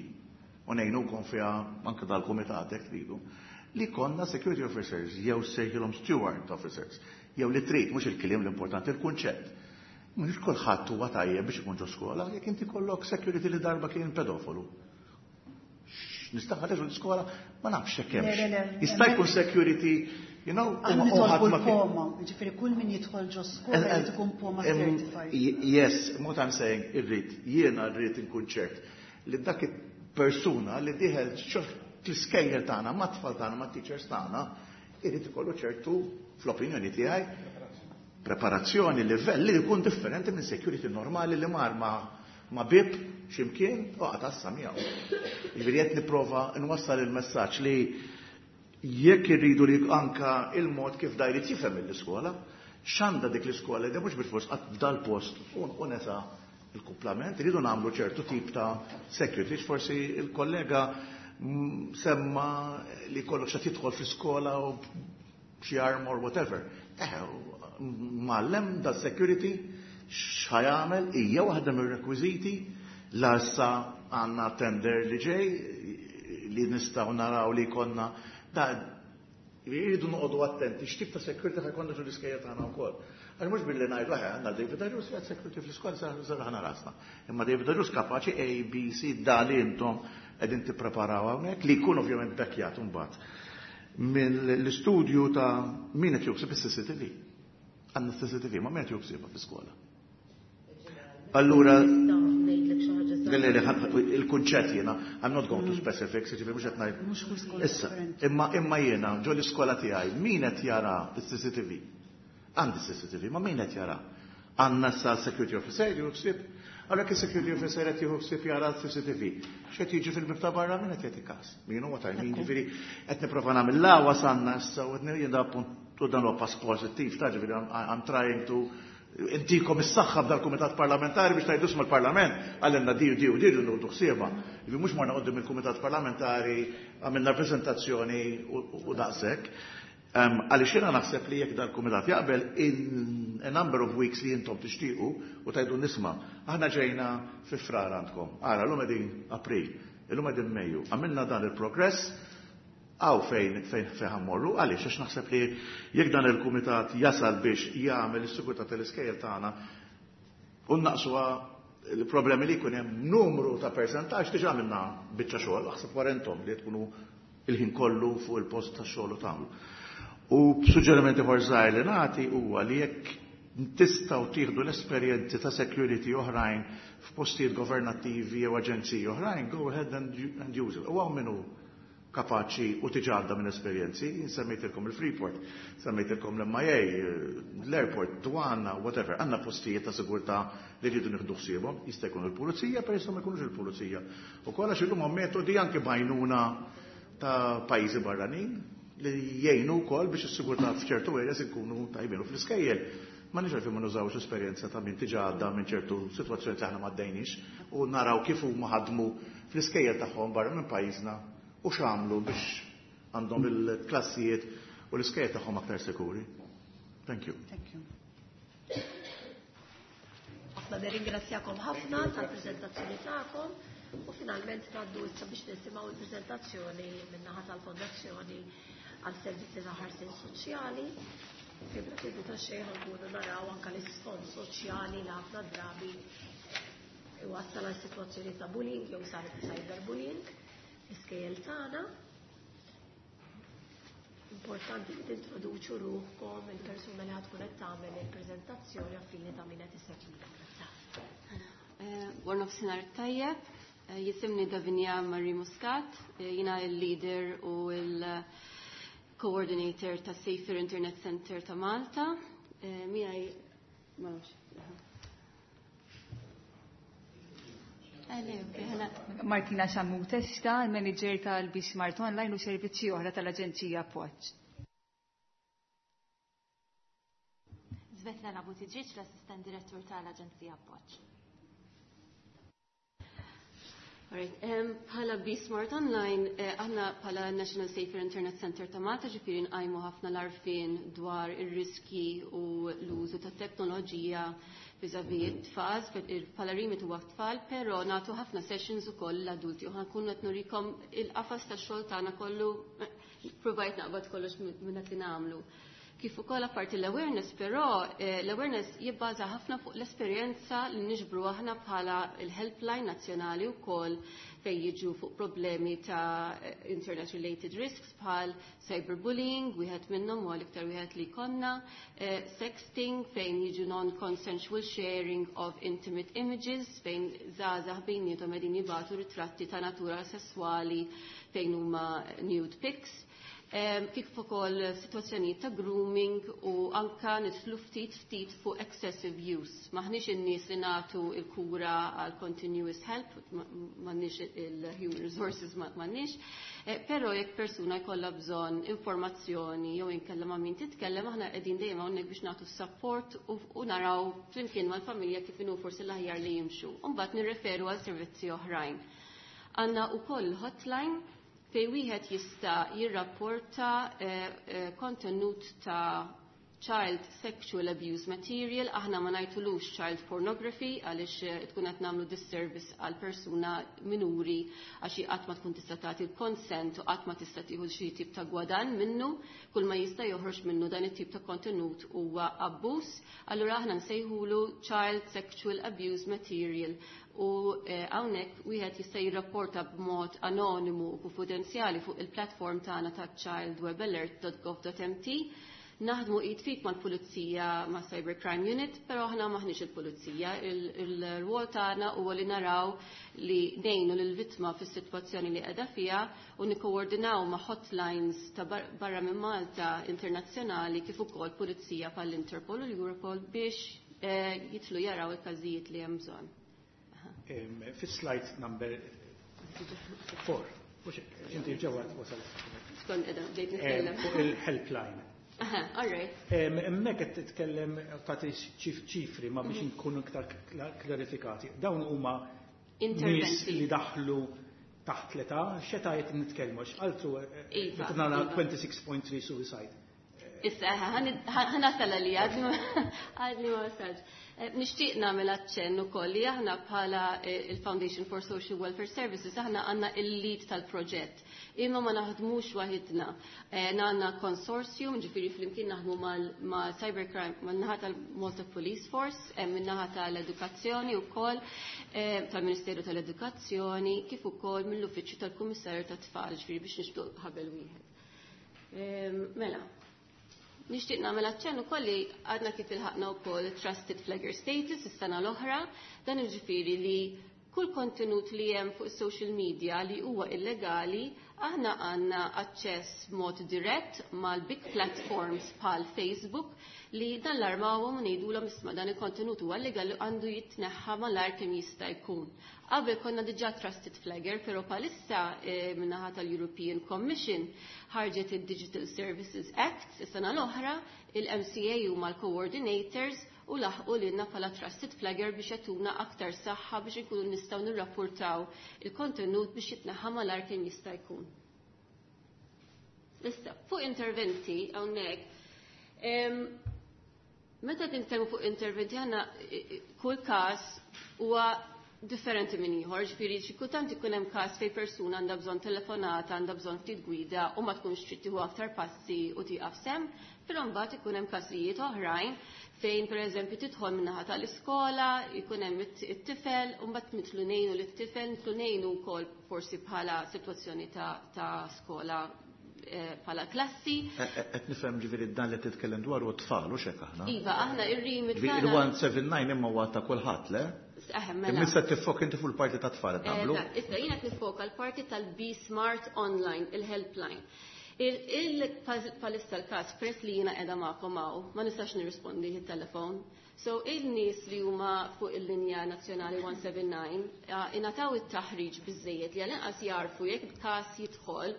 Speaker 2: u ngħinukom fiha anke dal-kumitat jekk tridu, li konna security officers jew sejħilhom steward officers, jew li trid, mhux il-kliem l-importanti, il-kunċett. Mhux kulħadd huwa tajjeb biex ikun ġo skola, jekk inti kollok security li darba kien pedofolu. Nista' ħareġ l-iskola ma nafx hekk hemmx. Jista' jkun security, you know,
Speaker 8: Aħna nitolbu l-POMA, ġifieri kull min jidħol ġo skola jrid ikun POMA certified.
Speaker 2: Yes, what I'm saying, irrid, jiena rrid inkun ċert li dak persuna li dieħel l-iskejjel tagħna, mat-tfal tagħna, mat-teachers tagħna, irid ikollu ċertu, fl-opinjoni tiegħi, preparazzjoni, livell li jkun differenti minn security normali li mar ma, ma bib ximkien u għatassa miegħu. Jiġifieri qed nipprova nwassal il-messaġġ li jekk irridu li anka il-mod kif da jrid jifhem l-iskola, x'għandha dik l-iskola li mhux bil-fors qatt dal-post u nesa il-kumplament, irridu nagħmlu ċertu tip ta' security, forsi il-kollega semma li kollok xa tidħol fl-iskola u xi arm or whatever. Eh, mallem da security x'ħa jagħmel hija waħda mir-rekwiżiti la issa għandna tender li ġej li nistgħu naraw li konna da jridu noqogħdu attenti x'tip ta' security ħa jkollna ġol-iskejjel tagħna wkoll. Għax mhux billi ngħidu eħe għandna David Agius jgħid security fl-iskola serraħna rasna. Imma David Agius kapaċi A, B, C, da li intom qegħdin tippreparaw hawnhekk li jkun ovvjament bekkjat imbagħad mill-istudju ta' min qed joħseb is-C C T V. Għandna C C T V, ma min qed joħsibha fl-iskola. Allura, il-kunċett jiena, I'm not going to specifics, ġifieri mhux qed ngħid. Issa, imma imma jiena ġo l-iskola tiegħi, min qed jara s-C C T V? Għandi C C T V, ma min qed jara? Għandna sa security officer jieħu ħsieb. Allora kif security officer qed jieħu ħsieb jara l-C C T V? X'qed jiġi fil-bib ta' barra, min qed jagħti każ? Min huwa ta' min, ġifieri qed nipprova nagħmel la wasanna issa u qed jiena punt u dan huwa pass pożittiv ta' ġifieri I'm trying to intikom is-saħħa b'dal-kumitat parlamentari biex tgħidu mal-parlament għallinna di u di u di u ħsiebha. Ġifieri mhux morna quddiem il-kumitat parlamentari, għamilna prezentazzjoni u daqshekk. Għaliex jiena naħseb li jekk dal-kumitat jaqbel in a number of weeks li intom tixtiequ u tgħidu nisma', aħna ġejna fi Frar għandkom. Ara, llum qegħdin April, illum qegħdin Mejju. Għamilna dan il-progress, għaw fejn fejn fejn ħammorru, għaliex għax naħseb li jekk dan il-kumitat jasal biex jagħmel is-sigurtà tal-iskejjel tagħna u naqsuha il-problemi li jkun hemm numru ta' percentaġġ, diġà għamilna biċċa xogħol, aħseb wara intom li tkunu il-ħin kollu fuq il-post tax-xogħol u tagħmlu. U suġġerimenti ieħor żgħir li nagħti huwa li jekk tistgħu tieħdu l-esperjenzi ta' security oħrajn f'postijiet governattivi jew aġenziji oħrajn, go ahead and, and use it. U hawn minnu kapaċi u tiġadda minn esperjenzi, semmejtilkom il-Freeport, semmejtilkom l-M I A, l-airport, dwana, whatever, għandna postijiet ta' sigurtà li rridu nieħdu ħsiebhom, jista' jkun il-pulizija, per ma jkunux il-pulizija. U kollha x'illum metodi anke bajnuna ta' pajjiżi barranin li jgħinu wkoll biex is-sigurtà f'ċertu areas ikunu tajbin u fl-iskejjel. Ma nix għalfejn ma nużawx esperjenza ta' min diġà għadda minn ċertu sitwazzjoni li aħna m'għaddejniex u naraw kif huma ħadmu fl-iskejjel tagħhom barra minn pajjiżna u x'għamlu biex għandhom il-klassijiet u l-iskejjel tagħhom aktar sikuri. Thank you.
Speaker 8: Thank you.
Speaker 1: Aħna nirringrazzjakom ħafna tal-preżentazzjoni tagħkom u finalment ngħaddu issa biex nisimgħu l-preżentazzjoni min-naħa tal-Fondazzjoni għal Servizzi ta' Ħarsien Soċjali. Fi bla ta' xejn ħankunu naraw anke l-isfond soċjali li ħafna drabi iwassal għal sitwazzjoni ta' bullying jew cyberbullying iskejjel tagħna. Importanti li tintroduċu ruħkom, il-persuna li ħatkun qed tagħmel il-preżentazzjoni għaffini ta' min qed isegwina.
Speaker 10: Wara nofsinhar tajjeb, jisimni Davinia Marie Muscat, jiena il-leader u il-coordinator ta' Safer Internet Center ta' Malta. Miegħi ma nafx.
Speaker 11: Martina Sammut Testa, il-manager tal-Bismart Online u servizzi oħra tal-Aġenzija Appoġġ.
Speaker 12: Svetlana Buttigieg, l-assistent direttur tal-Aġenzija Appoġġ.
Speaker 10: Alright, um, bħala B-Smart Online, eh, aħna bħala National Safer Internet Center ta' Malta, ġifieri nqajmu ħafna l-arfin dwar ir-riski u l-użu ta' teknoloġija vis-a-vis it-tfal, bħala remit huwa tfal, però nagħtu ħafna sessions ukoll l-adulti u ħankun qed nurikom il-qafas tax-xogħol tagħna kollu, provajt naqbad kollox minn dak li nagħmlu. Kif ukoll apparti l-awareness, però eh, l-awareness jibbaża ħafna fuq l-esperjenza li niġbru aħna bħala il-helpline nazzjonali wkoll fejn jiġu fuq problemi ta' internet related risks bħal cyberbullying, wieħed minnhom huwa l-iktar wieħed li konna, eh, sexting fejn jiġu non-consensual sharing of intimate images fejn żgħażagħ bejniethom qegħdin jibagħtu ritratti ta' natura sesswali fejn huma nude pics. Kif ukoll sitwazzjonijiet ta' grooming u anka nidħlu ftit ftit fuq excessive use. Maħniex in-nies li nagħtu l-kura għal continuous help, m'għandniex il-human resources m'għandniex, però jekk persuna jkollha bżonn informazzjoni jew inkella ma' min titkellem, aħna qegħdin dejjem hawnhekk biex nagħtu support u naraw flimkien mal-familja kif inhu forsi l-aħjar li jimxu. U mbagħad nirreferu għal servizzi oħrajn. Għandna wkoll hotline fej wieħed jista' jirrapporta kontenut ta' child sexual abuse material, aħna ma ngħidulux child pornography għaliex tkun qed nagħmlu disservice għal persuna minuri għax hi qatt ma tkun tista' tagħti l-consent u qatt ma tista' tieħu xi tip ta' gwadan minnu, kull ma jista' joħroġ minnu dan it-tip ta' kontenut huwa abbuż, allura aħna nsejħulu child sexual abuse material. U hawnhekk wieħed jista' jirrapporta b'mod anonimu u konfidenzjali fuq il-platform tagħna ta' childwebalert dot gov dot m t. Naħdmu id fit mal-pulizija ma' Cybercrime Unit, però aħna maħniex il-pulizija. Il-rwol tagħna huwa li naraw li ngħinu lill-vittma fis-sitwazzjoni li qiegħda fiha u nikkoordinaw ma' hotlines ta' barra minn Malta internazzjonali kif ukoll pulizija bħall-Interpol u l-Europol biex jitlu jaraw il-każijiet li hemm bżonn.
Speaker 6: Fis-slide number four, inti ġewwa wasal.
Speaker 10: Skont qiegħda bdejt nitkellem.
Speaker 6: Fuq il-helpline.
Speaker 10: Aha, all right.
Speaker 6: Hemmhekk qed titkellem tagħti ċifri ma biex nkunu iktar klarifikati. Dawn huma nies li daħlu taħt l-età, x'età qed nitkellmu, x'qaltu meta nara twenty-six point three suicide.
Speaker 10: Issa, ħanasal li għadni ma wasalx. Nixtieq nagħmel aċċenn ukoll li aħna bħala il-Foundation for Social Welfare Services aħna għandna il-lead tal-proġett. Imma ma naħdmux waħidna. Għandna consortium, ġifieri flimkien naħdmu ma' cybercrime, man-naħa tal-Malta Police Force, min-naħa tal-Edukazzjoni wkoll, tal-Ministeru tal-Edukazzjoni, kif ukoll mill-Uffiċċju tal-Kummissarju tat-Tfal, ġifieri biex nixbdu ħabel wieħed. Mela, nixtieq nagħmel aċċenn ukoll li għadna kif ilħaqna wkoll Trusted Flagger Status is-sena l-oħra, dan jiġifieri li kull kontenut li hemm fuq social media li huwa illegali, aħna għandna aċċess mod dirett mal-big platforms bħal Facebook li dan l-armawhom u ngħidulhom isma' dan il-kontenut huwa illegali għandu jitneħħa malajr kemm jista' jkun. Qabel konna diġà Trusted Flagger, però palissa min-naħa tal-European Commission ħarġet il-Digital Services Act is-sena l-oħra, il-M C A huma l-coordinators u laħqu lilna bħala Trusted Flagger biex jagħtuna aktar saħħa biex inkunu nistgħu nirrapportaw il-kontenut biex jitneħħa malajr kemm jista' jkun. Issa, fuq interventi hawnhekk, meta nitkellmu fuq interventi aħna kull każ huwa differenti minn ieħor, ġifieri xi kultant ikun hemm każ fejn persuna għandha bżonn telefonata, għandha bżonn ftit gwida u ma tkunx trid tieħu aktar passi u tieqaf semm, però mbagħad ikun hemm każijiet oħrajn fejn pereżempju tidħol min-naħa tal-iskola, ikun hemm it-tifel, u mbagħad nidħlu ngħinu lit-tifel, nidħlu ngħinu wkoll forsi bħala sitwazzjoni ta' skola bħala klassi.
Speaker 2: Qed nifhem ġifieri dan li titkellem dwar huwa tfal u x'hekk aħna.
Speaker 10: Iva, aħna ir-rimit
Speaker 2: tagħna. Il-one seven nine imma huwa ta' kulħadd, le?
Speaker 10: Mela.
Speaker 2: Issa tifok inti fuq il-parti ta' tfal qed nagħmlu.
Speaker 10: Issa jiena qed nifoka l-parti tal-Be Smart Online, il-helpline. Il-palissa l-każ press li jiena qiegħda magħkom hawn, ma nistax nirrispondi it-telefon. So il-nies li huma fuq il-linja nazzjonali one seven nine ingħataw it-taħriġ biżejjed li għal-inqas jarfu jekk każ jidħol,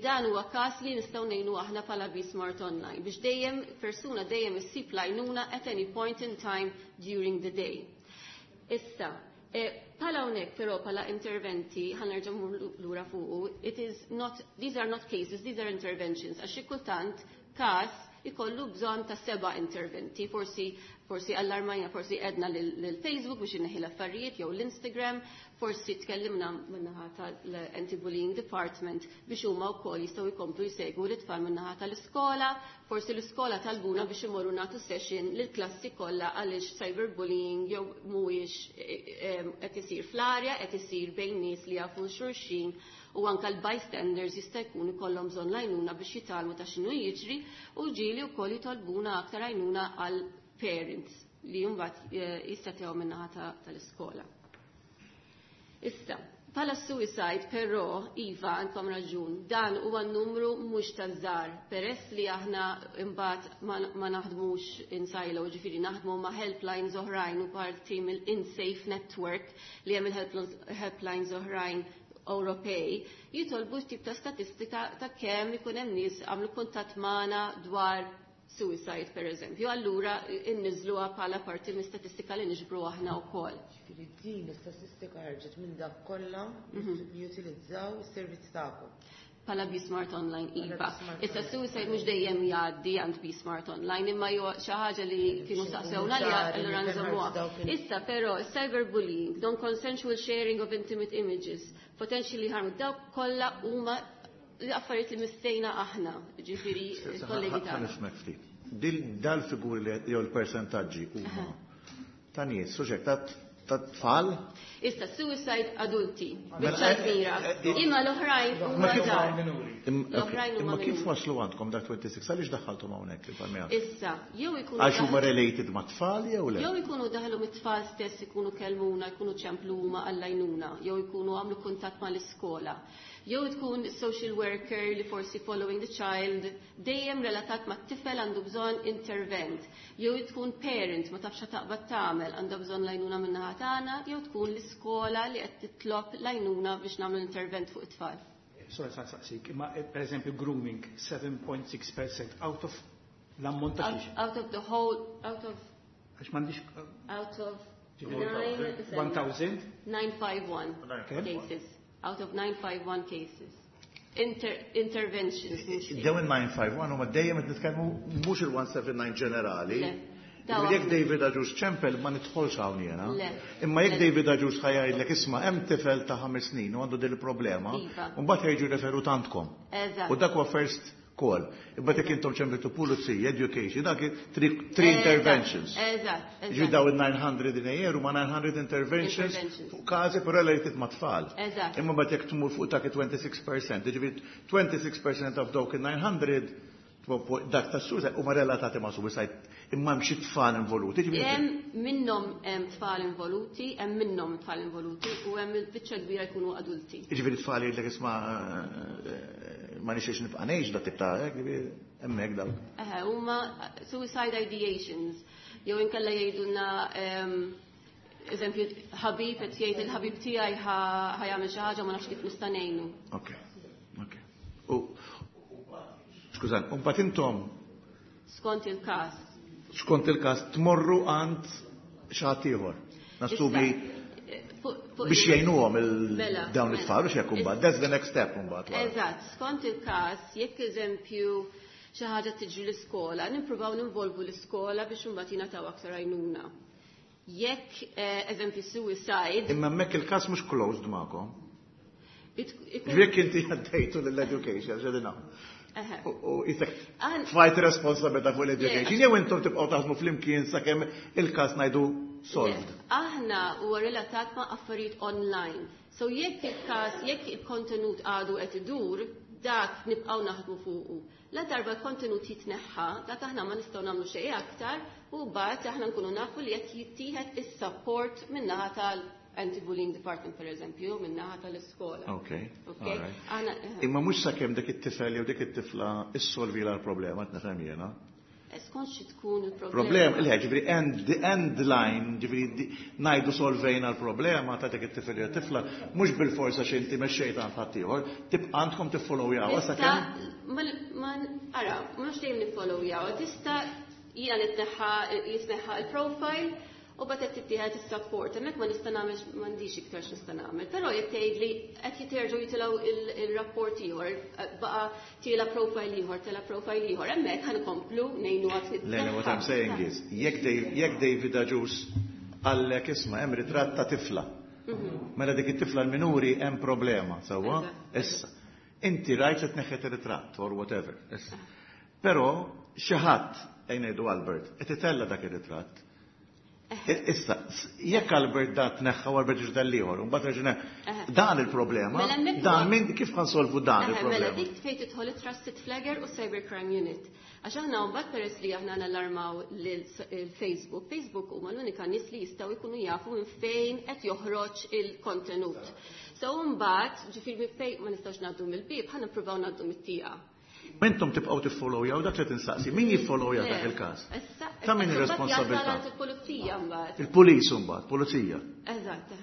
Speaker 10: dan huwa każ li nistgħu ngħinu aħna bħala Be Smart Online biex dejjem persuna dejjem issib l-għajnuna at any point in time during the day. Issa, bħala hawnhekk però bħala interventi ħanerġa' mmur lura fuqu, it is not, these are not cases, these are interventions, għax xi kultant każ ikollu bżonn ta' seba' interventi, forsi forsi allarmajna, forsi għedna lil Facebook biex inneħi l-affarijiet jew l-Instagram, forsi tkellimna min-naħa tal-Anti-Bullying Department biex huma wkoll jistgħu jkomplu jsegwu l-itfal min-naħa tal-iskola, forsi l-iskola talbuna biex imorru nagħtu session lill-klassi kollha għaliex cyberbullying jew mhuwiex qed isir fl-arja, qed isir bejn nies li jafu xulxin u anka l-bystanders jista' jkun ikollhom bżonn l-għajnuna biex jitgħallmu ta' x'inhu jiġri u ġieli wkoll jitolbuna aktar għajnuna għal parents li mbagħad jistatew min-naħa tal-iskola. Issa, bħala suicide però, iva, għandkom raġun, dan huwa numru mhux taż-żgħar, peress li aħna imbagħad ma naħdmux in silo, ġifieri naħdmu ma' helplines oħrajn u parti mill-InSafe Network li hemm il-helplines oħrajn Ewropej, jitolbu tip ta' statistika ta' kemm ikun hemm nies għamlu kuntatt magħna dwar suicide, per eżempju. Allura inniżluha bħala parti minn statistika li niġbru aħna wkoll.
Speaker 7: Ġifieri din l-istatistika ħarġet minn dak kollha li jutilizzaw is-servizz tagħkom.
Speaker 10: Bħala BeSmart Online, iva. Issa suicide mhux dejjem jgħaddi għand BeSmart Online, imma jew xi ħaġa li kienu saqsewna li allura nżommuha. Issa però cyberbullying, non-consensual sharing of intimate images, potentially harm, dawk kollha huma l-affarijiet li mistejna aħna, ġifieri kollegi tagħna.
Speaker 2: Ħa nifhmek ftit. Dal-figuri li jew l-persentaġġi huma ta' nies, suġġett ta' tfal?
Speaker 10: Issa suicide adulti, biċċa kbira. Imma l-oħrajn huma żgħar. L-oħrajn huma
Speaker 2: Imma kif waslu għandkom dak twenty-six? Għaliex daħħalthom hawnhekk il-palmija?
Speaker 10: Issa, jew ikunu
Speaker 2: Għax huma related ma' tfal jew le?
Speaker 10: Jew ikunu daħlu mit-tfal stess, ikunu kellmuna, jkunu ċemplu huma għall-għajnuna, jew ikunu għamlu kuntatt mal-iskola. Jew tkun social worker li forsi following the child, dejjem relatat ma' tifel għandu bżonn intervent. Jew tkun parent ma tafx taqbad tagħmel għandha bżonn l-għajnuna min-naħa tagħna, jew tkun l-iskola li qed titlob l-għajnuna biex nagħmlu intervent fuq it-tfal.
Speaker 6: Sorry, sa saqsik, imma per eżempju grooming seven point six percent out of l-ammont ta' xiex?
Speaker 10: Out of the whole, out of
Speaker 6: Għax m'għandix
Speaker 10: out of
Speaker 6: one thousand?
Speaker 10: nine five one cases. Out of nine five one cases. Inter, interventions.
Speaker 2: Dawn il nine five one huma dejjem qed nitkellmu mhux il one seven nine ġenerali. Jekk David Agius ċempel ma nidħolx hawn jiena. Imma jekk David Agius ħa jgħidlek isma' hemm tifel ta' ħames snin u għandu din il-problema, u mbagħad ħejġu referut għandkom. U dak huwa first call. Imma jekk intom ċempiltu pulizija, education, dak three, three interventions.
Speaker 10: Eżatt.
Speaker 2: Ġi daw il nine hundred in a year huma nine hundred interventions fuq każi però related ma' tfal. Imma mbagħad jekk tmur fuq dak twenty-six percent, jiġifieri twenty-six percent of dawk il nine hundred dak ta' suicide huma relatati ma' suicide imma hemm xi tfal involuti.
Speaker 10: Hemm minnhom hemm tfal involuti, hemm minnhom tfal involuti u hemm il-biċċa kbira jkunu adulti.
Speaker 2: Jiġifieri tfal jgħidlek isma' ma nixtiex nibqa' ngħix dak tip ta' hekk, jiġifieri hemmhekk dawk.
Speaker 10: Eħe, huma suicide ideations jew inkella jgħidulna eżempju ħabib qed jgħid il-ħabib tiegħi ħa jagħmel xi ħaġa ma nafx kif nista' ngħinu.
Speaker 2: Okej, okej. U skużani, u mbagħad intom
Speaker 10: skont il-każ.
Speaker 2: Skont il-każ tmorru għand xi ħadd ieħor. Nassumi biex jgħinuhom il-dawn it-tfal u x'hekk imbagħad. That's the next step imbagħad.
Speaker 10: Eżatt, skont il-każ, jekk eżempju xi ħaġa tiġri l-iskola, nippruvaw ninvolvu l-iskola biex imbagħad jingħataw aktar għajnuna. Jekk eżempju suicide.
Speaker 2: Imma hemmhekk il-każ mhux closed magħkom. Jekk inti għaddejtu lill-education, x'għedin hawn. U jisek tfajt responsabilità fuq l-education, jew intom tibqgħu taħdmu flimkien sakemm il-każ ngħidu solved.
Speaker 10: Aħna huwa relatat ma' affarijiet online. So jekk il-każ, jekk il-kontenut għadu qed idur, dak nibqgħu naħdmu fuqu. La darba l-kontenut jitneħħa, dak aħna ma nistgħu nagħmlu xejn aktar u mbagħad aħna nkunu nafu li qed jittieħed is-support min-naħa tal Anti-Bullying Department, per eżempju, min-naħa tal-iskola.
Speaker 2: Okay. Imma mhux sakemm dik it-tifel jew dik it-tifla issolvi l-problema, qed nifhem jiena.
Speaker 10: Skont xi tkun il-problema.
Speaker 2: Problem, le, ġifieri end, the end line, ġifieri ngħidu solvejna l-problema ta' dik it-tifel jew tifla, mhux bil-forsa xi inti mexxejt għand ħaddieħor, tibqa' għandkom tiffollowjaw sakemm.
Speaker 10: Ma ara, mhux dejjem niffollowjaw, tista' jiena nitneħħa jitneħħa il-profile. U mbagħad qed tittieħed is-support, hemmhekk ma nista' nagħmel m'għandix iktar x'nista' nagħmel. Però jekk tgħidli qed jiterġgħu jitilgħu il-rapport ieħor, baqa' tiela profile ieħor, tela profile ieħor, hemmhekk ħa nkomplu ngħinu għad.
Speaker 2: Le, what I'm saying is, jekk David Agius qallek isma' hemm ritratt ta' tifla. Mela dik it-tifla l-minuri hemm problema, sewwa? Issa. Inti rajt li tneħħet ir-ritratt or whatever. Issa. Però xi ħadd ejja ngħidu Albert, qed itella' dak ir-ritratt. Issa, jekk Albert da tneħħa u Albert ġdal ieħor, u mbagħad reġgħu dan il-problema, dan min kif ħa nsolvu dan il-problema?
Speaker 10: Mela dik fejn tidħol it-Trusted Flagger u Cybercrime Unit. Għax aħna mbagħad peress li aħna nallarmaw lil Facebook, Facebook huma l-unika nies li jistgħu jkunu jafu minn fejn qed joħroġ il-kontenut. So mbagħad, ġifieri minn fejn ma nistgħux ngħaddu mill-bieb, ħa nippruvaw ngħaddu mit-tieqa.
Speaker 2: Intom tibqgħu tiffollowjaw dak li tinsaqsi. Min jiffollowja dak il-każ? Ta' min ir-responsabilità?
Speaker 10: Il-pulizija mbagħad.
Speaker 2: Il-pulis mbagħad, pulizija.
Speaker 10: Eżatt,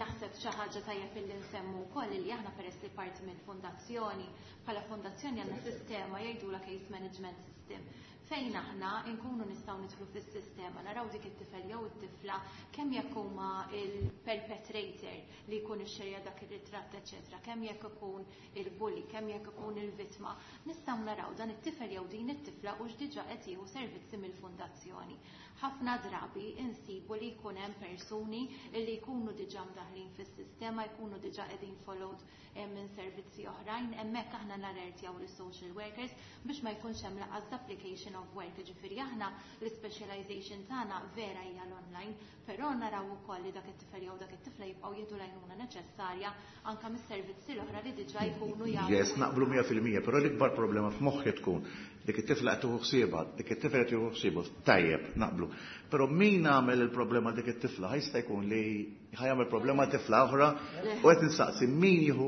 Speaker 12: Naħseb xi ħaġa tajjeb illi nsemmu wkoll li aħna peress li parti mill-fondazzjoni, bħala fondazzjoni għandna sistema jgħidula case management system fejn aħna nkunu nistgħu nidħlu fis-sistema naraw dik it-tifel jew it-tifla kemm jekk huma il-perpetrator li jkun ixxerja dak ir-ritratt eċetera, kemm jekk ikun il-bully, kemm jekk ikun il-vittma, nistgħu naraw dan it-tifel jew din it-tifla u x'diġà qed jieħu servizzi mill-fundazzjoni. Ħafna drabi insibu li jkun hemm persuni li jkunu diġà mdaħlin fis-sistema, jkunu diġà qegħdin followed minn servizzi oħrajn, hemmhekk aħna nalertjaw lis-social workers biex ma jkunx hemm lanqas duplication of work. Ġifieri aħna l-specialization tagħna vera hija l-online, però naraw ukoll li dak it-tifel jew dak it-tifla jibqgħu jieħdu l-għajnuna neċessarja anke mis-servizzi l-oħra li diġà jkunu jafu.
Speaker 2: Yes, naqblu mija fil-mija, però l-ikbar problema f'moħħi tkun dik it-tifla qed tieħu ħsiebha, dik it-tifla qed tieħu ħsiebu, tajjeb, naqblu. Però min għamel il-problema dik it-tifla jista' jkun li ħa jagħmel problema tifla oħra u qed insaqsi min jieħu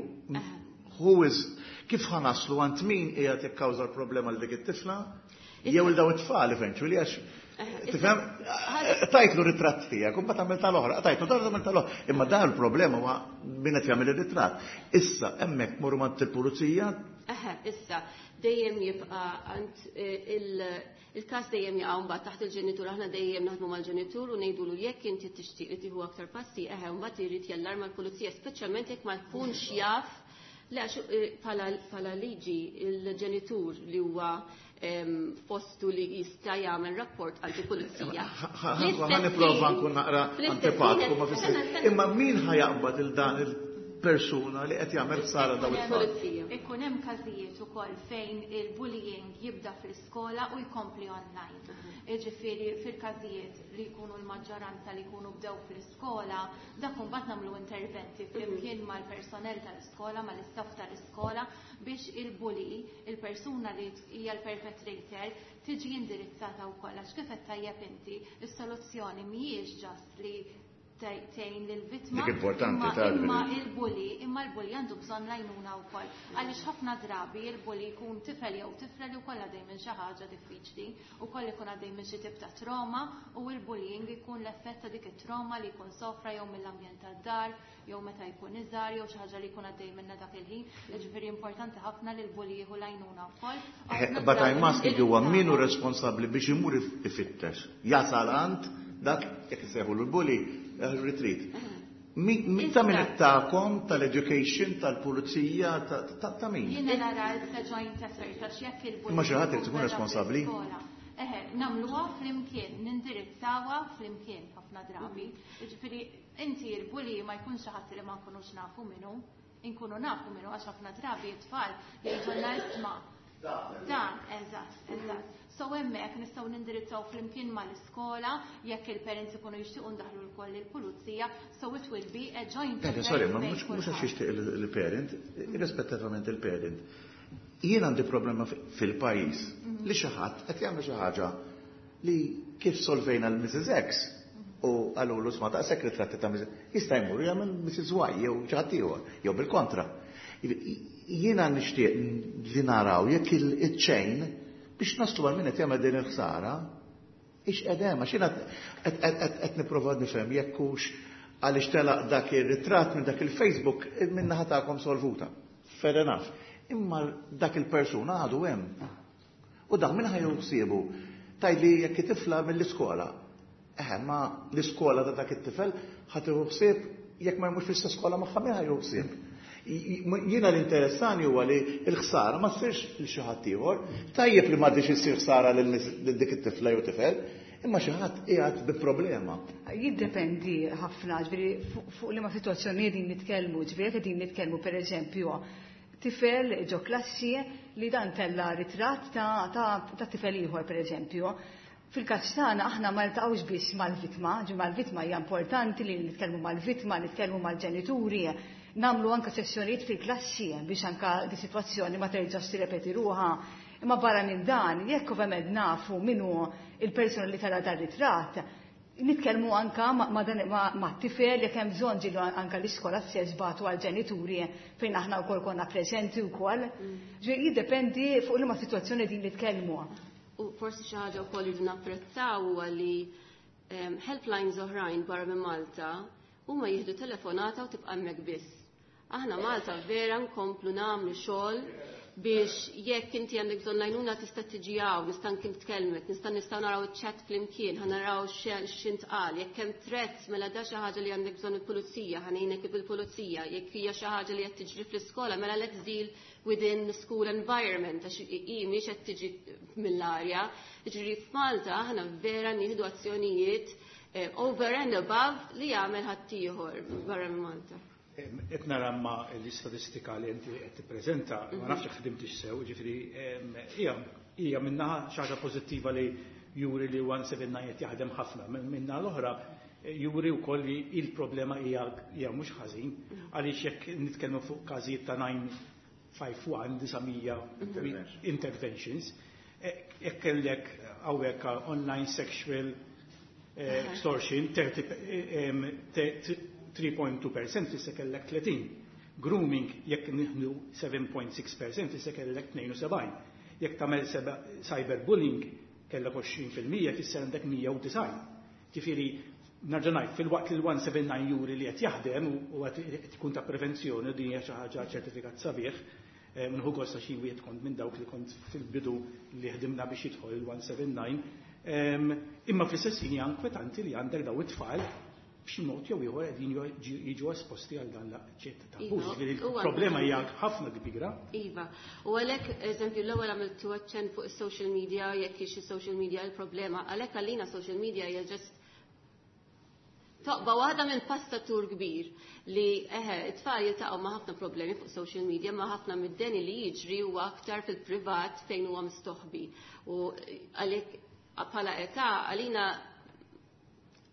Speaker 2: who is kif ħa naslu għand min qiegħed jikkawża l-problema l dik it-tifla jew il daw it-tfal eventually għax tifhem tajtlu ritratt tiegħek u mbagħad għamel tal-oħra, tajtlu dan għamel tal-oħra. Imma dan il-problema huwa min qed jagħmel ir-ritratt. Issa hemmhekk morru mant il-pulizija.
Speaker 10: Eħe, issa dejjem jibqa' għand il-każ dejjem jaqa' mbagħad taħt il-ġenitur, aħna dejjem naħdmu mal-ġenitur u ngħidulu jekk inti tixtieq li tieħu aktar passi, eħe mbagħad irid jallarma l-pulizija, speċjalment jekk ma jkunx jaf. Le, bħala liġi il-ġenitur li huwa postu li jista' jagħmel rapport għand il-pulizija.
Speaker 2: Ħa nipprova nkun naqra antipatku ma fis Imma min ħa jaqbad il dan il-persuna li qed jagħmel ħsara daw it-tfal?
Speaker 12: Ikun hemm każijiet ukoll fejn il-bullying jibda fl-iskola u jkompli online. Jiġifieri fil-każijiet li jkunu l-maġġoranza li jkunu bdew fl-iskola, dak imbagħad nagħmlu interventi flimkien mal-personell tal-iskola, mal-istaff tal-iskola biex il-bully, il-persuna li hija l-perpetrator, tiġi indirizzata wkoll għax kif qed tajjeb inti, is-soluzzjoni mhijiex just li tgħin lill-vittma.
Speaker 2: Dik importanti
Speaker 12: imma il-bully, imma l-bully għandu bżonn l-għajnuna wkoll. Għaliex ħafna drabi il-bully jkun tifel jew tifla li wkoll għaddej minn xi ħaġa diffiċli, ukoll ikun għaddej minn xi tip ta' trauma u l-bullying jkun l-effett ta' dik it-trauma li jkun sofra jew mill-ambjent tad-dar, jew meta jkun iżgħar, jew xi ħaġa li jkun għaddej minnha dak il-ħin. Jiġifieri importanti ħafna li l-bully jieħu l-għajnuna wkoll.
Speaker 2: But I'm asking you min hu responsabbli biex imur ifittex. Jasal għand dak jekk isejħu l-bully retreat. Ta' min tagħkom, tal-education, tal-pulizija, ta' min?
Speaker 12: Jiena nara it's a joint effort għax jekk il-bully.
Speaker 2: Imma xi ħadd irid ikun responsabbli.
Speaker 12: Eħe, nagħmluha flimkien, nindirizzawha flimkien ħafna drabi. Jiġifieri inti l-bully ma jkunx xi ħadd li ma nkunux nafu minnu, inkunu nafu minnu għax ħafna drabi t-tfal jgħidulna isma' Dan, eżatt, eżatt. So hemmhekk nistgħu nindirizzaw flimkien mal-iskola jekk il-parents ikunu jixtiequ ndaħlu lkoll il-pulizija, so it will be a joint
Speaker 2: effort. Sorry, ma mhux mhux għax jixtieq il-parent, irrispettivament il-parent. Jien għandi problema fil-pajjiż li xi ħadd qed jagħmel xi ħaġa li kif solvejna l-Missus X u qalulu sma daqshekk ritratti ta' Missus jista' jmur jagħmel Missus Y jew xi ħadd ieħor jew bil-kontra. Jiena nixtieq li naraw jekk il-chain biex naslu għal min qed jagħmel din il-ħsara, ix qedem, għax jiena qed nipprova nifhem jekk hux għaliex telaq dak ir-ritratt minn dak il-Facebook minn naħa tagħkom solvuta. Fair enough. Imma dak il-persuna għadu hemm. U dak min ħa jieħu ħsiebu? Tgħidli jekk tifla mill-iskola. Eħe, ma l-iskola ta' dak it-tifel ħa tieħu ħsieb jekk ma jmurx fl-istess skola magħha min ħa jieħu ħsieb. Jiena l-interessani huwa li l-ħsara ma ssirx lil xi ħadd ieħor. Tajjeb li m'għadix issir ħsara lil dik it-tifla jew tifel, imma xi ħadd qiegħed bi problema.
Speaker 11: Jiddependi ħafna, ġifieri fuq liema sitwazzjoni qegħdin nitkellmu, ġifieri qegħdin nitkellmu pereżempju tifel ġo klassi li dan tella ritratt ta', ta, ta tifel ieħor pereżempju. Fil-każ tagħna aħna ma niltaqgħux biss mal-vittma, ġi mal-vittma hija importanti li nitkellmu mal-vittma, nitkellmu mal-ġenituri, nagħmlu anka sessjonijiet fil-klassi biex anka di sitwazzjoni ma terġax tirrepeti ruħha. Imma barra minn dan, jekk ovvjament nafu min hu il-persuna li tella dar ritratt, nitkellmu anka ma, ma, dan, ma, ma tifel jekk hemm bżonn ġilu anka l-iskola stess bagħtu għall-ġenituri fejn aħna wkoll konna preżenti wkoll. Ġifieri jiddependi fuq liema sitwazzjoni din nitkellmu.
Speaker 10: U forsi xi ħaġa wkoll irridu napprezzaw huwa li um, helplines oħrajn barra minn Malta huma jieħdu telefonata u tibqa' hemmhekk biss. Aħna Malta vera nkomplu nagħmlu xogħol biex jekk inti għandek bżonn l-għajnuna tista' tiġi hawn, nista' nitkellmek, nista' nistgħu naraw iċ-chat flimkien, ħa naraw x'intqal, jekk hemm threats mela da xi ħaġa li għandek bżonn il-pulizija, ħa ngħinek bil-pulizija, jekk hija xi ħaġa li qed tiġri fl-iskola, mela let's deal within the school environment, għax hi mhix qed tiġi mill-arja. Jiġifieri f'Malta aħna vera nieħdu azzjonijiet eh, over and above li jagħmel ħaddieħor barra minn Malta.
Speaker 6: Qed nara ma l-istatistika li inti qed tippreżenta, ma nafx ħdimtix sew, ġifieri hija hija minnaħa xi ħaġa pożittiva li juri li one seven nine qed jaħdem ħafna. Minna l-oħra juri wkoll li il-problema hija hija mhux ħażin, għaliex jekk nitkellmu fuq każijiet ta' nine five one nine hundred interventions, jekk kellek hawnhekk online sexual extortion three point two percent issa kellek thirty. Grooming jekk nieħdu seven point six percent issa kellek tnejn u sebgħin. Jekk tagħmel cyberbullying kellek għoxrin fil-mija fisser għandek mija u disgħin. Ġifieri nerġa' ngħid, fil-waqt li l-one seven nine juri li qed jaħdem u qed ikun ta' prevenzjoni, din hija xi ħaġa ċertifikat sabiħ, nieħu gost xi wieħed kont minn dawk li kont fil-bidu li ħdimna biex jidħol il-one seven nine. Imma fl-istess ħin hija inkwetanti li għandek daw it-tfal b'xi mod jew ieħor qegħdin jiġu esposti għal dan l-ċett ta' abbuż. Il-problema hija ħafna kbira.
Speaker 10: Iva. U għalhekk, eżempju, l-ewwel għamiltu aċċenn fuq is-social media, jekk hix is-social media il-problema, għalhekk għalina social media hija just toqba waħda minn pastatur kbir li eħe, it-tfal jiltaqgħu ma' ħafna problemi fuq social media, ma' ħafna mid-deni li jiġri huwa aktar fil-privat fejn huwa mistoħbi. U għalhekk bħala età għalina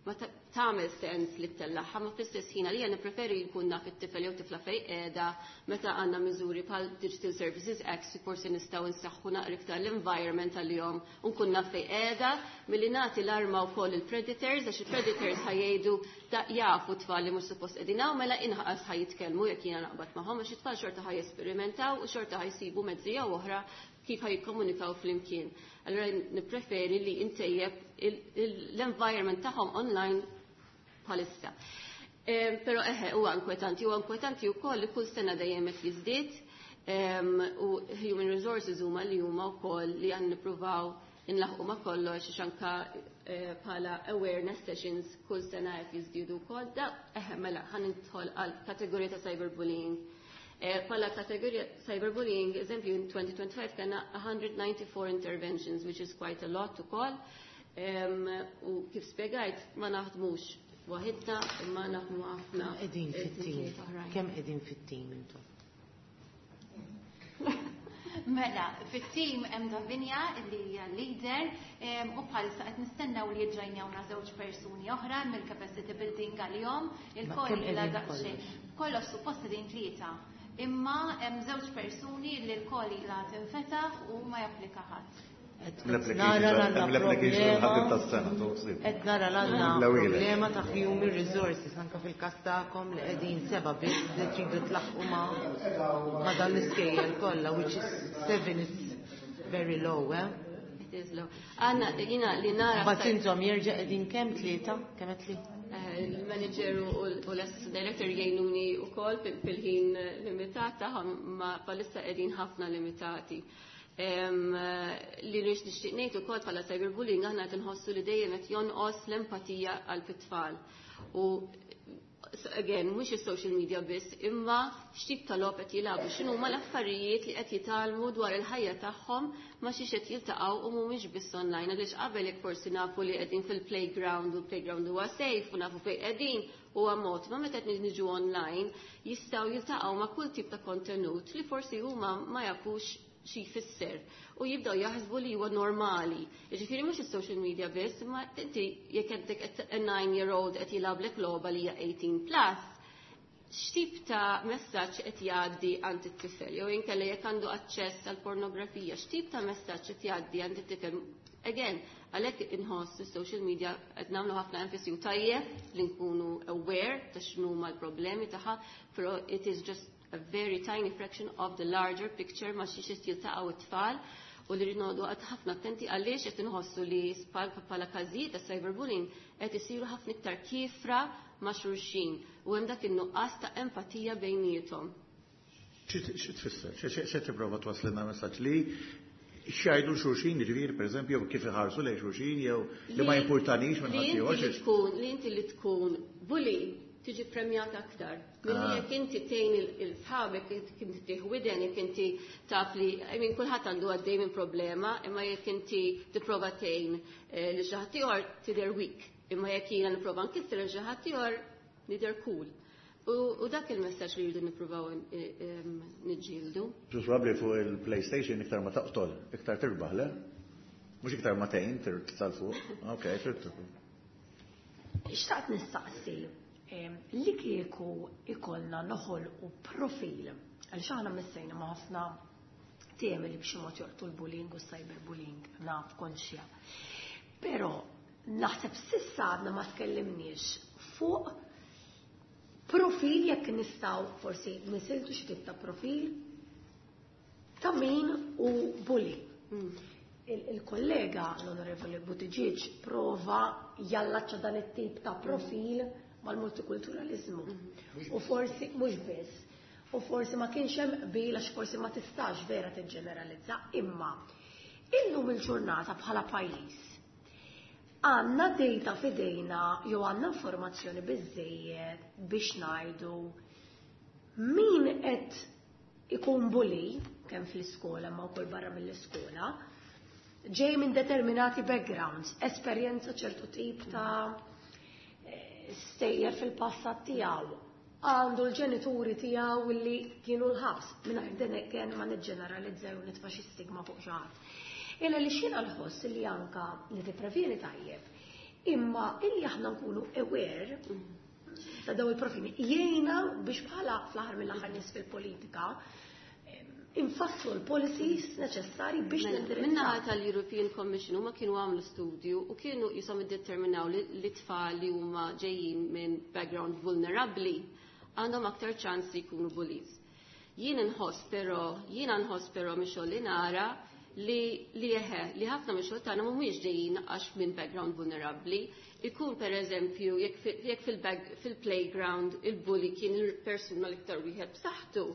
Speaker 10: ma tagħmel sens li ttellagħha, ma fl-istess ħin għalija nippreferi jkun naf it-tifel jew tifla fejn qiegħda meta għandna miżuri bħal Digital Services Act, forsi nistgħu nsaħħu naqra iktar l-environment għalihom u nkun naf fejn qiegħda milli nagħti l-arma wkoll il-predators, għax il-predators ħa jgħidu da jafu tfal li mhux suppost qegħdin hawn, mela inqas ħa jitkellmu jekk jiena naqbad magħhom, għax it-tfal xorta ħa jesperimentaw u xorta ħa jsibu mezzi jew oħra kif ħa jikkomunikaw flimkien. Allora nippreferi li intejjeb l-environment tagħhom online bħalissa. Però eħe, huwa inkwetanti, huwa inkwetanti wkoll li kull sena dejjem qed jiżdied u human resources huma li huma wkoll li għan nippruvaw inlaħqu ma' kollox anka bħala awareness sessions kull sena qed jiżdiedu wkoll. Da eħe, mela ħa nidħol għal kategorija ta' cyberbullying. Bħala kategorija cyberbullying, eżempju, in twenty twenty-five kellna one hundred ninety-four interventions, which is quite a lot ukoll. U kif spjegajt, ma naħdmux waħidna, imma naħdmu ħafna.
Speaker 7: Qegħdin fit-tim. Kemm qegħdin fit-tim intom?
Speaker 12: Mela, fit-tim hemm Davinia li hija leader u bħalissa qed nistennew li jiġġojnjawna żewġ persuni oħra mill-capacity building għalihom, il-koll ilha daqsxejn. Kollox suppost qegħdin tlieta. Imma hemm żewġ persuni li l-koll ilha tinfetaħ u ma japplika ħadd.
Speaker 2: L-application ħaddim tas-sena, toqsib.
Speaker 7: Qed nara l-għandna problema ta' human resources anka fil-każ tagħkom li qegħdin seba' biss li tridu tlaħqu ma' ma' dan l-iskejjel kollha, which is seven is very low, eh?
Speaker 10: It is low. Għanna, jina li nara.
Speaker 7: But intom jerġa' qegħdin kemm, tlieta? Kemm qed li?
Speaker 10: Il-manager u l-assistant director jgħinuni u koll fil-ħin limitat tagħhom, ma bħalissa qegħdin ħafna limitati. Li rix nixtieq ngħid ukoll bħala cyberbullying aħna qed inħossu li dejjem qed jonqos l-empatija għal fit-tfal. U again, mhux is-social media biss, imma x'tip ta' logħob qed jilagħbu, x'inhuma l-affarijiet li qed jitgħallmu dwar il-ħajja tagħhom ma xiex qed jiltaqgħu u mhumiex biss online. Għaliex qabel jekk forsi nafu li qegħdin fil-playground u l-playground huwa safe u nafu fejn qegħdin huwa mod, ma meta qed niġu online jistgħu jiltaqgħu ma' kull tip ta' kontenut li forsi huma ma jafux xi jfisser u jibdew jaħsbu li huwa normali. Jiġifieri mhux is-social media biss, imma inti jekk għandek a nine year old qed jilgħablek logħba li hija eighteen plus, x'tip ta' messaġġ qed jgħaddi għand it-tifel, jew inkella jekk għandu aċċess għal pornografija, x'tip ta' messaġġ qed jgħaddi għand it-tifel. Again, għalhekk inħoss is-social media qed nagħmlu ħafna enfasi u tajjeb li nkunu aware ta' x'inhuma l-problemi tagħha, però it is just a very tiny fraction of the larger picture ma xiex jiltaqgħu it-tfal u li rridu għad ħafna attenti għaliex qed inħossu li bħala każijiet ta' cyberbullying qed isiru ħafna iktar kifra ma' xulxin u hemm dak in-nuqqas ta' empatija bejniethom.
Speaker 2: Xi tfisser? Xi tipprova twasslilna messaġġ li x'jgħidu xulxin, jiġifieri pereżempju kif iħarsu lejn xulxin jew li ma jimpurtanix minn ħadd
Speaker 10: ieħor. Li inti li tkun bully tiġi premjata aktar. Milli jekk inti tgħin il-sħabek, jekk inti tieħu widen, jekk inti taf li, I mean, kulħadd għandu għaddej minn problema, imma jekk inti tipprova tgħin li xi ħadd ieħor tidher weak, imma jekk jiena nipprova nkisser lil xi ħadd ieħor nidher cool. U dak il-messaġġ li rridu nippruvaw niġġieldu.
Speaker 2: Probabbli fuq il-PlayStation iktar ma taqtol, iktar tirbaħ, le? Mhux iktar ma tgħin tal fuq. Okej, fhimt.
Speaker 1: Xtaqt nistaqsi li kieku ikollna noħolqu profil, għaliex aħna missejna ma' ħafna temi li b'xi mod joqtu l-bullying u cyberbullying, naf konxja. Però naħseb s'issa għadna ma tkellimniex fuq profil jekk nistgħu forsi nisiltu xi tip ta' profil ta' min u bully. Il-kollega l-Onorevoli Buttigieg prova jallaċċa dan it-tip ta' profil mal-multikulturalizmu. U forsi mhux biss. U forsi ma kienx hemm qbil għax forsi ma tistax vera tiġġeneralizza, imma illum il-ġurnata bħala pajjiż għandna data f'idejna jew għandna informazzjoni biżejjed biex ngħidu min qed ikun bully kemm fl-iskola ma wkoll barra mill-iskola, ġej minn determinati backgrounds, esperjenza ċertu tip ta' stejjer fil-passat tiegħu, għandu l-ġenituri tiegħu li kienu l-ħabs, mingħajr din kien ma niġġeneralizza jew nitfa' xi stigma fuq xi ħadd. Illa li xina nħoss li anka li tipprevjeni tajjeb, imma illi aħna nkunu aware ta' daw il-profili jgħinna biex bħala fl-aħħar mill-aħħar nies fil-politika infasslu l-policies neċessari biex nindirizzaw.
Speaker 10: Minnaħa tal-European Commission huma kienu għamlu studju u kienu jisom iddeterminaw li tfal li huma ġejjin minn background vulnerabbli għandhom aktar ċans li jkunu bullies. Jien inħoss però, jiena nħoss però mix-xogħol li nara li li eħe, li ħafna mix-xogħol tagħna mhumiex ġejjin għax minn background vulnerabbli. Ikun per eżempju jekk fil-playground il-bully kien il-persuna l-iktar wieħed b'saħħtu,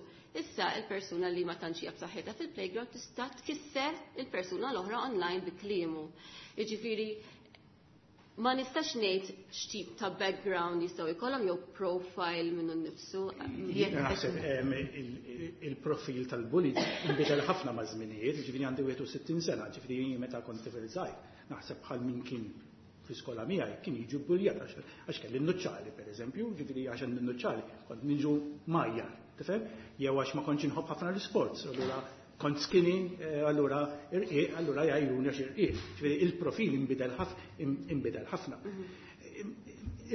Speaker 10: issa il-persuna li ma tantx hija b'saħħitha fil-playground tista' tkisser il-persuna l-oħra online bi kliemu. Jiġifieri ma nistax ngħid x'tip ta' background jistgħu jkollhom jew profile minnu nnifsu.
Speaker 6: Naħseb il-profil tal-bully inbidel ħafna ma' żminijiet, jiġifieri għandi wieħed u sittin sena, jiġifieri meta kont tifel żgħir, naħseb bħal min kien fl-iskola miegħi kien jiġu bbuljat għax kelli n-nuċċali pereżempju, jiġifieri għax n-nuċċali kont niġu majjar, tifhem? Jew għax ma kontx inħobb ħafna l-isports, allura kont skinny, allura irqiq, allura jgħajruni għax irqiq. Ġifieri il-profil inbidel inbidel ħafna.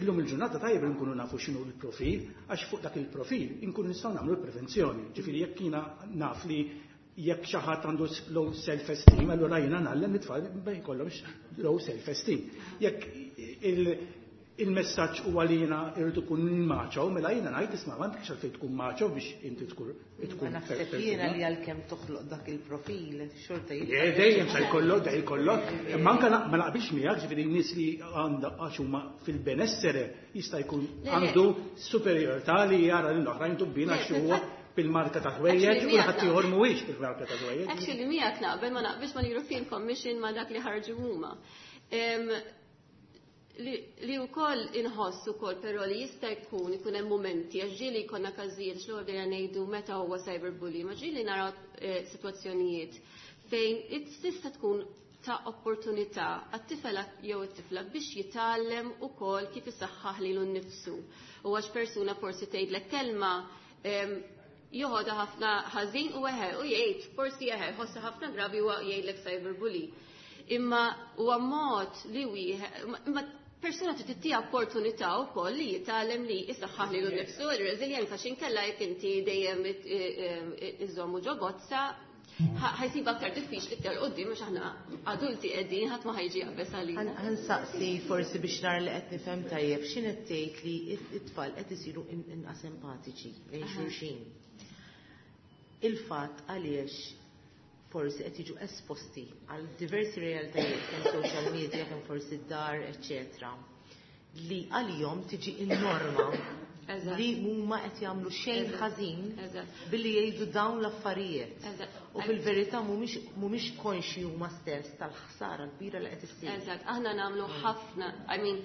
Speaker 6: Illum il-ġurnata tajjeb li nkunu nafu x'inhu l-profil, għax fuq dak il-profil inkunu nistgħu nagħmlu l-prevenzjoni. Ġifieri jekk jiena naf li jekk xi ħadd għandu low self-esteem, allura jiena ngħallem it-tfal ma jkollhomx low self-esteem. Jekk il-messaġġ huwa li jiena irrid ikun macho, mela jiena ngħid isma' m'għandekx għalfejn tkun macho biex inti tkun tkun.
Speaker 7: Naħseb jiena li għalkemm toħloq dak il-profil xorta
Speaker 6: jibqa'. Dejjem se jkollok, dejjem jkollok. Imma anke ma naqbilx miegħek, ġifieri nies li għandha għax huma fil-benessere jista' jkun għandu superjorità li jara lil oħrajn tubbina għax huwa bil-marka ta' ħwejjeġ u ħaddieħor mhuwiex bil-marka ta' ħwejjeġ.
Speaker 10: Actually miegħek naqbel, ma naqbilx mal-European Commission ma dak li ħarġu huma. Li wkoll inħoss ukoll però li jista' jkun ikun hemm mumenti għax ġieli jkollna każijiet x'l bdejna ngħidu meta huwa cyberbullying, ma ġieli naraw eh, sitwazzjonijiet fejn tista' tkun ta' opportunità għat-tifel jew it-tifla biex jitgħallem ukoll kif isaħħaħ lilu nnifsu. U għax persuna forsi tgħidlek kelma joħodha ħafna ħażin u eħe u jgħid forsi eħe ħossa ħafna gravi u jgħidlek cyberbully. Imma huwa mod li wieħed imma persuna trid tittiha opportunità wkoll li jitgħallem li jisaħħaħ lilu nnifsu, ir-reżiljenza x'inkella jekk inti dejjem iżommu ġo bozza ħajsib aktar diffiċli iktar quddiem għax aħna adulti qegħdin ħadd ma ħajġi jaqbeż għalina.
Speaker 7: Ħa nsaqsi forsi biex nara li qed nifhem tajjeb x'in qed tgħid li t-tfal qed isiru inqas empatiċi lejn xulxin. Il-fatt għaliex forsi qed jiġu esposti għal diversi realtajiet kemm social media, kemm forsi d-dar, eċċetera, li għalihom tiġi in-norma li huma qed jagħmlu xejn ħażin billi jgħidu dawn l-affarijiet. U fil-verità mhumiex konxji huma stess tal-ħsara kbira li qed issir.
Speaker 10: Eżatt, aħna nagħmlu ħafna, I mean,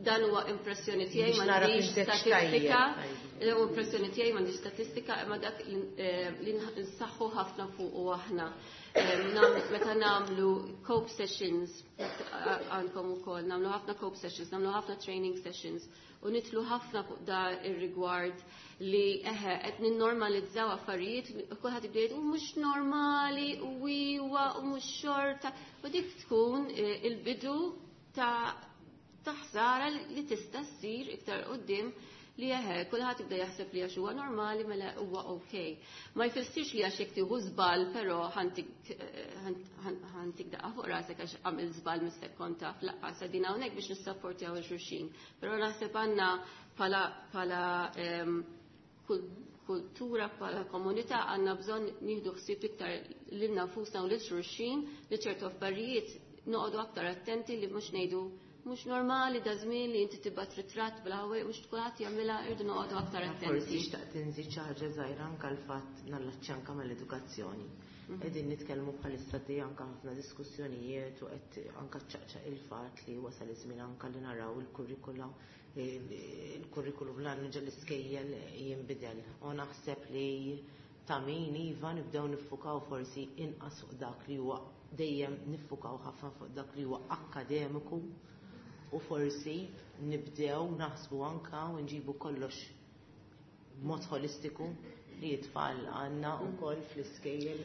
Speaker 10: dan huwa impressjoni tiegħi, m'għandix statistika, huwa impressjoni tiegħi, m'għandix statistika, imma dak li nsaħħu ħafna fuq u aħna. Meta nagħmlu cope sessions għandkom ukoll, nagħmlu ħafna cope sessions, nagħmlu ħafna training sessions u nitlu ħafna fuq da ir-rigward li eħe qed ninnormalizzaw affarijiet, kulħadd jibda jgħid u mhux normali u iwa u mhux xorta, u dik tkun il-bidu ta' ta' ħsara li tista' ssir iktar quddiem li eħe kulħadd jibda jaħseb li għax huwa normali mela huwa okay. Ma jfissirx li għax jekk tieħu żball però ħantik ħantik daqqa fuq rasek għax għamil żball missek kont taf laqqas qegħdin hawnhekk biex nissapportjaw il xulxin. Però naħseb għandna bħala bħala kultura, bħala komunità għandna bżonn nieħdu ħsieb iktar lilna nfusna u lil xulxin li ċertu affarijiet noqogħdu aktar attenti li mhux ngħidu mhux normali da żmien li inti tibgħat ritratt bil-ħawej mhux kulħadd jagħmilha, irdu noqogħdu aktar attenti.
Speaker 7: Forsi xtaqt inżid xi ħaġa żgħira anke l-fatt nallaċċja anke mal-edukazzjoni. Qegħdin nitkellmu bħalissa di anke ħafna diskussjonijiet u qed anke ċaqċaq il-fatt li wasal iż-żmien anke li naraw il-kurrikula il-kurrikulum l ġol-iskejjel jinbidel. U naħseb li ta' min iva nibdew niffukaw forsi inqas fuq dak li huwa dejjem niffukaw ħafna fuq dak li huwa akkademiku u forsi nibdew naħsbu anka u nġibu kollox b'mod holistiku li t-tfal għandna wkoll fl-iskejjel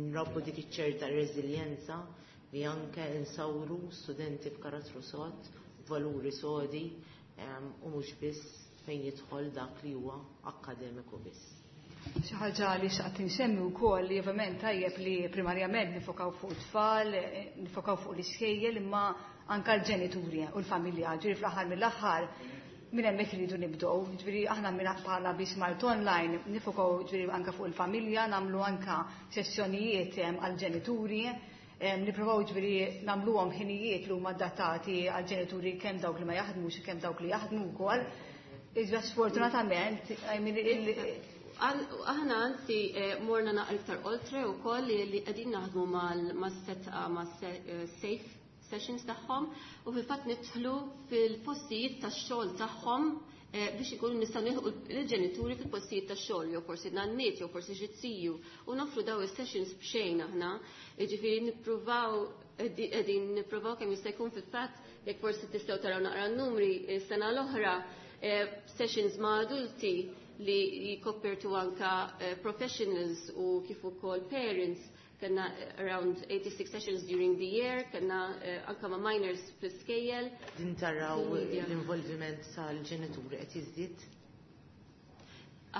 Speaker 7: nrabbu dik iċ-ċerta reżiljenza li anke nsawru studenti b'karattru sod, valuri sodi u mhux biss fejn jidħol dak li huwa akkademiku biss.
Speaker 11: Xi ħaġa li xaqt insemmi wkoll li ovvjament tajjeb li primarjament nifokaw fuq it-tfal, nifokaw fuq l-iskejjel, imma anka l-ġenituri u l-familja, ġifieri fl-aħħar mill-aħħar minn hemmhekk iridu nibdew. Ġifieri aħna minn bħala Be Smart Online nifokaw ġifieri anka fuq il-familja, nagħmlu anka sessjonijiet għall-ġenituri, nippruvaw ġifieri nagħmluhom ħinijiet li huma adattati għall-ġenituri kemm dawk li ma jaħdmux kemm dawk li jaħdmu wkoll. Iżda sfortunatament, I mean,
Speaker 10: Aħna anzi morna naqra iktar oltre wkoll li qegħdin naħdmu mas-setqa mas-safe sessions tagħhom u fil-fatt nidħlu fil-postijiet tax-xogħol tagħhom biex ikunu nistgħu nilħqu l-ġenituri fil-postijiet tax-xogħol jew forsi nanniet jew forsi xi ziju u nofru daw is-sessions b'xejn aħna. Jiġifieri nippruvaw qegħdin nippruvaw kemm jista' jkun fil-fatt jekk forsi tistgħu taraw naqra n-numri s-sena l-oħra sessions ma' adulti li jikoppertu anka professionals u kif ukoll parents. Kellna around eighty-six sessions during the year, kellna anka ma' minors fl-iskejjel.
Speaker 7: Din taraw l-involviment tal-ġenituri qed jiżdied?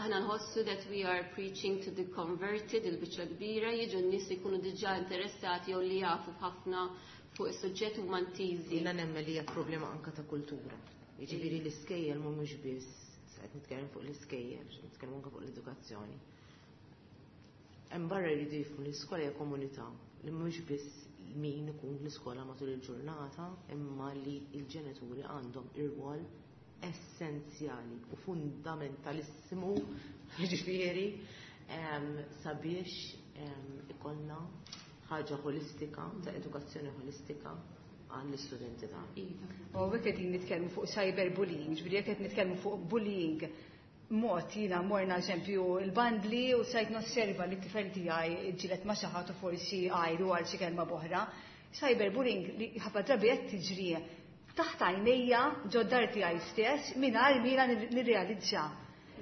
Speaker 10: Aħna nħossu that we are preaching to the converted, il-biċċa kbira, jiġu n-nies li jkunu diġà interessati jew li jafu ħafna fuq is-suġġett huma ntiżi.
Speaker 7: Jiena nemmen li hija problema anka ta' kultura. Jiġifieri l-iskejjel mhumiex biss, qed nitkellem fuq l-iskejjel, nitkellem anke fuq l-edukazzjoni. Hemm barra jridu jifhmu li l-iskola hija komunità li mhux biss min ikun l-iskola matul il-ġurnata, imma li l-ġenituri għandhom ir-rwol essenzjali u fundamentalissimu, jiġifieri sabiex ikollna ħaġa ħolistika, ta' edukazzjoni ħolistika għall-istudenti tagħna.
Speaker 11: Iva. U hekk qegħdin nitkellmu fuq cyberbullying, ġifieri jekk qed nitkellmu fuq bullying mod jiena morna eżempju il-bandli u sajt nosserva li t-tifel tiegħi ġilet ma' xi ħadd u forsi għajru għal xi kelma b'oħra. Cyberbullying li ħafna drabi qed tiġri taħt għajnejja ġod-dar tiegħi stess mingħajr mina nirrealizza.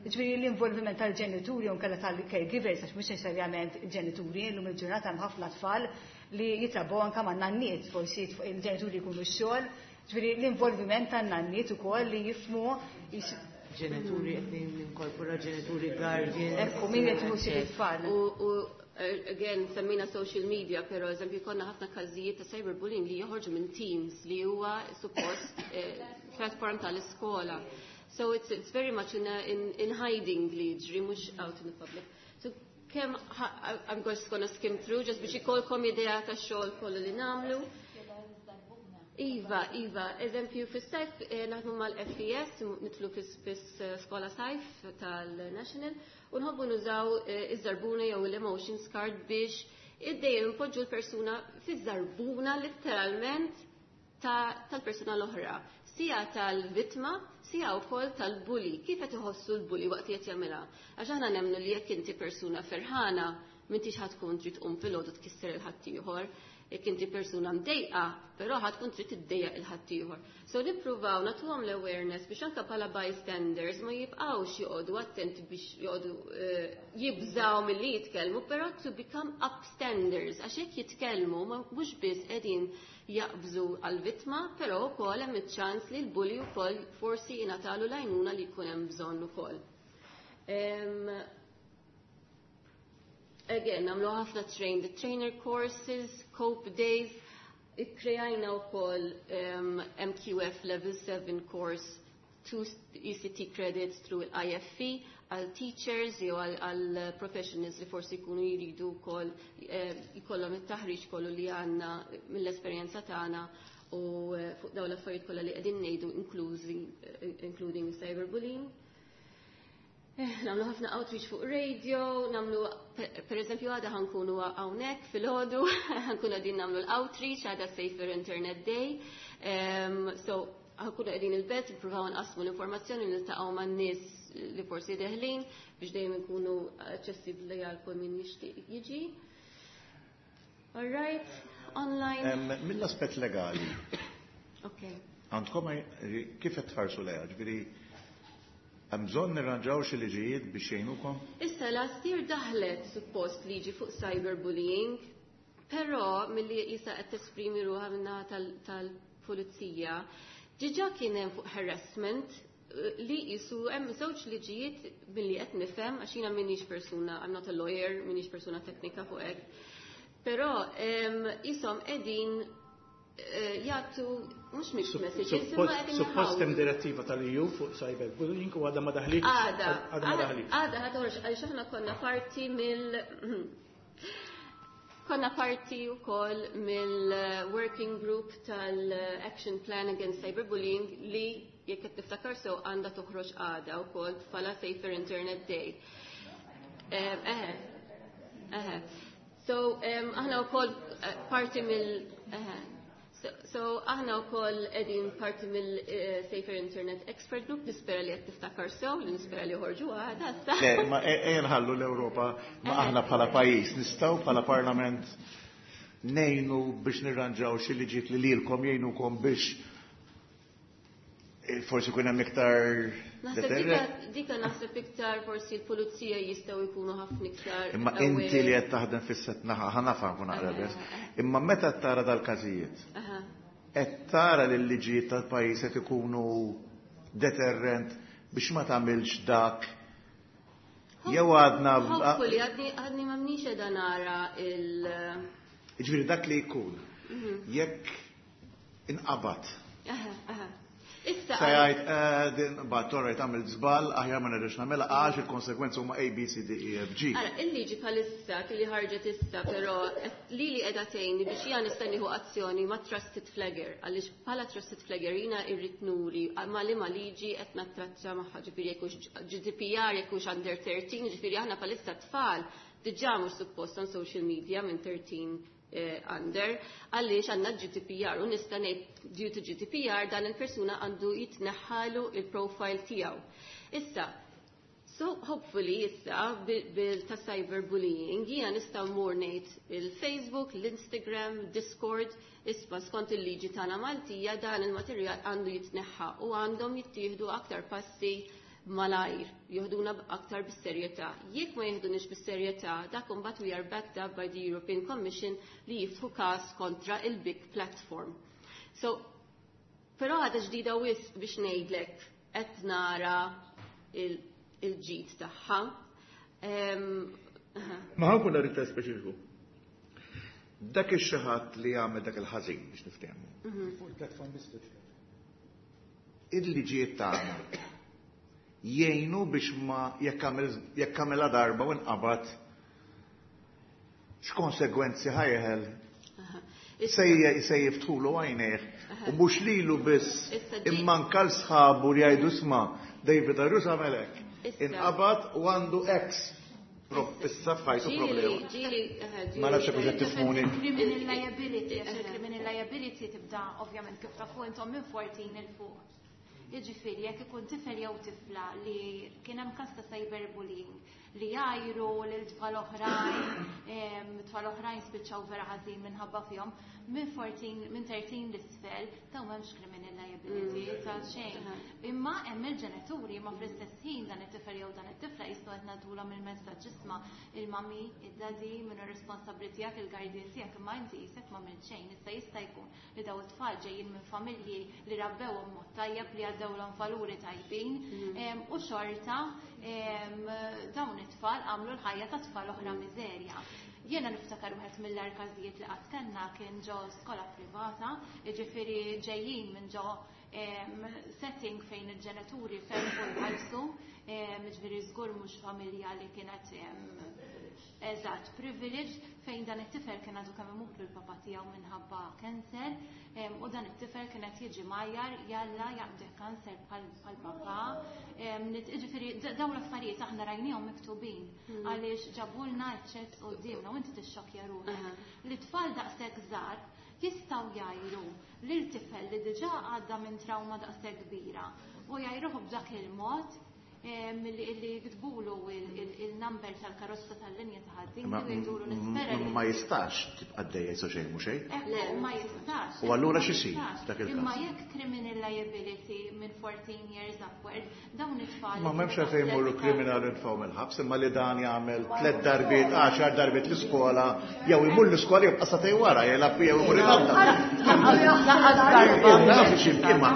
Speaker 11: Ġifieri l-involviment tal-ġenituri u nkella tal-caregivers, għax mhux neċessarjament il-ġenituri, illum il-ġurnata hemm ħafna tfal li jitrabbew anke man nanniet, forsi il-ġenituri jkunu x-xogħol, ġifieri l-involviment tan-nanniet ukoll li jifhmu
Speaker 7: Ġenituri qed ninkorpora ġenituri, guardians.
Speaker 11: Ekku, min qed jieħu it-tfal.
Speaker 10: U again, semmina social media, pero eżempju konna ħafna każijiet ta' cyberbullying li joħorġu minn Teams li huwa suppost eh, platform tal-iskola. So it's, it's very much in, a, in, in hiding li jiġri, mhux out in the public. So kemm, I'm just gonna skim through, just biex ikolkom idea ta' xogħol kollu li nagħmlu. Iva, Iva, eżempju, fis-sajf eh, naħdmu mal-F E S, nidħlu fis-skola sajf tal-National, u nħobbu nużaw eh, iż-żarbuna jew l-emotions card biex id-dejjem npoġġu l-persuna fiż-żarbuna literalment tal-persuna l-oħra. Sija tal-vittma, sija wkoll tal-bully. Kif qed iħossu l-bully waqt qed jagħmilha? Għax aħna nemmnu li jekk inti persuna ferħana, m'intix ħa tkun trid tqum filgħodu tkisser il-ħaddieħor. Jekk inti persuna mdejqa, però ħa tkun trid tiddejjaq il-ħaddieħor. So nippruvaw nagħtuhom l-awareness biex anke bħala bystanders ma jibqgħux joqogħdu attenti biex joqogħdu eh, jibżaw milli jitkellmu, però to become upstanders, għax jekk jitkellmu mhux biss qegħdin jaqbżu għal-vittma, però wkoll hemm iċ-ċans li l-bully wkoll forsi jingħatalu l-għajnuna li jkun hemm bżonn ukoll. Again, nagħmlu ħafna train the trainer courses, COPE days, ikkrejajna wkoll um, M Q F Level seven course, two E C T credits through I F E għal teachers jew għal professionals li forsi jkunu jridu wkoll eh, jkollhom it-taħriġ kollu li għandna mill-esperjenza tagħna u eh, fuq dawn l-affarijiet kollha li qegħdin ngħidu, inklużi eh, including cyberbullying. Nagħmlu ħafna outreach fuq radio, nagħmlu, per eżempju, għada ħa nkunu hawnhekk filgħodu, ħa nkunu qegħdin nagħmlu l-outreach, għada Safer Internet Day. Um, so, ħa nkunu qegħdin il-belt, nippruvaw nqasmu l-informazzjoni, niltaqgħu man-nies li forsi deħlin biex dejjem ikunu aċċessibbli għal kull min jixtieq jiġi. All right, online.
Speaker 2: Mill-aspett legali.
Speaker 10: Okay.
Speaker 2: Għandkom kif qed tħarsu lejha, ġifieri hemm bżonn nirranġaw xi liġijiet biex jgħinukom?
Speaker 10: Issa last year daħlet suppost liġi fuq cyberbullying, però milli jisa qed tesprimi ruħha minna tal-pulizija, diġà kien hemm fuq harassment eh, li jisu hemm żewġ liġijiet milli qed nifhem, għax jiena m'iniex persuna, I'm not a lawyer, m'iniex persuna teknika fuq hekk. Però jisom qegħdin eh, jagħtu mhux mixed messages, imma qegħdin
Speaker 6: Suppost hemm direttiva tal-E U fuq cyberbullying u għadha ma daħlitx.
Speaker 10: Għada,
Speaker 6: Għadha ma daħlitx.
Speaker 10: Għada ħa toħroġ, għaliex aħna konna parti mill konna parti wkoll mill-working group tal-Action Plan Against Cyberbullying li jekk qed niftakar sew għandha toħroġ għada wkoll bħala Safer Internet Day. Eħe, eħe. So, aħna wkoll eh, parti mill eħe. So, so aħna wkoll qegħdin parti mill-Safer Internet Expert Group, nispera li qed tiftakar sew, li nispera li joħorġu għada issa.
Speaker 2: Le, ma ejja nħallu l-Ewropa, ma aħna bħala pajjiż nistgħu bħala parlament ngħinu biex nirranġaw xi liġijiet li lilkom jgħinukom biex eh, forsi kun hemm iktar
Speaker 10: Naħseb
Speaker 2: deterrent.
Speaker 10: dika, dika naħseb iktar forsi l-pulizija jistgħu jkunu ħafna iktar
Speaker 2: Imma inti li qed taħdem fis-set naħa ħa nafha nkun naqra biss. Imma meta tara dal-każijiet,
Speaker 10: Aha.
Speaker 2: qed tara li l-liġijiet tal-pajjiż qed ikunu deterrent biex ma tagħmilx dak jew għadna
Speaker 10: Hopefully, għadni għadni ma mniex qiegħda nara il
Speaker 2: Ġifieri dak li jkun
Speaker 10: Mhm.
Speaker 2: jekk inqabad
Speaker 10: Aha, aha. Issa
Speaker 2: Se jgħid eh, din bat torrejt għamil żball, aħjar ma nerġax nagħmilha għax il-konsegwenzi huma A, B, C, D, E, F, G.
Speaker 10: Ara, il-liġi bħalissa li ħarġet issa, però li li qiegħda tgħinni biex jiena nista' nieħu azzjoni ma' trusted flagger, għaliex bħala trusted flagger jiena irrid nuri ma' liema liġi qed nattratta magħha, ġifieri jekk hux G D P R, jekk hux under thirteen, ġifieri aħna bħalissa tfal diġà mhux suppost on social media minn thirteen eh, under, għaliex għandna G D P R u nista' ngħid due to G D P R dan il-persuna għandu jitneħħalu il-profile tiegħu. Issa, so hopefully issa bil ta' cyberbullying jiena nista' mmur ngħid il-Facebook, l-Instagram, Discord, isma' skont il-liġi tagħna Maltija dan il-materjal għandu jitneħħa u għandhom jittieħdu aktar passi malajr, joħduna aktar bis-serjetà. Jekk ma jieħdunix bis-serjetà, dak imbagħad we are backed up by the European Commission li jiftħu każ kontra il-big platform. So, però għadha ġdida wisq biex ngħidlek qed nara il-ġid tagħha.
Speaker 2: Ma ħa nkun iktar speċifiku. Dak ix-xi ħadd li jagħmel dak il-ħażin biex niftehmu.
Speaker 10: Mhm.
Speaker 6: Fuq il-platform biss.
Speaker 2: Il-liġijiet tagħna jgħinu biex ma jekk għamilha darba u nqabad x'konsegwenzi ħa jeħel se jiftħulu għajnejh u mhux lilu biss imma anke sħabu li jgħidu isma' David Agius għamel hekk. Inqabad u għandu ex issa f'ħajtu problema. Ma nafx hekk qed tifhmuni.
Speaker 12: Criminal liability, għax il-criminal liability tibda ovvjament kif tafu intom minn fourteen 'il fuq. Jiġifieri jekk ikun tifel jew tifla li kien hemm każ ta' cyberbullying li jgħajru lil tfal oħrajn, tfal oħrajn spiċċaw vera ħażin minħabba fihom, minn fourteen, minn thirteen 'l isfel, ta' m'hemmx criminal liability mm. ta' xejn. Imma hemm il-ġenituri ma fl-istess ħin dan it-tifel jew dan it-tifla jistgħu qed nagħtulhom il-messaġġ isma' il-mami, id-daddy, min hu responsabbli tiegħek, il-guardian tiegħek, imma inti qisek ma xejn. Issa jista' jkun li daw it-tfal ġejjin minn familji li rabbewhom mod tajjeb li għaddewlhom valuri tajbin mm. u xorta dawn it-tfal għamlu l-ħajja ta' tfal oħra miżerja. Jiena niftakar wieħed mill-agħar każijiet li qatt kellna kien ġo skola privata, jiġifieri ġejjin minn ġo setting fejn il-ġenituri ferħu jħallsu, jiġifieri żgur mhux familja li kienet eżatt privilege fejn dan it-tifel kien għadu kemm imut l-papa tiegħu minħabba cancer u dan it-tifel kien qed jiġi mgħajjar jalla jaqbdek kanser bħal papa. Jiġifieri dawn l-affarijiet aħna rajnihom miktubin hmm. għaliex ġabulna ċ-chats quddiemna u inti tixxokja ruħek. Li tfal daqshekk żgħar jistgħu jgħajru lil tifel li diġà għadda minn trauma daqshekk kbira u jgħajruh b'dak il-mod li jiktbulu il-number tal-karozza tal-linja ta' ħaddin u jgħidulu nispera.
Speaker 2: Ma jistax tibqa' dejja jisu xejn mhu xejn.
Speaker 12: Ma jistax.
Speaker 2: U allura x'isir dak il-każ?
Speaker 12: Imma jekk criminal liability minn fourteen years upward, dawn it-tfal.
Speaker 2: Ma m'hemmx għalfejn jmorru kriminal nfgħu mill-ħabs, imma li dan jagħmel tliet darbiet, għaxar darbiet l-iskola, jew imur l-iskola jibqa' sagħtejn wara jilgħab jew imur il-għadda. Naf x'imma.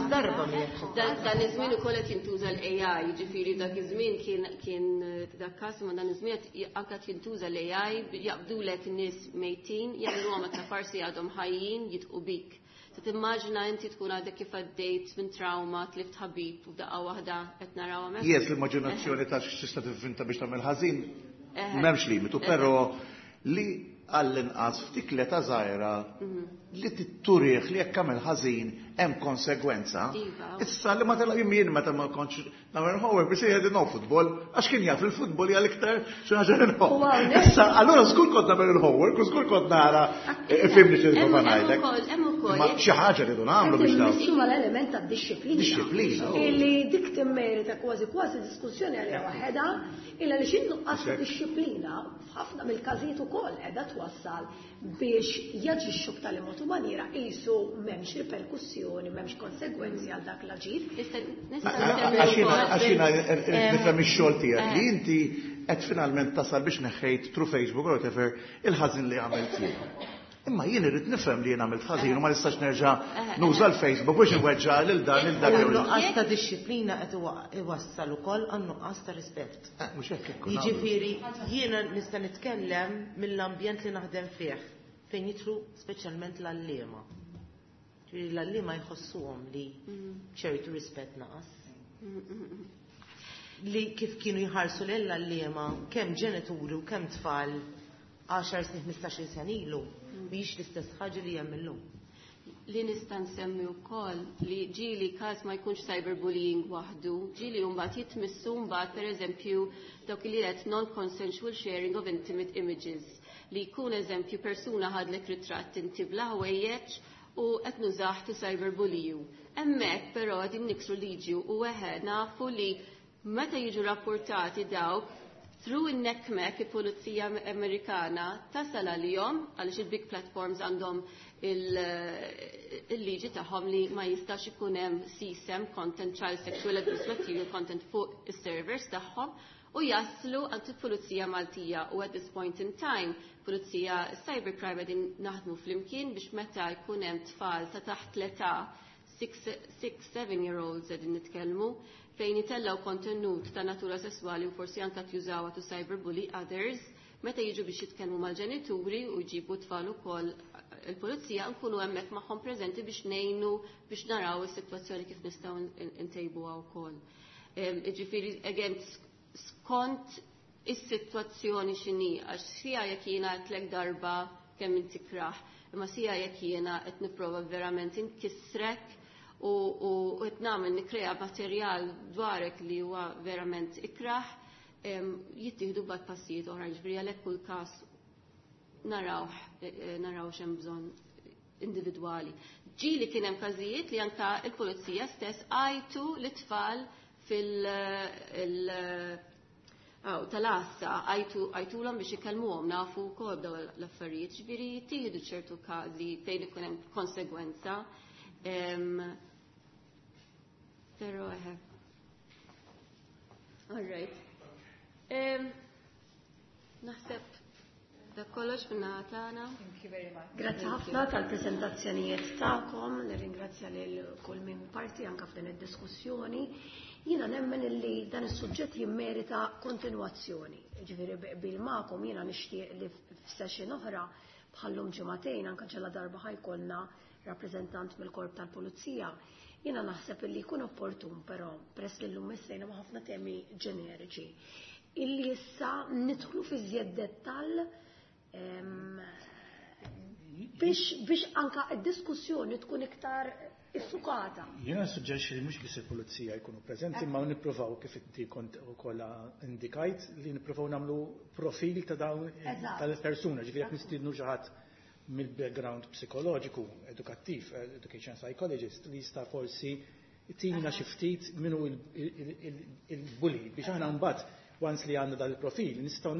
Speaker 7: Darba
Speaker 10: Dan iż-żmien ukoll qed jintuża l-A I, jiġifieri dak iż-żmien kien kien dak każ ma dan iż-żmien anke qed jintuża l-A I, jaqbdulek nies mejtin, jagħmluhom ta' farsi għadhom ħajjin jidħqu bik. Se timmaġina inti tkun għadek kif għaddejt minn trauma, tlift ħabib u f'daqqa waħda qed naraw hemmhekk.
Speaker 2: Yes, l-immaġinazzjoni ta' x'tista' tivvinta biex tagħmel ħażin m'hemmx limitu, però li għall-inqas ftit l-età żgħira li titturih li jekk għamel ħażin hemm konsegwenza.
Speaker 10: Iva.
Speaker 2: Issa li ma telaq jien meta ma kontx nagħmel homework biex jgħid no football għax kien jaf il-futbol hija l-iktar xi ħaġa li nħobb. Issa allura żgur kont nagħmel il-homework u żgur kont nara fimni xi nipprova ngħidlek.
Speaker 10: Hemm ukoll.
Speaker 2: Ma xi ħaġa li nagħmlu biex dawn.
Speaker 1: Immissu mal-element ta' dixxiplina.
Speaker 2: Dixxiplina.
Speaker 1: Illi dik timmerita kważi kważi diskussjoni għaliha waħedha, illa li x'in-nuqqas ta' dixxiplina f'ħafna mill-każijiet ukoll qiegħda twassal biex jaġixxu b'tali mod u maniera qisu m'hemmx riperkussjoni, m'hemmx konsegwenzi għal dak l-aġir.
Speaker 2: Għax jiena nifhem ix-xogħol tiegħek li inti qed finalment tasal biex neħħejt through Facebook or whatever il-ħażin li għamilt jien. Imma jien irrid nifhem li jien għamilt ħażin u ma nistax nerġa' nuża l-Facebook biex inweġġa' lil dan lil dak.
Speaker 7: U nuqqas ta' dixxiplina qed iwassal ukoll għan nuqqas ta' rispett.
Speaker 2: Mhux hekk hekk.
Speaker 7: Jiġifieri jiena nista' nitkellem mill-ambjent li naħdem fih fejn jidħlu speċjalment l-għalliema. Ġifieri l-għalliema jħossuhom li ċertu rispett naqas. Li kif kienu jħarsu l-għalliema kemm ġenituri u kemm tfal għaxar snin, ħmistax-il sena ilu, mhijiex l-istess ħaġa li hemm illum.
Speaker 10: Li nista' nsemmi wkoll li ġieli każ ma jkunx cyberbullying waħdu, ġieli mbagħad jitmissu mbagħad pereżempju dawk li qed non-consensual sharing of intimate images, li jkun eżempju persuna ħadlek ritratt inti bla ħwejjeġ u qed nużah to cyberbully you. Hemmhekk però qegħdin niksru liġi u eħe nafu li meta jiġu rapportati dawk through in-NCMEC, il-Pulizija Amerikana, tasal għalihom għaliex il-big platforms għandhom il-liġi tagħhom li ma jistax ikun hemm C S A M content, child sexual abuse material content, fuq is-servers tagħhom u jaslu għand il-Pulizija Maltija. U at this point in time Pulizija Cybercrime qegħdin naħdmu flimkien biex meta jkun hemm tfal ta' taħt l-età, six seven year olds qegħdin nitkellmu, fejn jitellaw kontenut ta' natura sessuali u forsi anka jużawha to cyberbully others, meta jiġu biex jitkellmu mal-ġenituri u jġibu tfal ukoll il-pulizija, nkunu hemmhekk magħhom preżenti biex ngħinu biex naraw is-sitwazzjoni kif nistgħu ntejbuha wkoll. Ġifieri again skont is-sitwazzjoni x'inhi, għax sija jekk jiena għedtlek darba kemm inti kraħ, imma sija jekk jiena qed nipprova verament inkissrek u qed nagħmel nikkrea materjal dwarek li huwa verament ikraħ, jittieħdu bad passijiet oħra. Ġifieri għalhekk kull każ naraw eh, eh, naraw x'hemm bżonn individwali. Ġieli kien hemm każijiet li anka il-pulizija stess għajtu l-tfal fil- tal-għassa, għajtulhom biex ikellmuhom, nafu wkoll daw l-affarijiet, ġifieri jittieħdu ċertu każi fejn ikun hemm konsegwenza. Però eħe. All right. Naħseb dak kollox minna tagħna.
Speaker 11: Thank you very much.
Speaker 1: Grazzi ħafna tal-prezentazzjonijiet tagħkom, nirringrazzja lil kull min parti anke f'din id-diskussjoni. Jiena nemmen illi dan is-suġġett jimmerita kontinwazzjoni. Ġifieri bil magħkom jiena nixtieq li f'session oħra bħallum ġimagħtejn, anke ġella darba ħa jkollna rappreżentant mill-korp tal-pulizija. Jiena naħseb illi jkun opportun però, peress li llum missejna ma' ħafna temi ġeneriċi, illi issa nidħlu fi żjed dettall biex biex anka id-diskussjoni tkun iktar iffukata.
Speaker 6: Jiena suġġerixxi li mhux biss il-pulizija jkunu preżenti, ma nippruvaw, kif inti kont ukoll indikajt, li nippruvaw nagħmlu profil ta' dawn tal-persuna, ġifieri jekk nistiednu xi ħadd mill-background psikoloġiku, edukattiv, education psychologist, li jista' forsi tina xi ftit minnu il-bully biex aħna mbagħad, once li għandna dal-profil, nistgħu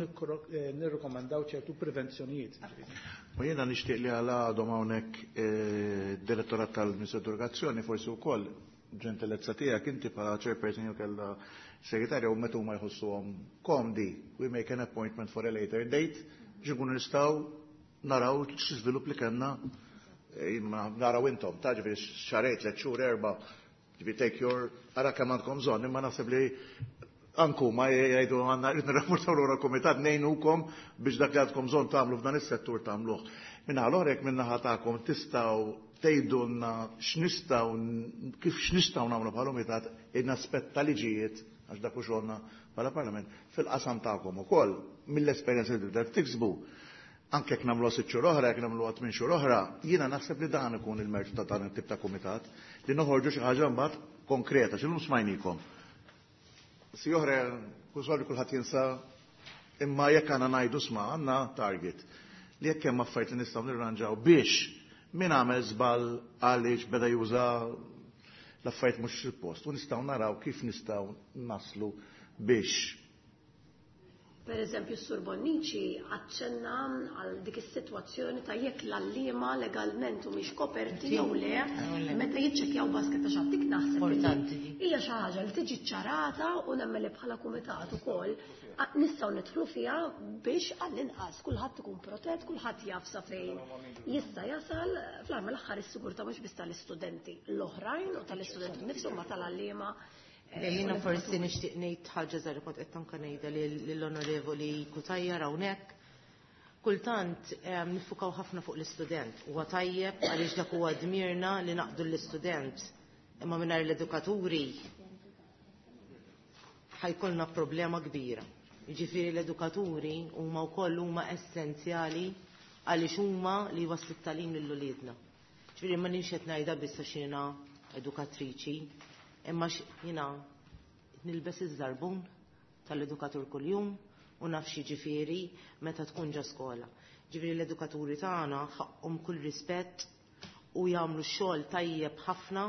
Speaker 6: eh, nirrikomandaw ċertu prevenzjonijiet.
Speaker 2: U jiena nixtieq li għala għadhom hawnhekk eh, direttorat tal-Ministeru Edukazzjoni, forsi wkoll ġentilezza tiegħek inti bħala chairperson jew kellha segretarja, u meta huma jħossuhom komdi, we make an appointment for a later date biex nkunu nistgħu naraw x'iżvilupp li kellna, eh, naraw intom, ta' ġifieri xahrejn, tliet xhur, erba', ġifieri take your, ara kemm għandkom bżonn, imma naħseb li anku ma jgħidu għandna rrid nirrapportaw lura l-kumitat, ngħinukom biex dak li għandkom bżonn tagħmlu f'dan is-settur tagħmluh. Minna l jekk minnaħa tagħkom tistgħu tgħidulna x'nistgħu kif x'nistgħu nagħmlu bħala kumitat in-aspett ta' liġijiet, għax dak hu xogħolna bħala parlament fil-qasam tagħkom ukoll mill-esperjenza li tibda tiksbu. Anke jekk nagħmlu sitt xhur oħra, jekk nagħmlu tmien xhur oħra, jiena naħseb li dan ikun il-mertu ta' dan it-tip ta' kumitat li noħorġu xi ħaġa mbagħad konkreta, x'illum smajnikom. Si oħra, kull kulħadd jinsa, imma jekk għandna ngħidu sma għandna target li jekk hemm affarijiet li nistgħu nirranġaw biex min għamel żball għaliex beda juża l-affarijiet mhux fil-post u nistgħu naraw kif nistgħu naslu biex
Speaker 1: Per eżempju, s-Sur Bonnici aċċenna għal dik is-sitwazzjoni ta' jekk l-għalliema legalment u mhix koperti jew le meta jiċċekkjaw basket ta' xattik, naħseb hija xi ħaġa li tiġi ċarata u nemmen li bħala kumitat ukoll nistgħu nidħlu fiha biex għall-inqas kulħadd ikun protett, kulħadd jaf sa fejn jista' jasal. Fl-aħħar mill-aħħar is-sigurtà mhux biss tal-istudenti l-oħrajn u tal-istudenti nnifshom ma tal-għalliema.
Speaker 7: Jiena forsi nixtieq ngħid ħaġa żgħira, kont qed anke ngħidha lill-Onorevoli Cutajar hawnhekk. Kultant nifukaw ħafna fuq l-istudent. Huwa tajjeb għaliex dak huwa dmirna li naqdu l-istudent. Imma mingħajr l-edukaturi ħajkollna problema kbira. Jiġifieri l-edukaturi huma wkoll huma essenzjali għaliex huma li jwasslu t-tagħlim lil uliedna. Ġifieri ma nix qed ngħidha biss għax jiena edukatriċi, imma jiena nilbes iż-żarbun tal-edukatur kuljum u naf x'jiġifieri meta tkun ġa skola. Ġifieri l-edukaturi tagħna ħaqhom kull rispett u jagħmlu xogħol tajjeb ħafna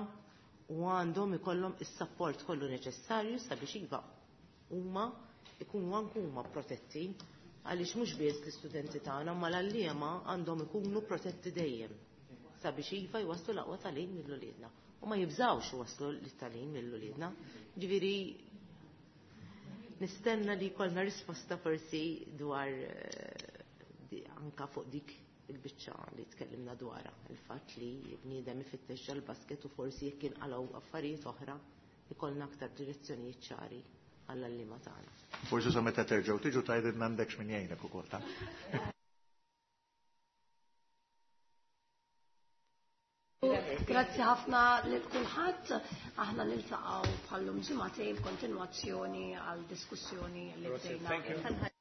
Speaker 7: u għandhom ikollhom is-sapport kollu neċessarju sabiex iva huma ikunu anke huma protetti għaliex mhux biss l-istudenti tagħna ma l-għalliema għandhom ikunu protetti dejjem sabiex iva jwasslu l-aqwa tagħlim lil uliedna u ma jibżgħux iwasslu l-tagħlim lil uliedna. Ġifieri nistenna li jkollna risposta forsi dwar anka fuq dik il-biċċa li tkellimna dwarha, il-fatt li bniedem ifittex ġol-basket u forsi jekk inqalgħu affarijiet oħra ikollna aktar direzzjonijiet ċari għall-għalliema tagħna.
Speaker 2: Forsi sa meta terġgħu tiġu tgħidilna m'għandekx min jgħinek ukoll ta'.
Speaker 1: Grazzi ħafna lil kulħadd. Aħna niltaqgħu bħallum ġimagħtejn f'kontinwazzjoni għal diskussjoni li bdejna.